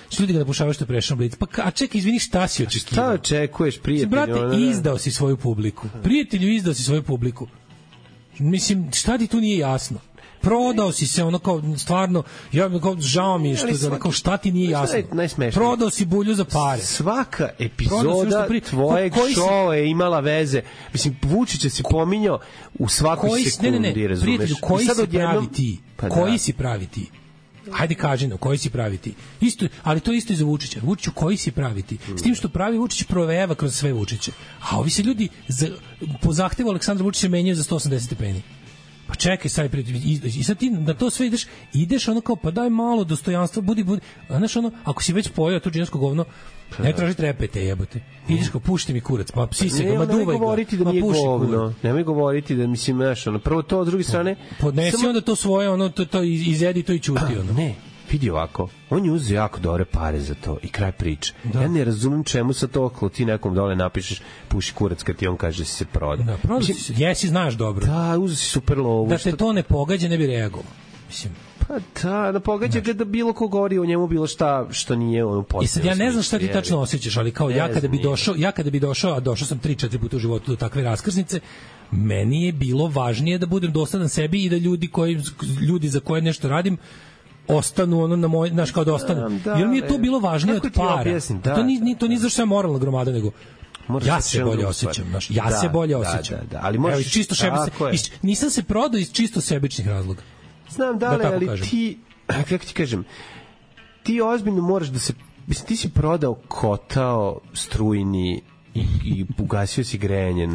što ljudi ga napušavaju što je prešao blic. Pa a čekaj, izvini, šta si očekivao? Šta očekuješ, prijatelju? Brate, izdao si svoju publiku. Prijatelju, izdao si svoju publiku. Mislim, šta ti tu nije jasno? Prodao si se, ono kao, stvarno, ja kao, žao mi je što, svaki, kao, šta ti nije jasno? Prodao si bulju za pare. Svaka epizoda pri... tvojeg šova je imala veze. Mislim, Vučića si pominjao u svakoj koji, sekundi, ne, ne, ne, razumeš? Prijatelju, koji si pravi ti? Pa koji da. si pravi ti? Hajde kaži nam, koji si pravi ti? Isto, ali to isto i za Vučića. Vučiću, koji si pravi ti? S tim što pravi Vučić provejava kroz sve Vučiće. A ovi se ljudi, za, po zahtevu Aleksandra Vučića menjaju za sto osamdeset stepeni. Pa čekaj, sad i sad ti na to sve ideš, ideš ono kao, pa daj malo dostojanstva, budi, budi, znaš ono, ako si već pojao to džinsko govno, ne traži trepete, jebote. Ideš kao, pušti mi kurac, pa psi se ga, ma duvaj ga. Nemoj govoriti da nije govno, nemoj govoriti da, mislim, znaš, ono, prvo to, s druge strane... Podnesi samo... onda to svoje, ono, to, to izjedi to i čuti, ono. Ne, vidi ovako, on je uzeo jako dobre pare za to i kraj priče. Da. Ja ne razumem čemu sa to okolo ti nekom dole napišeš puši kurac kad ti on kaže si se proda. Da, proda si se, jesi, znaš dobro. Da, uzeo si super lovu. Da te to ne pogađa, ne bi reagovao. Mislim, pa da, da pogađa ga da bilo ko govori o njemu bilo šta što nije ono potpuno. I sad ja ne znam šta ti tačno osjećaš, ali kao ja kada bi došao, ja kada bi došao, a došao sam tri četiri puta u životu do takve raskrsnice, meni je bilo važnije da budem dosadan sebi i da ljudi koji ljudi za koje nešto radim ostanu ono na moj, znaš, kao da ostanu. Da, jer mi je to bilo važnije od para. Objasnim, da, to ni ni to ni zašto sam moralna gromada, nego ja se bolje osjećam, znaš, ja da, se bolje osjećam. Da, da, da, ali možeš evo, čisto sebi, nisam se prodao iz čisto sebičnih razloga. Znam da li, da ali kažem. Ti, kako ti kažem, ti ozbiljno moraš da se, mislim, ti si prodao kotao strujni i, i ugasio si grejanje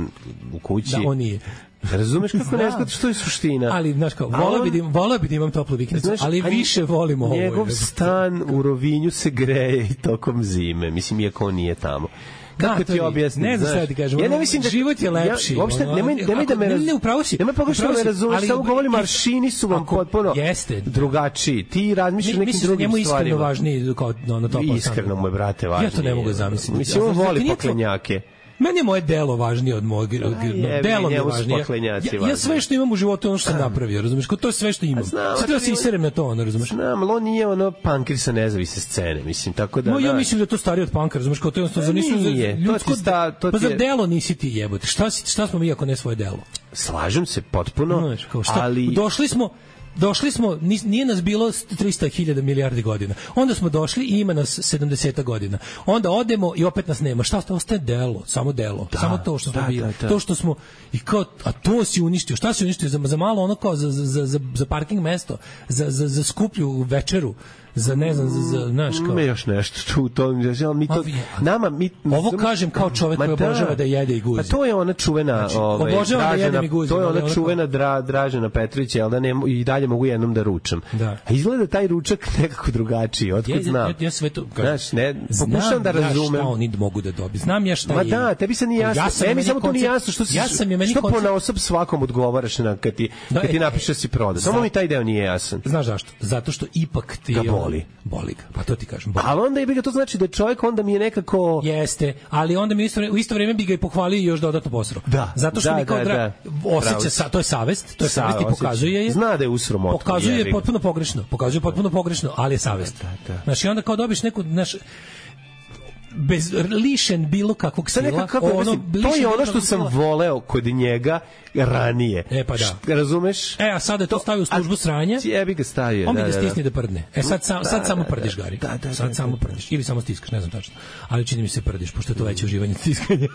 u kući. Da, on nije. Razumeš kako ne znaš što je suština. Ali, znaš kao, volao bi, volao bi da imam toplu vikendicu, ali više volimo ovo. Njegov stan u Rovinju se greje i tokom zime, mislim, iako on nije tamo. Kako ti objasnim? Ne znam šta ti kažem. Ja ne mislim da život je lepši. Ja, uopšte nemoj nemoj da me ne, ne upravo si. Nemoj pogrešno me razumeš, samo govorim aršini su vam potpuno drugačiji. Ti razmišljaš nekim drugim stvarima. Njemu iskreno važniji kao na to. Iskreno moj brate važniji. Ja to ne mogu zamisliti. Mislim, on voli poklenjake. Meni je moje delo važnije od mojeg, delo mi je važnije. Ja, ja sve što imam u životu je ono što sam napravio, razumeš? To je sve što imam. Sad da se iserem na to, ono, razumeš? Znam, ali on nije ono punkir sa nezavisne scene, mislim, tako da... No, ja mislim da je to starije od punkera, razumeš? Kao to je jednostavno, nisu ljudsko... Pa za delo nisi ti jebote. Šta, šta smo mi ako ne svoje delo? Slažem se potpuno, ali... Došli smo... Došli smo, nije nas bilo trista hiljada milijardi godina. Onda smo došli i ima nas sedamdeset godina. Onda odemo i opet nas nema. Šta ostaje delo? Samo delo. Da, samo to što smo da, bili. Da, da. To što smo i kao, a to si uništio. Šta si uništio? Za, za malo ono kao za, za, za, za parking mesto, za, za, za skuplju večeru, za ne znam, za, za znaš kao... Me još nešto tu, to, mi to, nama, mi... Ovo kažem kao čovek koji obožava da jede i guzi. Pa to je ona čuvena, znači, ovaj, Dražena, da guzi, to je ona ono čuvena dra, Dražena Petrović, jel da ne, i dalje mogu jednom da ručam. Da. A izgleda taj ručak nekako drugačiji, otkud znam. Ja, ja sve to... Znaš, ne, pokušam da razumem. Znam ja šta oni mogu da dobiju. Znam ja šta Ma je... Ma da, tebi se nije jasno. Ja sam ne, mi samo to nije jasno. Što, si, ja sam je meni što koncept... ponaosob svakom odgovaraš na, kad ti, da, kad ti napišeš da si proda. Samo mi taj deo nije jasan. Znaš zašto? Zato što ipak ti... Ga boli. Boli ga. Pa to ti kažem. Boli. Ali onda je bi ga to znači da čovjek onda mi je nekako... Jeste, ali onda mi isto, u isto vrijeme bi ga i pohvalio i još dodatno posrao. Da. Zato što da, mi kao da, dra... da. osjeća, sa, to je savest, to je savest i pokazuje je. Zna da je usro motku. Pokazuje je potpuno pogrešno. Pokazuje potpuno pogrešno, ali je savest. Da, da, da. Znači onda kao dobiš neku, znaš, bez lišen bilo kakvog sila, kako, ono, to je ono što sam voleo kod njega ranije. E pa da. Razumeš? E, a sada je to stavio u službu sranja. Jebi ga stavio. On bi da, da stisne da prdne. E sad, sam, sad samo prdiš, Gari. Da, da, sad da, samo da, prdiš. Ili samo stiskaš, ne znam tačno. Ali čini mi se prdiš, pošto je to veće uživanje stiskanja.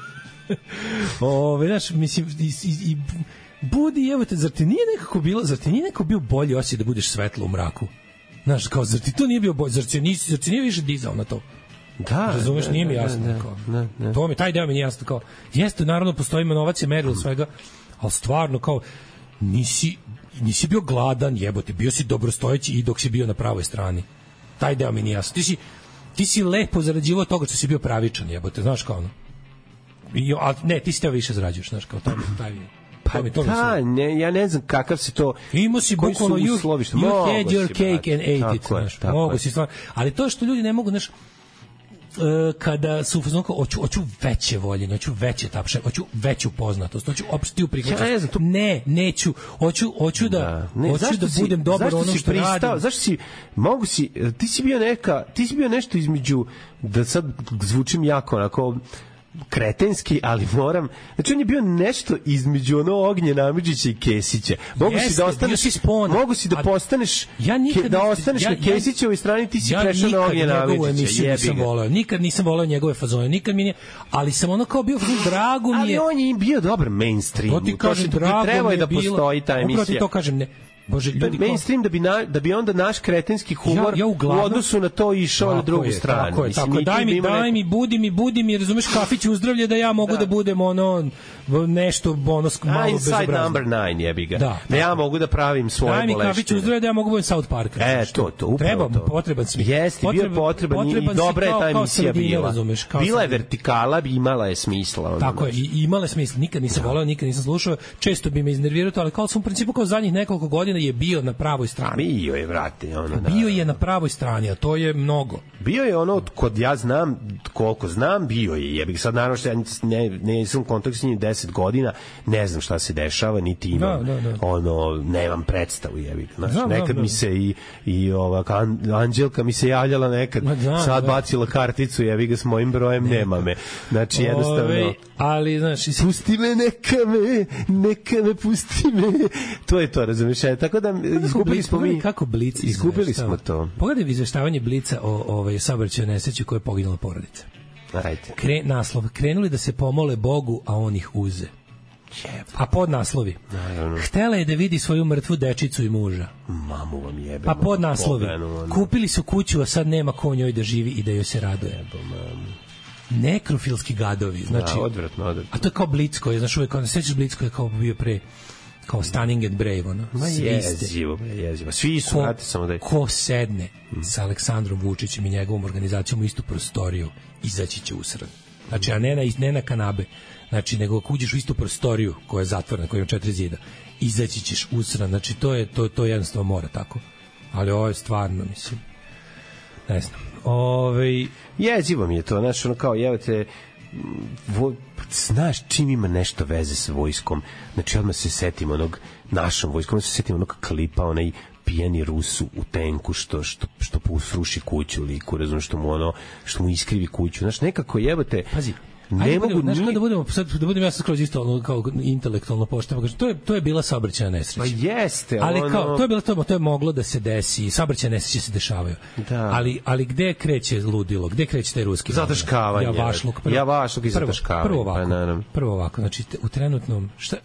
Ove, znaš, mislim, i, i, i budi, evo te, zar ti nije nekako bilo, zar ti nije nekako bio bolji osjećaj da budeš svetlo u mraku? Znaš, kao, zar ti to nije bio bolji, zar ti nisi, zar ti nije više dizao na to? Da, razumeš, da, nije mi da, jasno. da, kao. Da, da. To mi, taj deo mi nije jasno. Kao, jeste, naravno, postoji inovacija, merilo svega, ali stvarno, kao, nisi, nisi bio gladan, jebote, bio si dobrostojeći i dok si bio na pravoj strani. Taj deo mi nije jasno. Ti si, ti si lepo zarađivao toga što si bio pravičan, jebote, znaš kao ono. I, a, ne, ti si teo više zarađuješ, znaš, kao, taj, taj Pa to da, ne, ja ne znam kakav si to... Imao si bukvalno, you, you had your cake and ate it, znaš, mogu si stvarno. Ali to što ljudi ne mogu, znaš, kada su u hoću hoću veće voljenje, hoću veće tapše, hoću veću poznatost, hoću opštiju prihvaćanje. Ja ne, znam, to... ne, neću, hoću hoću da, da ne, hoću da si, budem dobar ono što pristao, radim. Zašto si mogu si ti si bio neka, ti si bio nešto između, da sad zvučim jako onako kretenski, ali moram, znači on je bio nešto između ono Ognjena Amidžića i Kesića. Mogu Jeste, si da ostaneš mogu si da postaneš ja nikad, da ostaneš ja, na Kesićevoj strani, ti si ja prešao na Ognjena Amidžića. Nisam voleo, nikad nisam voleo njegove fazone, nikad mi nije, ali sam ono kao bio drago mi je. Ali on je bio dobar mainstream. To ti kažem, drago treba je da postoji ta emisija. Upravo ti to kažem, ne. Bože, ljudi, mainstream da bi na, da bi onda naš kretenski humor ja, ja uglavnom, u odnosu na to išao na drugu je, stranu. Tako je, tako, daj mi, daj neko... mi, budi mi, budi mi, razumeš, kafić uzdravlje da ja mogu da, da budem ono nešto ono malo bezobrazno. Inside number nine jebi ga. Da, da ja mogu da pravim svoje boleštine. Daj mi kafić uzdravlje da ja mogu budem South Park. E, to, to, treba, to. potreban si. Jeste, bio je potreban i dobra je ta emisija bila. Bila je vertikala, imala je smisla. Tako je, i imala je smisla. Nikad nisam voleo, nikad nisam slušao, često bi me iznerviralo, ali kao sam u principu kao zadnjih nekoliko godina ali je bio na pravoj strani. Bio je, vrati. Ono, da. Bio je na pravoj strani, a to je mnogo. Bio je ono, kod ja znam, koliko znam, bio je. Ja bih sad, naravno, što ja ne, ne sam u kontaktu s njim deset godina, ne znam šta se dešava, niti imam, da, da, da. ono, nemam predstavu, jebik. Znači, da, nekad da, da. mi se i, i ova, Anđelka mi se javljala nekad, da, sad da. bacila karticu, jebik ga s mojim brojem, ne. nema me. Znači, jednostavno... Ove, ali, znači... Pusti me, neka me, neka me, pusti me. To je to, razumiješ? Tako da, izgubili smo mi... Kako Blic izgubili smo to. Pogledaj izveštavanje Blica o ovaj saobraćajnoj nesreći koje je poginula porodica. Ajde. Kre, naslov, krenuli da se pomole Bogu, a on ih uze. A pod naslovi. Htela je da vidi svoju mrtvu dečicu i muža. Mamu vam jebe. Pa pod naslovi. Kupili su kuću, a sad nema ko njoj da živi i da joj se raduje. Jebo, mamu. Nekrofilski gadovi. Znači, da, odvratno, odvratno. A to je kao Blic koji je, znaš, uvijek, sećaš Blic koji je kao bio pre, kao Stunning and Brave, ono. Ma jezivo, jezivo. Svi su, znate, samo da je... Ko sedne hmm. sa Aleksandrom Vučićem i njegovom organizacijom u istu prostoriju, izaći će usran. Znači, a ne na, ne na kanabe. Znači, nego ako uđeš u istu prostoriju koja je zatvorena, koja ima četiri zida, izaći ćeš usran. Znači, to je, to, to jednostavno mora tako. Ali ovo je stvarno, mislim, ne znam. Ove... Jezivo mi je to, znaš, ono kao, evo te, vo, znaš čim ima nešto veze s vojskom, znači odmah se setimo onog našom vojskom, odmah se setimo onog klipa, onaj pijani Rusu u tenku što, što, što sruši kuću liku, razum, što mu ono, što mu iskrivi kuću, znaš, nekako jebate... Pazi, ne ajde, mogu budemo, ni... znaš, da budemo, sad, da budem ja sad skroz isto ono, kao intelektualno pošteno, to je, to je bila saobraćajna nesreća. Pa jeste, ali ono... kao, to je bilo, to, to je moglo da se desi, saobraćajne nesreće se dešavaju. Da. Ali, ali gde kreće ludilo, gde kreće taj ruski? Zataškavanje. Javašluk. Prvo, Javašluk i zataškavanje. Prvo ovako, pa, prvo ovako, znači u trenutnom, šta,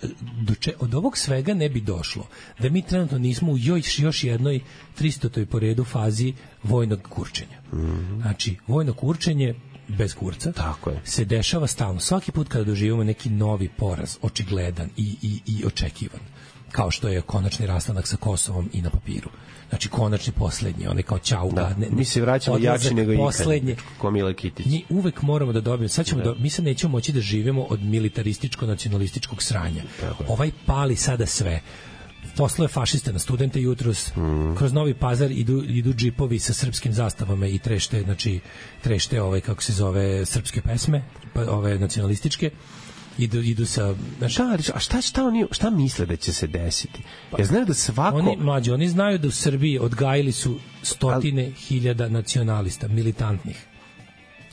do če, od ovog svega ne bi došlo, da mi trenutno nismo u još, još jednoj tristotoj po redu fazi vojnog kurčenja. Mm-hmm. Znači, vojno kurčenje bez kurca, tako je, se dešava stalno. Svaki put kada doživimo neki novi poraz, očigledan i, i, i očekivan, kao što je konačni rastanak sa Kosovom i na papiru. Znači, konačni poslednji, onaj kao ćauga. Da, ne, mi se vraćamo jači nego ikad, ko Mile Kitić. Mi uvek moramo da dobijemo, sad ćemo da. Do, mi sad nećemo moći da živimo od militarističko-nacionalističkog sranja. Tako. Ovaj pali sada sve. Poslao je fašiste na studente jutros, mm. kroz Novi Pazar idu, idu džipovi sa srpskim zastavama i trešte, znači, trešte ove, kako se zove, srpske pesme, ove nacionalističke, idu, idu sa... Znači, šta, a šta, šta, oni, šta misle da će se desiti? Ja znaju da svako... Oni, mlađi, oni znaju da u Srbiji odgajili su stotine Al... hiljada nacionalista, militantnih.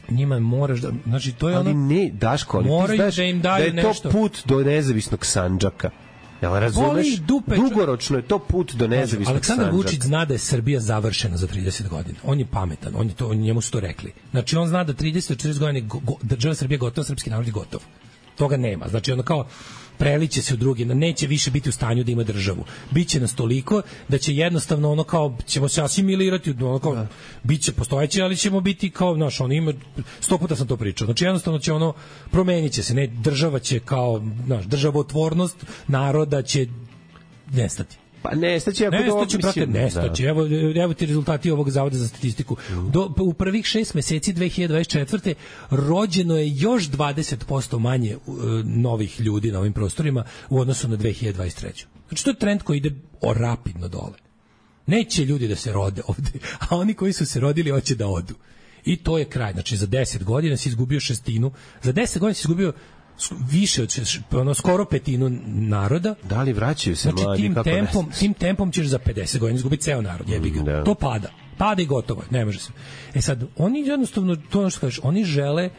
Njima moraš da... Znači, to je ali ono... ne, Daško, ali moraju ti znaš da im daju da je to nešto. Put do nezavisnog Sandžaka. Jel razumeš? Dupe, dugoročno je to put do nezavisnog Sandžaka. Aleksandar Vučić zna da je Srbija završena za trideset godina. On je pametan, on je to, njemu su to rekli. Znači, on zna da trideset do četrdeset godina go, go, država Srbija gotova, srpski narod je gotov. Toga nema. Znači, ono kao preliće se u drugi, neće više biti u stanju da ima državu. Biće nas toliko da će jednostavno ono kao, ćemo se asimilirati, ono kao, da. Biće postojeće, ali ćemo biti kao, znaš, ono ima, sto puta sam to pričao, znači jednostavno će ono, promenit će se, ne, država će kao, znaš, državotvornost naroda će nestati. Pa nestaće, ako nestaće, brate, nestaće. Evo, evo ti rezultati ovog zavoda za statistiku. Do, u prvih šest meseci dve hiljade dvadeset četvrte rođeno je još dvadeset posto manje uh, novih ljudi na ovim prostorima u odnosu na dve hiljade dvadeset treću. Znači, to je trend koji ide rapidno dole. Neće ljudi da se rode ovde, a oni koji su se rodili hoće da odu. I to je kraj. Znači, za deset godina si izgubio šestinu, za deset godina si izgubio više od ono skoro petinu naroda. Da li vraćaju se znači, mladi tim kako tempom, tim tempom ćeš za pedeset godina izgubiti ceo narod, jebi ga. Mm, to pada. Pada i gotovo, ne može se. E sad, oni jednostavno, to ono što kažeš, oni žele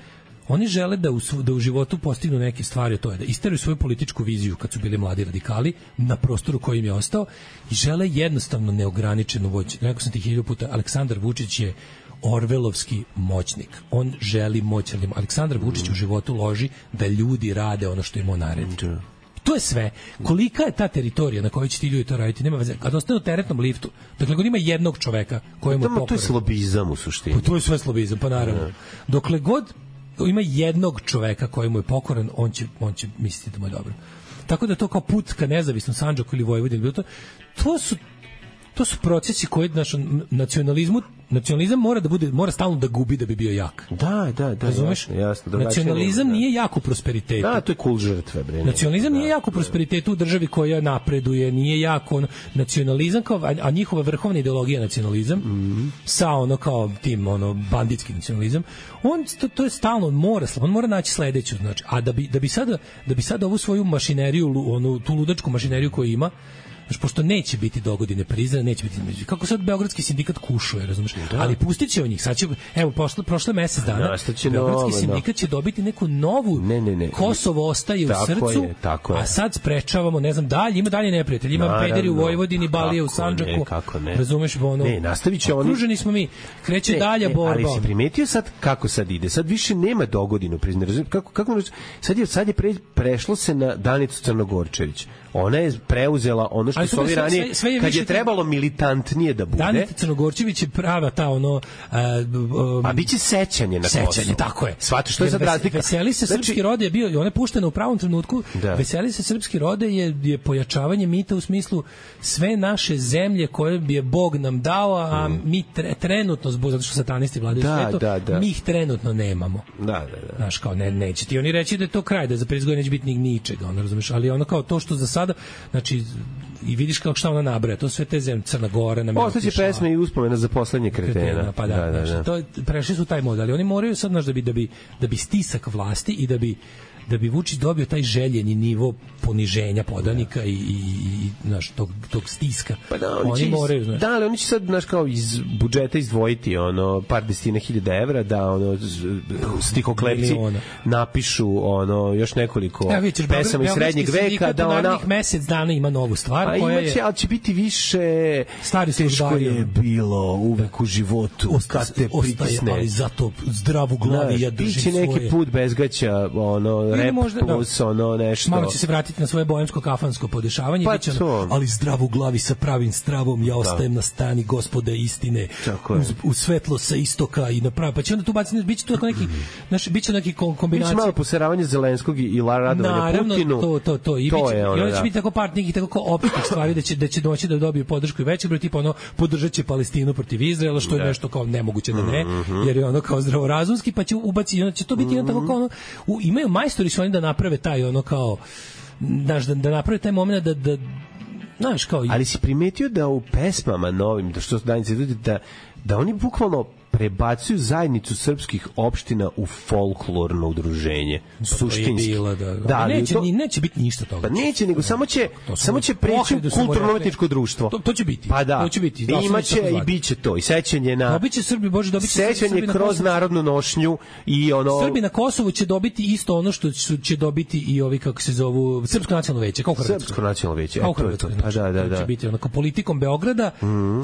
oni žele da u, da u životu postignu neke stvari, to je da isteraju svoju političku viziju kad su bili mladi radikali na prostoru koji im je ostao i žele jednostavno neograničenu moć. Rekao sam ti hiljadu puta, Aleksandar Vučić je orvelovski moćnik. On želi moć, ali Aleksandar Vučić u životu loži da ljudi rade ono što im on naredi. To je sve. Kolika je ta teritorija na kojoj će ti ljudi to raditi? Nema veze. Kad ostane u teretnom liftu, dokle god ima jednog čoveka kojemu je pokoran. To je slobizam u suštini. Pa to je sve slobizam, pa naravno. Dokle god ima jednog čoveka kojemu je pokoran, on će, on će misliti da mu je dobro. Tako da to kao put ka nezavisnom Sandžaku ili Vojvodini, to, to su to su procesi koji našom nacionalizmu nacionalizam mora da bude, mora stalno da gubi da bi bio jak. Da, da, da. Razumeš? Jasno, jasno, nacionalizam da. nije jak u prosperitetu. Da, to je kul žrtve, bre. Nacionalizam da, nije jak u prosperitetu u državi koja napreduje, nije jak on, nacionalizam kao, a, a njihova vrhovna ideologija nacionalizam, mm. sa ono kao tim, ono, banditski nacionalizam, on, to, to je stalno, on mora, on mora naći sledeću, znači, a da bi, da bi sada, da bi sada ovu svoju mašineriju, onu, tu ludačku mašineriju koju ima, znači, pošto neće biti dogodine priznane, neće biti, kako sad beogradski sindikat kušuje, razumeš, da. Ali pustit će o njih, sad će, evo, prošle, prošle mesec dana, beogradski novo, sindikat će dobiti neku novu, ne, ne, ne. Kosovo ostaje tako u srcu, je, tako a sad sprečavamo, ne znam, dalje, ima dalje neprijatelj, ima naravno, pederi u Vojvodini, Balije u Sandžaku, ne, kako ne. Razumeš, ono, ne, nastavit će oni, okruženi smo mi, kreće ne, dalje ne, borba. Ali si primetio sad kako sad ide, sad više nema dogodinu priznane, razumeš, kako, kako, sad je, sad je pre, prešlo se na Danicu Crnogorčević. Ona je preuzela ono što su ovi ranije, sve, sve je kad je trebalo militantnije da bude. Danica Crnogorčević je prava ta ono... Um, a biće sećanje na Kosovo. Sećanje, tako je. Svati što je sad razlika. Veseli se znači, srpski rode je bio, ona je puštena u pravom trenutku, da. Veseli se srpski rode je, je pojačavanje mita u smislu sve naše zemlje koje bi je Bog nam dao, a mm. mi tre, trenutno, zbog, zato što satanisti vladaju da, svetu, da, da. mi ih trenutno nemamo. Da, da, da. Znaš, kao, ne, neće ti oni reći da je to kraj, da za pedeset godina neće biti ni ničega, ono, razumeš, ali ono kao to što za sada, znači, i vidiš kako šta ona nabraja, to sve te zemlje, Crna Gora, na Ostaće pesme i uspomena za poslednje kretena. kretena pa da, da, da, da. To, prešli su taj mod, ali oni moraju sad, znaš, da bi, da bi, da bi stisak vlasti i da bi da bi Vučić dobio taj željeni nivo poniženja podanika da. i, i, i znaš, tog, tog stiska. Pa da, oni, oni iz, moraju, znaš. Da, ali oni će sad, znaš, kao iz budžeta izdvojiti ono, par desetina hiljada evra da ono, stihoklepci napišu ono, još nekoliko ja, vidiš, pesama iz srednjeg veka da ona... mesec dana ima novu stvar a koja će, je... ali će biti više stari teško je bilo uvek u životu Osta, kad te ostaje, pritisne. Ali zato zdravu glavi ja držim svoje. Biće neki put bezgaća, ono, rep možda, plus da. Ono nešto. Malo će se vratiti na svoje boemsko kafansko podešavanje, pa biće ono, ali zdravu glavi sa pravim stravom, ja ostajem da. Na strani Gospode istine, uz, u svetlo sa istoka i na pravi, pa će onda tu baciti, biće tu neki, znaš, biće neki kombinacija. Biće malo poseravanje Zelenskog i radovanja Putinu. to, to, to. I, to biće, je ono, i onda će da. Biti tako par nekih tako opitnih stvari da će, da će doći da dobiju podršku i veći broj, tipa ono, podržat će Palestinu protiv Izraela, što je da. Nešto kao nemoguće da ne, mm-hmm. jer je ono kao zdravorazumski, pa će ubaciti, onda će to biti mm-hmm. tako kao ono, u, imaju majstori su oni da naprave taj ono kao, znaš, da, da naprave taj moment da, da znaš, kao... Ali si primetio da u pesmama novim, da što su Danice ljudi, da, da oni bukvalno prebacuju zajednicu srpskih opština u folklorno udruženje. Pa suštinski. Bila, da, da. Da, neće, to, neće biti ništa toga. Pa neće, nego samo će, samo će preći u kulturno-umetničko društvo. To, to će biti. Pa da. To će biti. I imaće i biće to. I sećanje na... Dobiće Srbi, Bože, dobiće sećanje Srbi kroz Kosovo, narodnu nošnju i ono... Srbi na Kosovu će dobiti isto ono što će dobiti i ovi, kako se zovu, Srpsko nacionalno veće, kao Hrvatsko. Srpsko nacionalno veće. Kao Hrvatsko. Pa da, da, da. Će biti onako politikom Beograda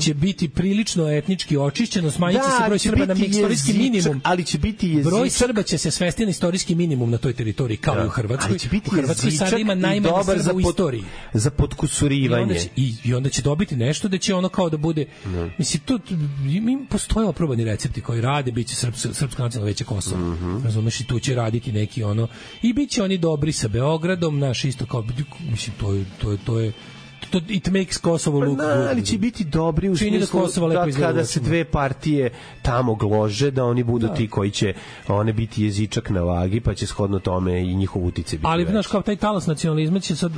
će biti prilično etnički očišćeno, smanjiće se broj Srba na istorijski minimum, ali će biti jezičak. Broj Srba će se svesti na istorijski minimum na toj teritoriji, kao da. I u Hrvatskoj. Ali će biti u Hrvatskoj sad ima najmanje Srba u istoriji. Za potkusurivanje. I onda, će, i, I onda će dobiti nešto da će ono kao da bude... No. Mislim, to, mi postoje oprobani recepti koji rade, bit će Srpsko, Srpsko nacionalno veće Kosovo. Mm-hmm. Razumeš, i tu će raditi neki ono... I bit će oni dobri sa Beogradom, naš isto kao... Mislim, to je... To je, to je to it makes Kosovo look good. Ali će biti dobri u smislu da, da kada se dve partije tamo glože, da oni budu da. Ti koji će one biti jezičak na vagi, pa će shodno tome i njihov utice biti. Ali znaš, kao taj talas nacionalizma će sad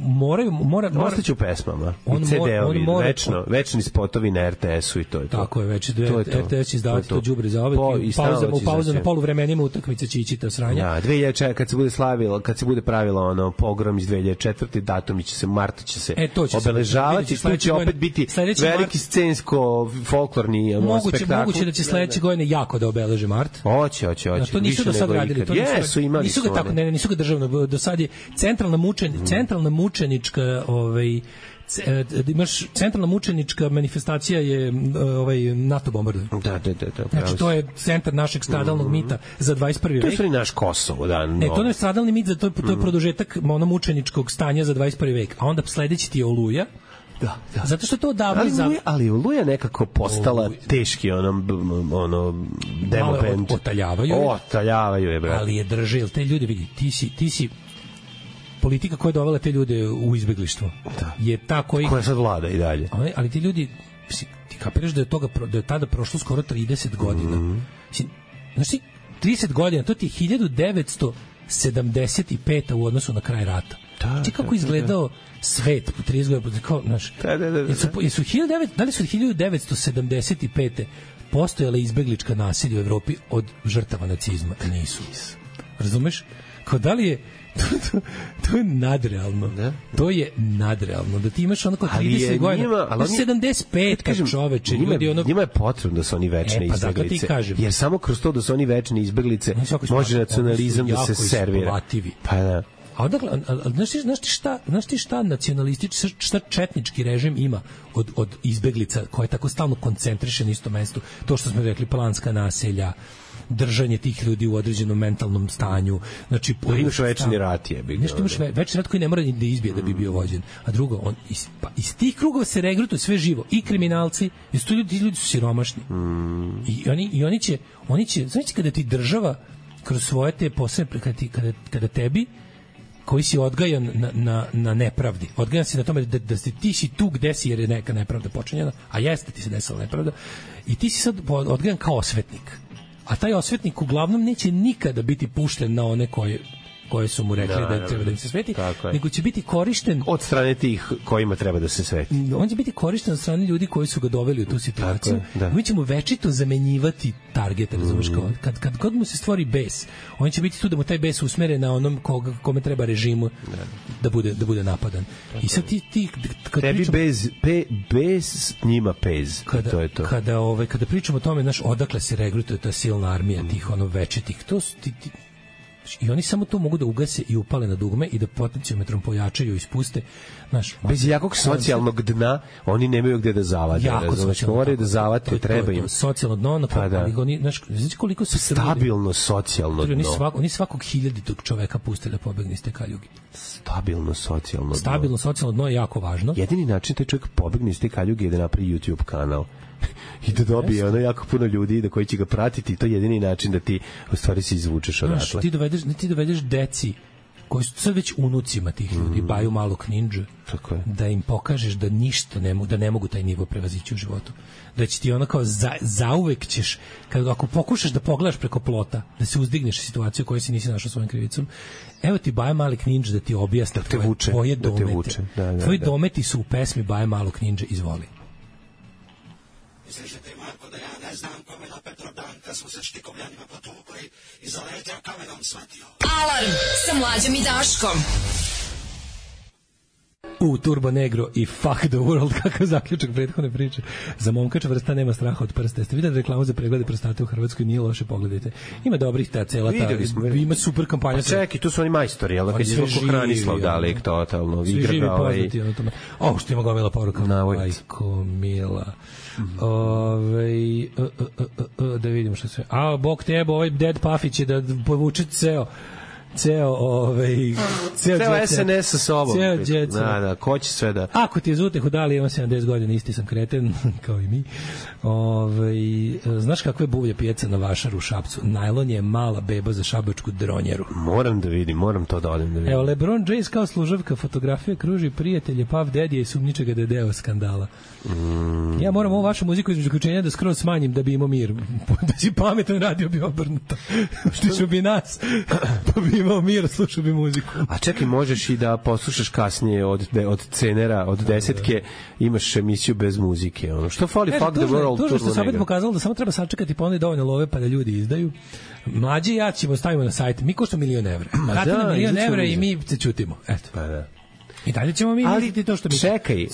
moraju mora mora ostaće u pesmama. I ce de-ovi, večno, večni spotovi na er te esu i to je to. Tako je, već er te es izdavati to đubre za ove pauza u pauzu na poluvremenima utakmice Čičita sranja. Ja, dve hiljade četiri kad se bude slavilo, kad se bude pravilo ono pogrom iz dve hiljade četvrte datumi će se marta će se E, će obeležavati, tu će opet biti veliki scensko folklorni moguće, spektakl. Moguće da će sledeće godine jako da obeleže mart. Hoće, hoće, hoće. To nisu do sad radili, to nisu imali. Nisu ga tako, ne, nisu ga državno, do sad je centralna mučen, mm. centralna mučenička, ovaj imaš centralna mučenička manifestacija je ovaj NATO bombardovanje. Da, da, da, da. Znači to je centar našeg stradalnog mm-hmm. mita za dvadeset prvi vek. To je naš Kosovo, da. No. Ne, to je stradalni mit, za to je, to je produžetak ono mučeničkog stanja za dvadeset prvi vek. A onda sledeći ti je Oluja. Da, da. Zato što to odavno ali, za... ali Oluja nekako postala Oluja. Teški ono, ono demo band. Otaljavaju je. Otaljavaju je, brate. Ali je drže, jel te ljudi vidi, ti si, ti si politika koja je dovela te ljude u izbeglištvo. Da. Je ta koji... Koja sad vlada i dalje. Ali, ali ti ljudi ti kapiraš da je toga da je tada prošlo skoro trideset godina. Mm -hmm. Znači trideset godina, to ti je hiljadu devetsto sedamdeset peta u odnosu na kraj rata. Znači kako izgledao svet po trideset godina, kao, znaš, da, da, da, da. Jesu, jesu hiljadu devetsto, da li su hiljadu devetsto sedamdeset pete postojale izbeglička nasilja u Evropi od žrtava nacizma? Nisu. Razumeš? Kao da li je to, to, to je nadrealno. Da? To je nadrealno. Da ti imaš ono kao trideset godina. Ali sedamdeset pet kažem, čoveče. Njima, ljudi ono... njima je potrebno da su oni večne e, pa izbeglice. Jer samo kroz to da su oni večne izbeglice može nacionalizam da se servira. Pa da. A odakle, znaš ti, znaš ti šta, znaš ti šta nacionalistički, šta četnički režim ima od, od izbeglica koje tako stalno koncentriše na isto mesto? To što smo rekli, planska naselja, držanje tih ljudi u određenom mentalnom stanju. Znači, pa imaš večni rat je. Nešto imaš ve, večni rat koji ne mora da izbije da bi bio vođen. A drugo, on, iz, pa, iz tih krugova se regrutuje sve živo. I kriminalci, i su ljudi, ljudi su siromašni. Mm. I, oni, I oni će, oni će, znači kada ti država kroz svoje te posebne, kada, ti, kada, kada tebi koji si odgajan na, na, na nepravdi. Odgajan si na tome da, da si, ti si tu gde si jer je neka nepravda počinjena, a jeste ti se desila nepravda, i ti si sad odgajan kao osvetnik. A taj osvetnik uglavnom neće nikada biti pušten na one koje koje su mu rekli da, da treba da im se sveti, nego će biti korišten od strane tih kojima treba da se sveti. On će biti korišten od strane ljudi koji su ga doveli u tu situaciju. Da. Mi ćemo večito zamenjivati targete, razumiješ, kao kad, kad god mu se stvori bes, on će biti tu da mu taj bes usmere na onom koga, kome treba režimu da, da, bude, da bude napadan. Tako. I sad ti... ti kad tebi pričam, bez, pe, bez njima pez. Kada, to je to. Kada, ove, kada pričamo o tome, znaš, odakle se regrutuje ta silna armija mm. tih ono večitih, to su ti, ti i oni samo to mogu da ugase i upale na dugme i da potencijometrom pojačaju i ispuste. Znaš, bez jakog socijalnog dna oni nemaju gde da zavade. Jako socijalno. Moraju da zavate, treba im. Socijalno dno, na pa da. Oni, znaš, znači koliko su stabilno socijalno dno. Oni, svak, oni svakog hiljaditog čoveka puste da pobegne iz te kaljuge. Stabilno socijalno dno. Stabilno socijalno dno je jako važno. Jedini način taj čovjek pobegne iz te kaljuge je da napravi YouTube kanal. I da dobije ono jako puno ljudi da koji će ga pratiti, to je jedini način da ti u stvari se izvučeš odatle. Znaš, ti dovedeš, ti dovedeš deci koji su sad već unucima tih ljudi, mm. Baju malog ninja, da im pokažeš da ništa ne mogu, da ne mogu taj nivo prevazići u životu. Da će ti ono kao za, zauvek ćeš, kad, ako pokušaš da pogledaš preko plota, da se uzdigneš situaciju koju si nisi našao svojom krivicom, evo ti Baja malog ninja da ti objasni da tvoje, vuče, tvoje da domete. Da, da, Tvoji da. dometi su u pesmi Baja malog ninja, izvoli. Misliš da ti Marko da ja ne znam kome na Petrodan kad smo se štikovljanima potukli i zaletio kamenom shvatio. Alarm sa Mlađom i Daškom. U Turbo Negro i Fuck the World, kakav zaključak prethodne priče. Za momka čvrsta nema straha od prsta. Jeste vidjeli reklamu za preglede prostate u Hrvatskoj? Nije loše, pogledajte. Ima dobrih ta cela ta, ima super kampanja. Pa čekaj, tu su oni majstori, jel? Kad je zvoko Hranislav Dalek, totalno. Svi živi poznati. O, što ima gomila poruka. Majko Mila. Ove, da vidimo što sve. A, bog tebo, ovaj Dead Pafić je da povuče ceo ceo ovaj ceo, ceo S N S sa sobom. Ceo djec. Da, da, ko će sve da. Ako ti je zute hudali, imam sedamdeset godina, isti sam kreten kao i mi. Ovaj znaš kakve buvlje pijeca na Vašaru u Šapcu? Najlon je mala beba za šabačku dronjeru. Moram da vidim, moram to da odem da vidim. Evo LeBron James kao služavka fotografije kruži prijatelje Puff Daddy i sumnjiče ga da je deo skandala. Mm. Ja moram ovu vašu muziku između ključenja da skroz smanjim da bi imao mir. Da si pametan, radio bi obrnuto. Što bi nas pa bi imao mir, slušao bi muziku. A čekaj, možeš i da poslušaš kasnije od, de, od cenera, od desetke, imaš emisiju bez muzike. Ono. Što fali Fuck the World? To je što se opet pokazalo da samo treba sačekati pa onda dovoljno love pa da ljudi izdaju. Mlađi ja ćemo stavimo na sajt. Mi košta milion evra. Kada na milion evra i mi se čutimo. Eto. Pa da. I dalje ćemo mi misliti to što mi... Čekaj,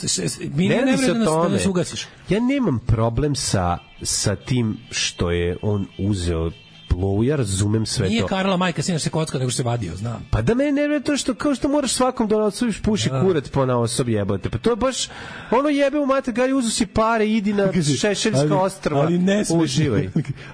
mi ne ne da nas, da nas ugasiš. Ja nemam problem sa, sa tim što je on uzeo plovu, ja razumem sve Nije to. Nije Karla majka sinaš se kocka, nego što se vadio, znam. Pa da mene nervira to što, kao što moraš svakom da odsuviš puši da. Kurac po na osobi jebote. Pa to je baš, ono jebe u mater, gari uzu si pare, idi na Šešeljska ostrva, ali uživaj.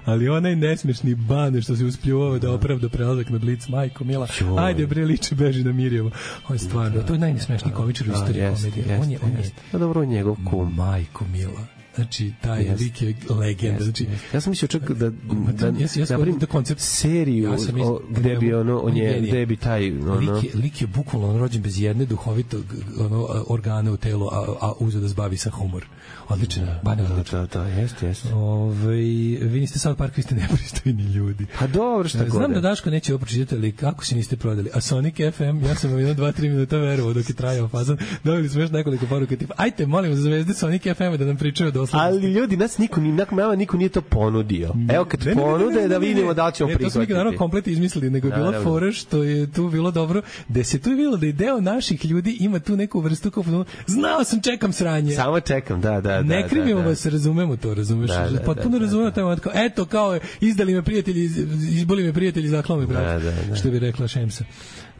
Ali onaj nesmešni bane što se uspljuvao da opravda prelazak na Blic, majko mila. Ajde bre, liče, beži na Mirjevo. On je stvarno, to je najnesmešniji komičar u istoriji komedije. On je, on je. Pa dobro, njegov kum. Majko mila. Znači, taj yes. lik je legenda. Yes. Znači, ja sam mislio čak da, da, ja, ja napravim da koncept seriju ja mislio, o, gde bi ono, on je, gde bi taj... Ono, lik, je, lik je bukvalno rođen bez jedne duhovitog ono, organa u telu, a, a uzeo da zbavi sa humor. Odlično. Da, da, da, da, jeste, jeste. Ove, vi niste South Park, vi ste nepristojni ljudi. Pa dobro, šta god. Znam da Daško neće ovo pročitati, ali kako se niste prodali? A Sonic F M, ja sam vam jedno, dva, tri minuta verovao dok je trajao fazan. Dobili smo još nekoliko poruka tipa, ajte, molim za zvezde Sonic F M da nam pričaju doslovnosti. Ali ljudi, nas niko, ni, nama niko nije to ponudio. Evo kad ne, ponude, ne, ne, da vidimo da li ćemo prihvatiti. To smo naravno komplet izmislili, nego je bila fora što je tu bilo dobro, da se tu bilo da je deo naših ljudi ima tu neku vrstu kao, znao sam, čekam sranje. Samo čekam, da, da, da. Ne krivimo da, da. vas, razumemo to, razumeš? Da, da, potpuno da, razumemo taj moment, kao, eto, kao, izdali me prijatelji, izboli me prijatelji, zaklao me brat, da, da, da. Što bi rekla Šemsa.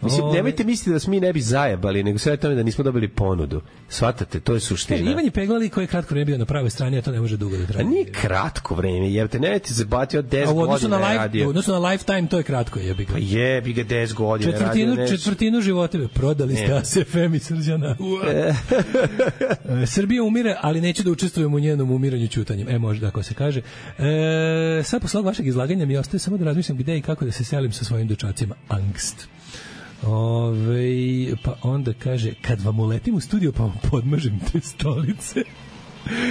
Mislim, nemojte misliti da smo mi ne bi zajebali, nego sve tome da nismo dobili ponudu. Shvatate, to je suština. Ivan je peglali koji je kratko vreme bio na pravoj strani, a to ne može dugo da traje. A nije kratko vreme, jer te nemojte zabati od deset godina na radio. U odnosu na Lifetime, to je kratko, jebi ga. Pa jebi ga deset godina četvrtinu, radio. Četvrtinu života prodali ste A S F M i Srđana. Srbija umire, ali neće da učestvujemo u njenom umiranju ćutanjem. E, možda, ako se kaže. E, sad, posle vašeg izlaganja, mi ostaje samo da razmišljam gde i kako da se selim sa svojim dečacima. Angst. Ove, pa onda kaže, kad vam uletim u studio pa vam podmažem te stolice.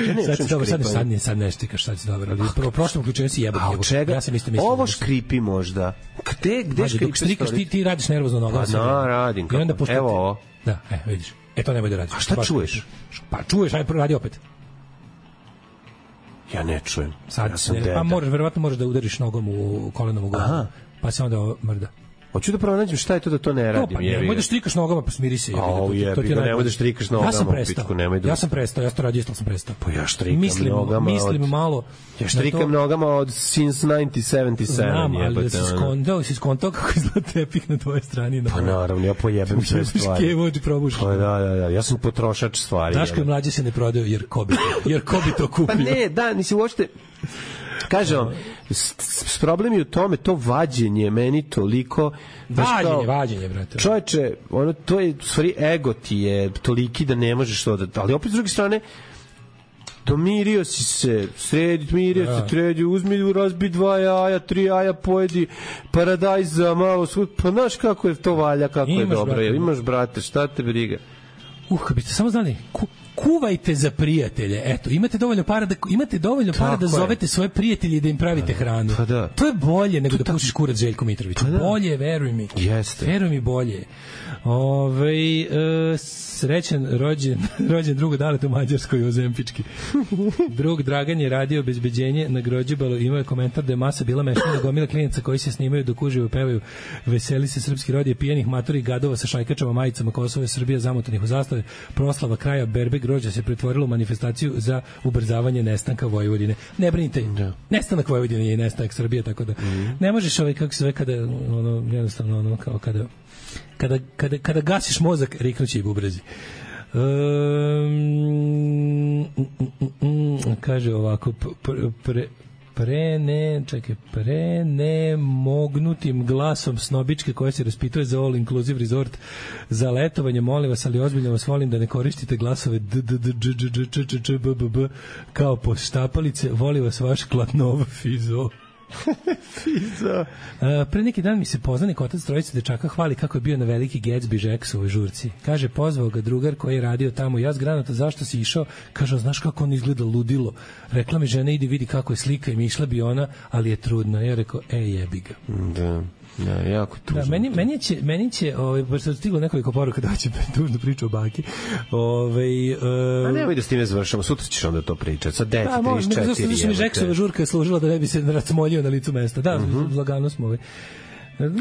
Ja ne, sad si dobro, sad, sad, ne, sad ne štikaš, sad si dobro, ali prvo prošlom uključenju si jebak. A od čega? Ja sam isto mislio. Ovo škripi možda. Gde, gde škripi stolice? Ti, ti radiš nervozno nogama. Pa no, radim. I onda pošto evo ovo. Da, e, vidiš. E, to nemoj da radiš. A šta čuješ? Pa čuješ, aj radi opet. Ja ne čujem. Sad, ja sam ne, pa možeš, verovatno možeš da udariš nogom u kolenom u glavu. Pa se onda mrda. Hoću da pronađem šta je to da to ne radim. Pa nemoj da štrikaš nogama, pa smiri se. Au, jebi ga, nemoj da štrikaš nogama. Ja sam prestao, pitku, nemoj da... ja sam prestao, ja sam to radio, isto sam prestao. Pa ja štrikam mislim, nogama mislim od... malo... Ja štrikam to... nogama od since nineteen seventy-seven. Znam, ali da si skontao, si skontao kako izgleda tepih na tvojoj strani. Pa naravno, ja pojebem sve stvari. Kevo, ti probuš. Pa da, da, da, ja sam potrošač stvari. Znaš kad mlađe se ne prodaju, jer ko bi, jer ko bi to kupio? Pa ne, da, nisi uopšte... Kažem vam, s problem je u tome, to vađenje meni toliko... Vađenje, kao, vađenje, brate. Čovječe, ono, to je, u stvari, ego ti je toliki da ne možeš to da... Ali opet s druge strane, domirio si se, sredi, mirio ja. se, tredi, uzmi, razbi dva jaja, tri jaja, pojedi paradajz za malo svud, pa znaš kako je to valja, kako imaš, je dobro. Brate, imaš, brate, šta te briga? Uh, biste samo znali, ku, kuvajte za prijatelje. Eto, imate dovoljno para da imate dovoljno para da zovete svoje prijatelje i da im pravite hranu. Pa da. To je bolje nego to da pušiš kurac Željko Mitroviću. Pa da. Bolje, veruj mi. Jeste. Veruj mi, bolje. Ovaj e, srećan rođen rođen drugo Dalet u Mađarskoj ozempički. Drug Dragan je radio obezbeđenje na Grođebalu, imao je komentar da je masa bila mešana gomila klinaca koji se snimaju dok uživo pevaju veseli se srpski rod je pijanih matori gadova sa šajkačama majicama Kosova i Srbija zamotanih u zastave. Proslava kraja berbe grožđa se pretvorila u manifestaciju za ubrzavanje nestanka Vojvodine. Ne brinite, da. Nestanak Vojvodine je i nestanak Srbije, tako da mm. ne možeš ovaj kako se zove kada ono jednostavno ono kao kada Kada, kada, kada gasiš mozak, riknuće i bubrezi. Um, mm, mm, mm, kaže ovako, pre, pre, pre ne, čekaj, pre ne mognutim glasom snobičke koje se raspituje za all inclusive resort za letovanje, molim vas, ali ozbiljno vas volim da ne koristite glasove d, d, d, dž, dž, dž, dž, dž, b, b, b, kao poštapalice, voli vas vaš Klatnov Fizo. Fizo. Uh, pre neki dan mi se poznanik otac trojice dečaka hvali kako je bio na veliki Gatsby Jacksovoj žurci. Kaže, pozvao ga drugar koji je radio tamo. Ja s granata, zašto si išao? Kaže, znaš kako on izgleda ludilo. Rekla mi žena, idi vidi kako je slika i mi išla bi ona, ali je trudna. Ja rekao, e, jebi ga. Da. Ja, jako tužno. Da, meni, meni će, meni će ovaj, baš se stiglo nekoliko poruka da će tužno priču o baki. Ovaj, uh, a nemoj da s time završamo, sutra ćeš onda to pričati. Sa deci, da, trideset četiri. Zašto mi Jacksova žurka je služila da ne bi se racmoljio na licu mesta. Da, mm-hmm. lagano smo ovaj.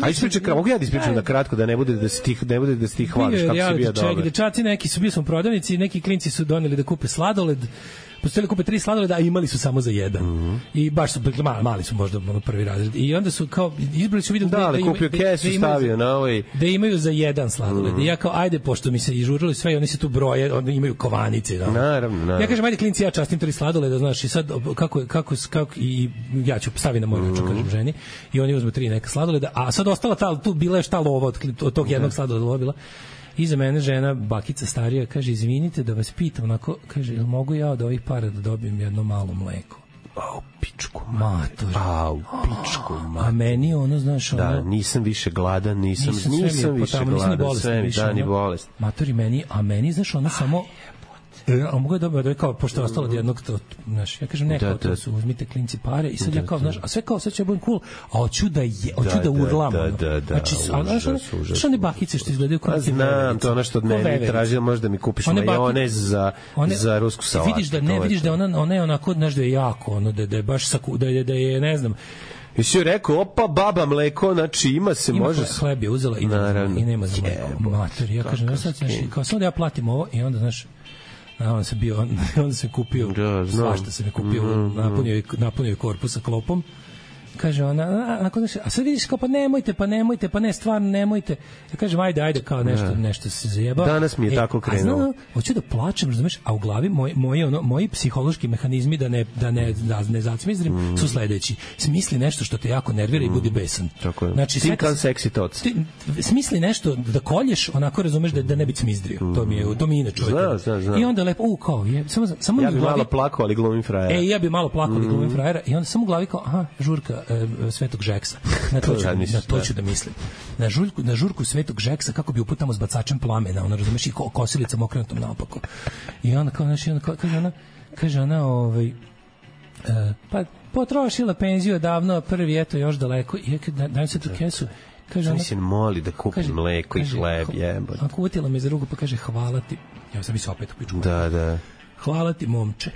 A ispričaj, mogu ja da ispričam na kratko da ne bude da se ti ne bude da se ti hvališ kako si bio dobar. Dečaci neki su bili smo prodavnici, neki klinci su doneli da kupe sladoled. Postojali kupe tri sladoleda, a imali su samo za jedan. Mm-hmm. I baš su mali, mali su možda ono prvi razred. I onda su kao izbrali su videli da, da, da kupio kesu, da stavio na ovaj da imaju za jedan sladoled. Mm-hmm. I ja kao ajde pošto mi se ižurilo sve i oni se tu broje, oni imaju kovanice, da. Naravno, naravno. Ja kažem ajde klinci, ja častim tri sladoleda, znaš, i sad kako kako kako i ja ću staviti na moj račun, mm-hmm. kažem ženi, i oni uzmu tri neka sladoleda, a sad ostala ta tu bila je šta lova od, od tog jednog sladoleda bila. iza mene žena, bakica starija, kaže, izvinite da vas pitam, onako, kaže, jel mogu ja od ovih para da dobijem jedno malo mleko? Au, pičku mater. Au, pičku mater. A meni ono, znaš, ono... Da, nisam više gladan, nisam, nisam, nisam više potamo, gladan, bolest, sve mi, da, ni bolest. Matori, meni, a meni, znaš, ono samo... E, a mogu je dobro da je kao, pošto je ostalo od jednog, to, znaš, ja kažem, neko, da, to su, uzmite klinci pare i sad da, ja kao, znaš, a sve kao, sad ću ja budem cool, a hoću da je, hoću da, da urlam, da, da, da, znači, a znaš, što one bakice što izgledaju kao ti neverice. Znam, to je ono što od mene tražila, možda mi kupiš majonez za, one, za rusku salatu. Vidiš da, ne, vidiš da ona, ona je onako, znaš, da je jako, ono, da, da je baš, saku, da je, da je, ne znam, i si joj rekao, opa, baba, mleko, znači ima se, ima može... Ima hleb je uzela i, i nema za mleko. Mater, ja kažem, znaš, kao samo da ja platim ovo i onda, znaš, a on se bio on se kupio da, svašta se mi kupio mm, napunio napunio korpus sa klopom. Kaže ona, a, a, a sad vidiš kao, pa nemojte, pa nemojte, pa ne, stvarno nemojte. Ja kažem, ajde, ajde, kao nešto, ne. nešto se zajeba. Danas mi je e, tako krenulo. A, hoću da plačem, razumeš, a u glavi moj, moji, ono, moji psihološki mehanizmi da ne, da ne, da ne zacmizdrim mm. su sledeći. Smisli nešto što te jako nervira mm. i budi besan. Tako je. Znači, Think on sexy thoughts. Ti, smisli nešto da kolješ, onako razumeš da, da ne bi cmizdrio. Mm. To mi je, to mi inače. Zna, zna, zna. I onda lepo, u, kao, je, samo, samo ja bi glavi, malo plakao, ali glumim frajera. E, ja bi malo plakao, ali glumim frajera. I onda samo u glavi kao, aha, žurka e, Svetog Žeksa. Na to, ću, na to ću da mislim. Na žurku, na žurku Svetog Žeksa kako bi uputamo s bacačem plamena, ona razumeš, i kosilicom okrenutom naopako. I onda kao, znači, onda kao, kaže ona, kaže ona, ovaj, uh, pa potrošila penziju davno, prvi eto još daleko. I ja kad dajem se tu kesu, kaže ona, mislim, moli da kupi kaže, mleko i hleb, jebote. Ako utila me za ruku, pa kaže, hvala ti. Ja sam bi se opet u pičku. Da, da. Hvala ti, momče.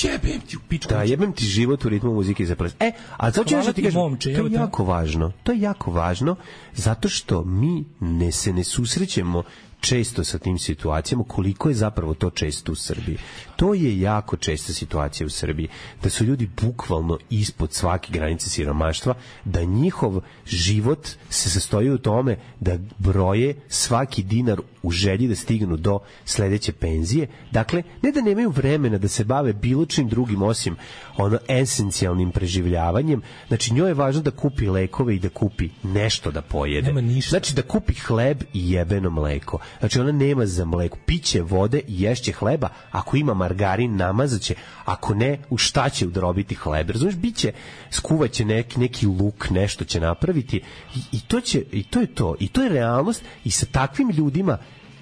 Jebem ti u pičku. Da, jebem ti život u ritmu muzike za ples. E, a to ću nešto ti kažem, momče, to je jako važno. To je jako važno, zato što mi ne se ne susrećemo često sa tim situacijama, koliko je zapravo to često u Srbiji. To je jako česta situacija u Srbiji, da su ljudi bukvalno ispod svake granice siromaštva, da njihov život se sastoji u tome da broje svaki dinar u želji da stignu do sledeće penzije. Dakle, ne da nemaju vremena da se bave bilo čim drugim osim ono esencijalnim preživljavanjem. Znači, njoj je važno da kupi lekove i da kupi nešto da pojede. Nema ništa. Znači, da kupi hleb i jebeno mleko. Znači, ona nema za mleko. Piće vode i ješće hleba. Ako ima margarin, namazaće. Ako ne, u šta će udrobiti hleb? Razumiješ, biće, skuvaće neki, neki luk, nešto će napraviti. I, i, to će, i to je to. I to je realnost. I sa takvim ljudima,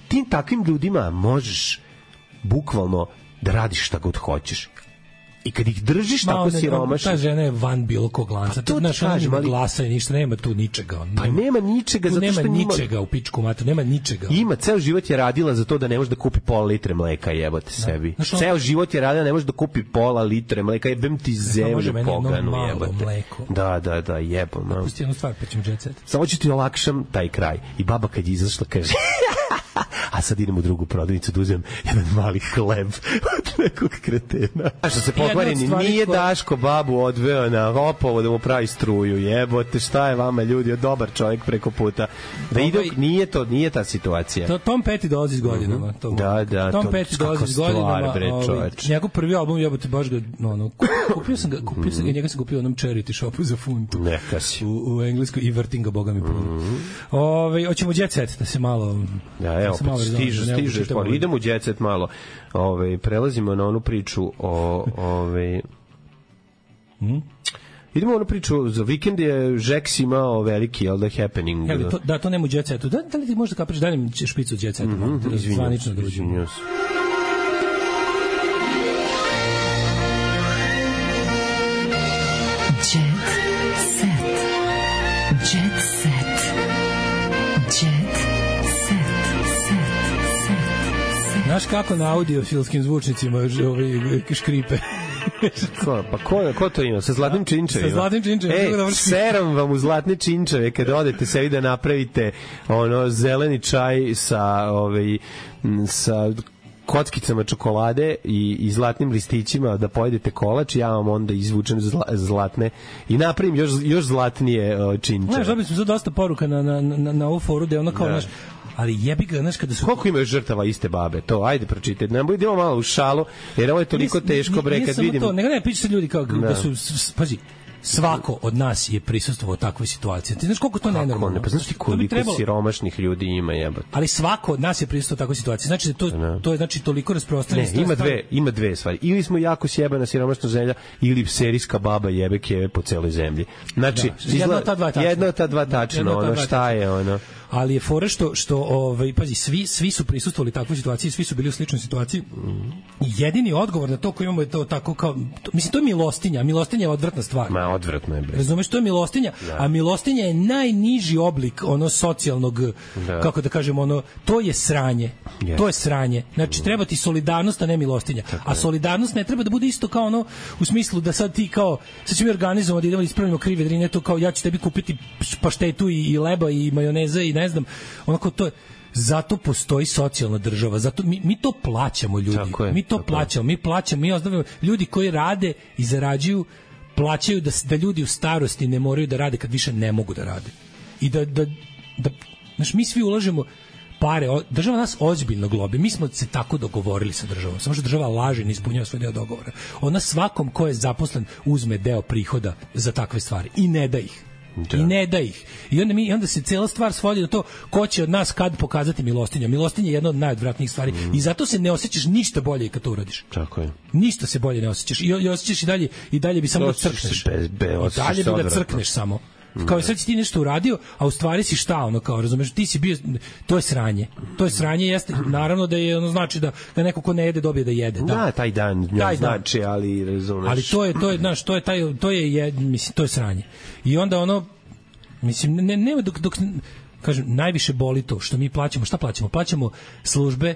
tim takvim ljudima možeš bukvalno da radiš šta god hoćeš. I kad ih držiš ma, tako siromašno... Ta žena je van bilo kog lanca. To znaš, ona nema glasa i ništa, nema tu ničega. Nema, pa nema ničega, zato što nema ničega u pičku mater, nema ničega. Ima, ceo život je radila za to da ne može da kupi pola litre mleka, jebote sebi. Znaš, on... Ceo život je radila da ne može da kupi pola litre mleka, jebem ti zemlju poganu, jebote. Mleko. Da, da, da, jebom. Da, pusti jednu stvar, pa ćemo jet set. Samo ću ti olakšam taj kraj. I baba kad je izašla kaže... a sad idem u drugu prodavnicu da uzem jedan mali hleb od nekog kretena. A što se pokvareni, nije koja... Daško babu odveo na Hopovo da mu pravi struju, jebote, šta je vama ljudi, dobar čovjek preko puta. Da ide, nije to, nije ta situacija. To, Tom Petty dolazi s godinama. To, da, da. Tom Petty dolazi s godinama. Bre, ovaj, njegov prvi album, jebote, baš ga, no, no, kupio sam ga, kupio sam ga, njega sam kupio u onom charity shopu za funtu. Neka si. U, u engleskoj i vrtim ga, boga mi puno. Mm-hmm. Ove, hoćemo jet set, da se malo... Da, evo, stižu, stižeš, pa idemo u jet set malo. Ove, prelazimo na onu priču o... Ove, hmm? Idemo na onu priču, za vikend je Žeks imao veliki, jel da, happening. Ja, to, da, to nema u jet setu. Da, da li ti možda kapriš, da li špicu u jet setu? Mm-hmm, da, zvanično da uđemo. Izvinjam se. Znaš kako na audiofilskim zvučnicima ovi škripe? Ko, pa ko, ko to ima? Sa zlatnim činčevima? Sa zlatnim činčevima. E, seram vam u zlatne činčeve kad odete sebi da napravite ono zeleni čaj sa, ovaj, sa kockicama čokolade i, i zlatnim listićima da pojedete kolač, ja vam onda izvučem zla, zlatne i napravim još, još zlatnije uh, činčeve. Znaš, dobili smo dosta poruka na, na, na, na ovu foru da je ono kao, znaš, ali jebi ga, znaš, kada su... Koliko imaju žrtava iste babe? To, ajde, pročitajte. Ne budemo malo u šalu, jer ovo je toliko teško, bre, kad vidim... To, nego ne, piše se ljudi kao da, da su, pazi, svako od nas je prisustvovao takvoj situaciji. Ti znaš koliko to nenormalno? Ne, pa znaš ti koliko trebalo... siromašnih ljudi ima, jebote. Ali svako od nas je prisustvovao takvoj situaciji. Znači da to ne. to je znači toliko rasprostranjeno. Ne, ima dve, ima dve stvari. Ili smo jako sjebana siromašna zemlja, ili serijska baba jebe keve po celoj zemlji. Znači, da, jedna od ta dva tačno. Jedna od ta dva tačno, ono šta je ono. Ali je fora što što ovaj pazi svi svi su prisustvovali takvoj situaciji, svi su bili u sličnoj situaciji. Mm. Jedini odgovor na to koji imamo je to tako kao to, mislim to je milostinja, milostinja je odvratna stvar. Ma odvratno je bre. Razumeš, to je milostinja, da. A milostinja je najniži oblik ono socijalnog da. Kako da kažemo ono to je sranje. Yes. To je sranje. Znači treba ti solidarnost, a ne milostinja. Tako a solidarnost ne treba da bude isto kao ono u smislu da sad ti kao sad ćemo organizovati da idemo ispravimo krive drine, to kao ja ću tebi kupiti paštetu i, i leba i majoneza i ne znam, onako to je zato postoji socijalna država, zato mi, mi to plaćamo ljudi, je, mi to plaćamo, je. mi plaćamo, mi ozdravljamo ljudi koji rade i zarađuju, plaćaju da, da ljudi u starosti ne moraju da rade kad više ne mogu da rade. I da, da, da znaš, mi svi ulažemo pare, država nas ozbiljno globi, mi smo se tako dogovorili sa državom, samo što država laže i ne ispunjava svoj deo dogovora. Ona svakom ko je zaposlen uzme deo prihoda za takve stvari i ne da ih. Da. I ne da ih. I onda, mi, onda se cela stvar svodi na to ko će od nas kad pokazati milostinja. Milostinja je jedna od najodvratnijih stvari. Mm. I zato se ne osjećaš ništa bolje kad to uradiš. Tako je. Ništa se bolje ne osjećaš. I, i osjećaš i dalje, i dalje bi samo da crkneš. Bez, bez, I dalje bi da crkneš samo. Kao sad si ti nešto uradio, a u stvari si šta, ono kao, razumeš, ti si bio, to je sranje. To je sranje, jeste, naravno da je, ono znači da, da neko ko ne jede dobije da jede. Da, da taj dan taj znači, dan. ali razumeš. Ali to je, to je, znaš, to je, taj, to je, je, mislim, to je sranje. I onda ono, mislim, ne, nema dok, dok, kažem, najviše boli to što mi plaćamo, šta plaćamo? Plaćamo službe,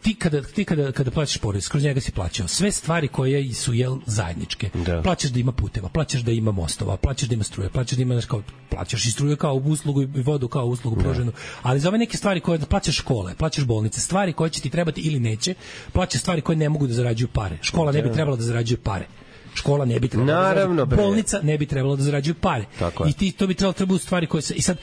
ti kada ti kada kada plaćaš porez, kroz njega si plaćao sve stvari koje su jel zajedničke. Da. Plaćaš da ima puteva, plaćaš da ima mostova, plaćaš da ima struje, plaćaš da ima kao plaćaš i struju kao uslugu i vodu kao uslugu pruženu. Ali za ove neke stvari koje plaćaš škole, plaćaš bolnice, stvari koje će ti trebati ili neće, plaćaš stvari koje ne mogu da zarađuju pare. Škola ne bi trebala da zarađuje pare. Škola ne bi trebala Naravno, da bolnica ne bi trebala da zarađuje pare. I ti to bi trebalo treba u stvari koje se i sad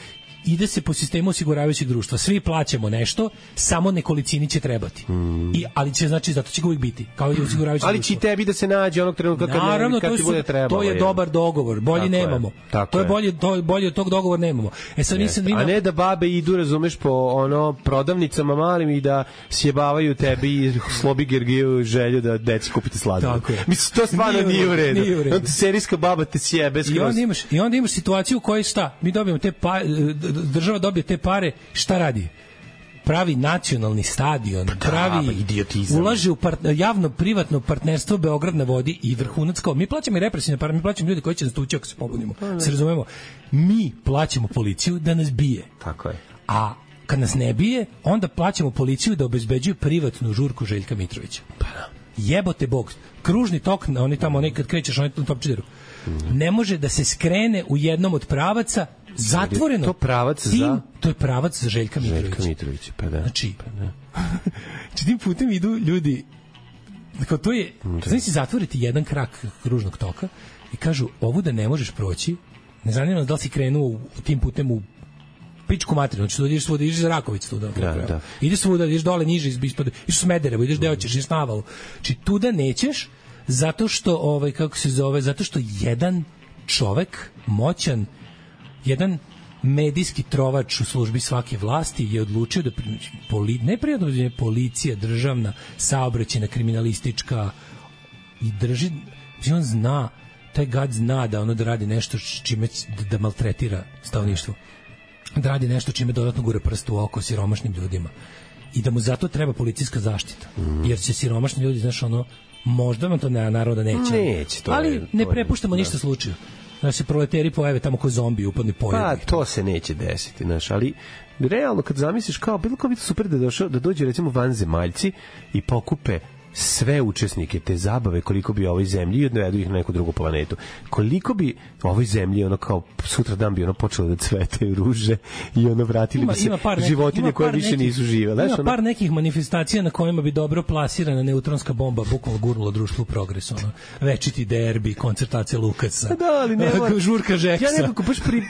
ide se po sistemu osiguravajućeg društva. Svi plaćamo nešto, samo nekolicini će trebati. Mm. I, ali će, znači, zato će ga uvijek biti. Kao i osiguravajuće ali društvo. će tebi da se nađe onog trenutka kad, Naravno, kad ti bude trebalo. To je dobar dogovor. Bolji tako nemamo. Je, tako to je bolje, to, bolje od tog dogovora nemamo. E sad nisam A ne da babe idu, razumeš, po ono prodavnicama malim i da sjebavaju tebi i slobi Gergiju želju da deci kupite sladoled. Mislim, to stvarno nije u redu. Nije u redu. Serijska baba te sjebe skroz. I onda imaš, i onda imaš situaciju u kojoj šta? Mi dobijemo te pa, država dobije te pare, šta radi? Pravi nacionalni stadion, pravi ulaže u part, javno-privatno partnerstvo Beograd na vodi i vrhunac kao mi plaćamo i represivne pare, mi plaćamo ljudi koji će nas tući ako se pobunimo. Se razumemo? Mi plaćamo policiju da nas bije. Tako je. A kad nas ne bije, onda plaćamo policiju da obezbeđuju privatnu žurku Željka Mitrovića. Pa da. Jebote bog, kružni tok, oni tamo, oni kad krećeš, oni u topčideru, mm. ne može da se skrene u jednom od pravaca zatvoreno. To pravac tim, za... To je pravac za Željka Mitrovića. Željka Mitrovića, pa da. Znači, pa da. Znači tim putem idu ljudi, dakle, to je, znači si zatvoriti jedan krak kružnog toka i kažu, ovu da ne možeš proći, ne zanima nas da li si krenuo tim putem u pičku materinu, znači tu ideš svuda, ideš za Rakovicu tu, da, da, da. Ideš svuda, ideš dole niže, ispod, ideš u Smederevo, ideš gde hoćeš, ideš na Avalu. Znači tu da nećeš, zato što, ovaj, kako se zove, zato što jedan čovek, moćan, jedan medijski trovač u službi svake vlasti je odlučio da poli, ne prijedno policija, državna, saobraćajna, kriminalistička i drži, on zna, taj gad zna da ono da radi nešto čime da, da maltretira stanovništvo, da radi nešto čime dodatno gure prst u oko siromašnim ljudima i da mu zato treba policijska zaštita, mm. jer će siromašni ljudi, znaš, ono, možda vam to ne, naravno da neće, neće to ali je, ne to prepuštamo je, ništa da. slučaju. Znaš, se proleteri pojave tamo ko zombi, upadni pojave. Pa, to se neće desiti, znaš, ali realno kad zamisliš kao, bilo kao biti super da, došao, da dođe recimo vanzemaljci i pokupe sve učesnike te zabave koliko bi ovoj zemlji i odvedu ih na neku drugu planetu. Koliko bi ovoj zemlji ono kao sutra dan bi ono počelo da cvetaju ruže i ono vratili ima, bi se neki, životinje koje više nekih, nisu žive. Ima ono, par nekih manifestacija na kojima bi dobro plasirana neutronska bomba bukvalno gurnula društvo u progres. Ono. Večiti derbi, koncertacija Lukasa, da, ali ne mora, žurka Žeksa. Ja nekako baš, pri,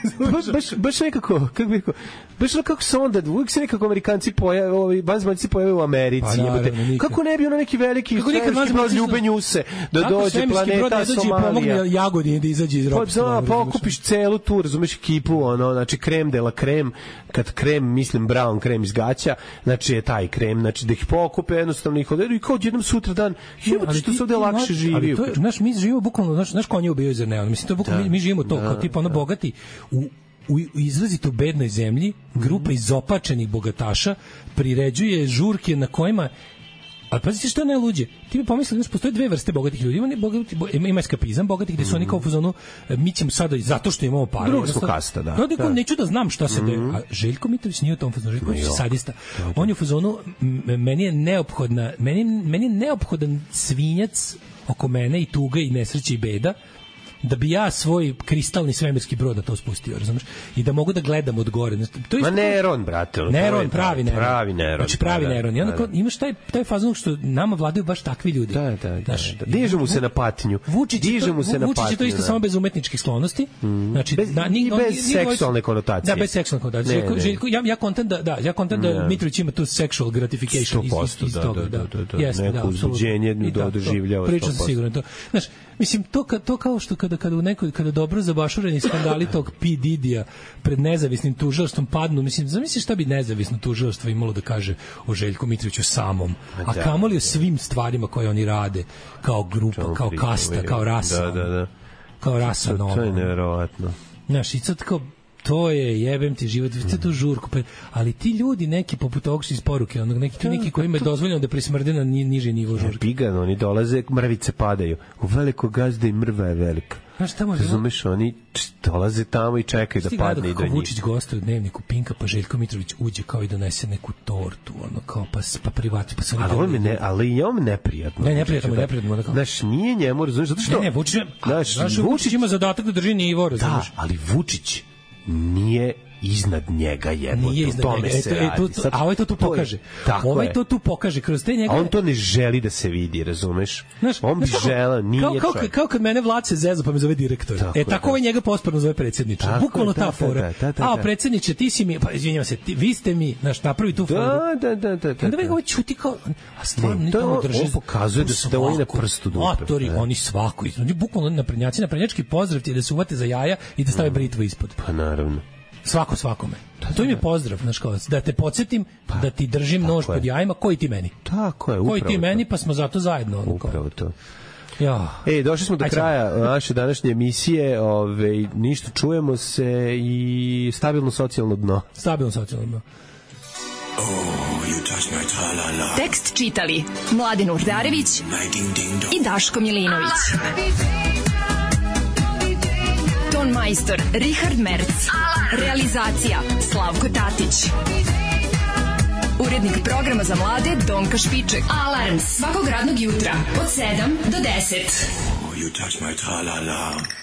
baš, baš nekako, kako bih rekao, baš kako se onda, uvijek se nekako Amerikanci pojave, ovi vanzemaljci pojave u Americi. Pa, naravno, kako ne bi ono neki veliki svemirski brod ljube njuse da dođe planeta Somalija. Pomogne Jagodini da izađe iz ropstva. Pa da, pokupiš celu tu, razumeš, ekipu, ono, znači krem de la krem, kad krem, mislim brown krem iz gaća, znači je taj krem, znači da ih pokupe, jednostavno ih odvedu i kao jednom sutra dan, jebote što se ovde lakše živi. Ali to je, znaš, mi živimo bukvalno, znaš, znaš konje ubijaju zar ne, mislim, to je bukvalno, mi, mi živimo to, kao tipa ono bogati, u u izrazito bednoj zemlji, grupa izopačenih bogataša priređuje žurke na kojima. Ali pazite što je najluđe. Ti bi pomislili da postoje dve vrste bogatih ljudi. Ima, bogati, ima, ima eskapizam bogatih gde su oni kao u fazonu mi ćemo sada zato što imamo pare. Druga smo kasta, da. No, da. Neću da znam šta se mm-hmm. de. A Željko Mitrović nije u tom fazonu. Željko je sadista. On je u fazonu meni je neophodna, meni, meni je neophodan svinjac oko mene i tuga i nesreća i beda da bi ja svoj kristalni svemirski brod na to spustio, razumeš? I da mogu da gledam od gore. To je Ma Neron, brate. Neron, pravi Neron. Pravi Neron. Znači pravi Neron. I onda kao, imaš taj, taj fazon što nama vladaju baš takvi ljudi. Da, da, da. da. Dižu mu se na patnju. Vučić Dižu se na Vučić je to isto da. Samo bez umetničkih sklonosti. Mm. Znači, bez, da, ni, i bez ni, seksualne ni, konotacije. Da, bez seksualne konotacije. Željko, Željko, ja, ja kontent da, da, ja kontent da Mitrović ima tu sexual gratification iz, iz, iz toga. Da, da, da. Jeste, neko uzbuđenje doživljava. Pričam se sigurno to. Znaš, mislim, to, to kao što kada, kada u nekoj, kada dobro zabašureni skandali tog P. Didija pred nezavisnim tužilaštvom padnu, mislim, zamisli šta bi nezavisno tužilaštvo imalo da kaže o Željku Mitroviću samom, a kamoli o svim stvarima koje oni rade, kao grupa, kao kasta, kao rasa. Da, da, da. Kao rasa. To, to je nevjerovatno. Znaš, i sad kao, to je jebem ti život, vidite tu žurku, ali ti ljudi neki poput ovog iz poruke, onog neki, neki koji ima dozvoljeno da prismrde na niži nivo žurke. Pigan, oni dolaze, mrvice padaju. U veliko gazda i mrva je velika. Znaš, tamo razumeš, oni dolaze tamo i čekaju da padne i do njih. Vučić gostuje u dnevniku Pinka, pa Željko Mitrović uđe kao i donese neku tortu, ono kao pa pa privati, pa se ali on ne, ali je on neprijatno. Ne, neprijatno, neprijatno, da. Znaš, nije njemu, razumeš, zato što Ne, ne, Vučić, znaš, Vučić ima zadatak da drži nivo, razumeš. Da, ali Vučić nije iznad njega jedno. Nije iznad tome njega. Se e, to, to, a ovaj to tu pokaže. Ovaj je. to tu pokaže kroz te njegove. A on to ne želi da se vidi, razumeš? Znaš, on bi želeo, nije kao, kao, kao kad mene Vlace zezo pa me zove direktor. Tako e, tako ovaj njega posporno zove predsjedniče. Bukvalno ta fora. A, predsjedniče, ti si mi, pa izvinjavam se, ti, vi ste mi, znaš, napravi tu foru. Da, da, da, da. Onda ovaj čuti kao, a stvarno to drži. On pokazuje da se da oni na prstu dupe. Atori, oni svako, oni bukvalno naprednjaci, naprednjački pozdrav ti da se uvate za jaja i da stave britvu ispod. Pa naravno. Svako svakome. To im je pozdrav, znaš kao, da te podsjetim, pa, da ti držim nož pod jajima, koji ti meni. Tako je, upravo koji ti meni, pa smo zato zajedno. Ono, upravo to. Ja. Ej, došli smo do Ajde. kraja naše današnje emisije, ove, ništa, čujemo se i stabilno socijalno dno. Stabilno socijalno dno. Oh, you touch my tra-la-la. Tekst čitali Mladin Urdarević i Daško Milinović. Ton majstor Richard Merc. Realizacija Slavko Tatić. Urednik programa za mlade Donka Špiček. Alarms svakog radnog jutra od sedam do deset. Oh, you touch my tra-la-la.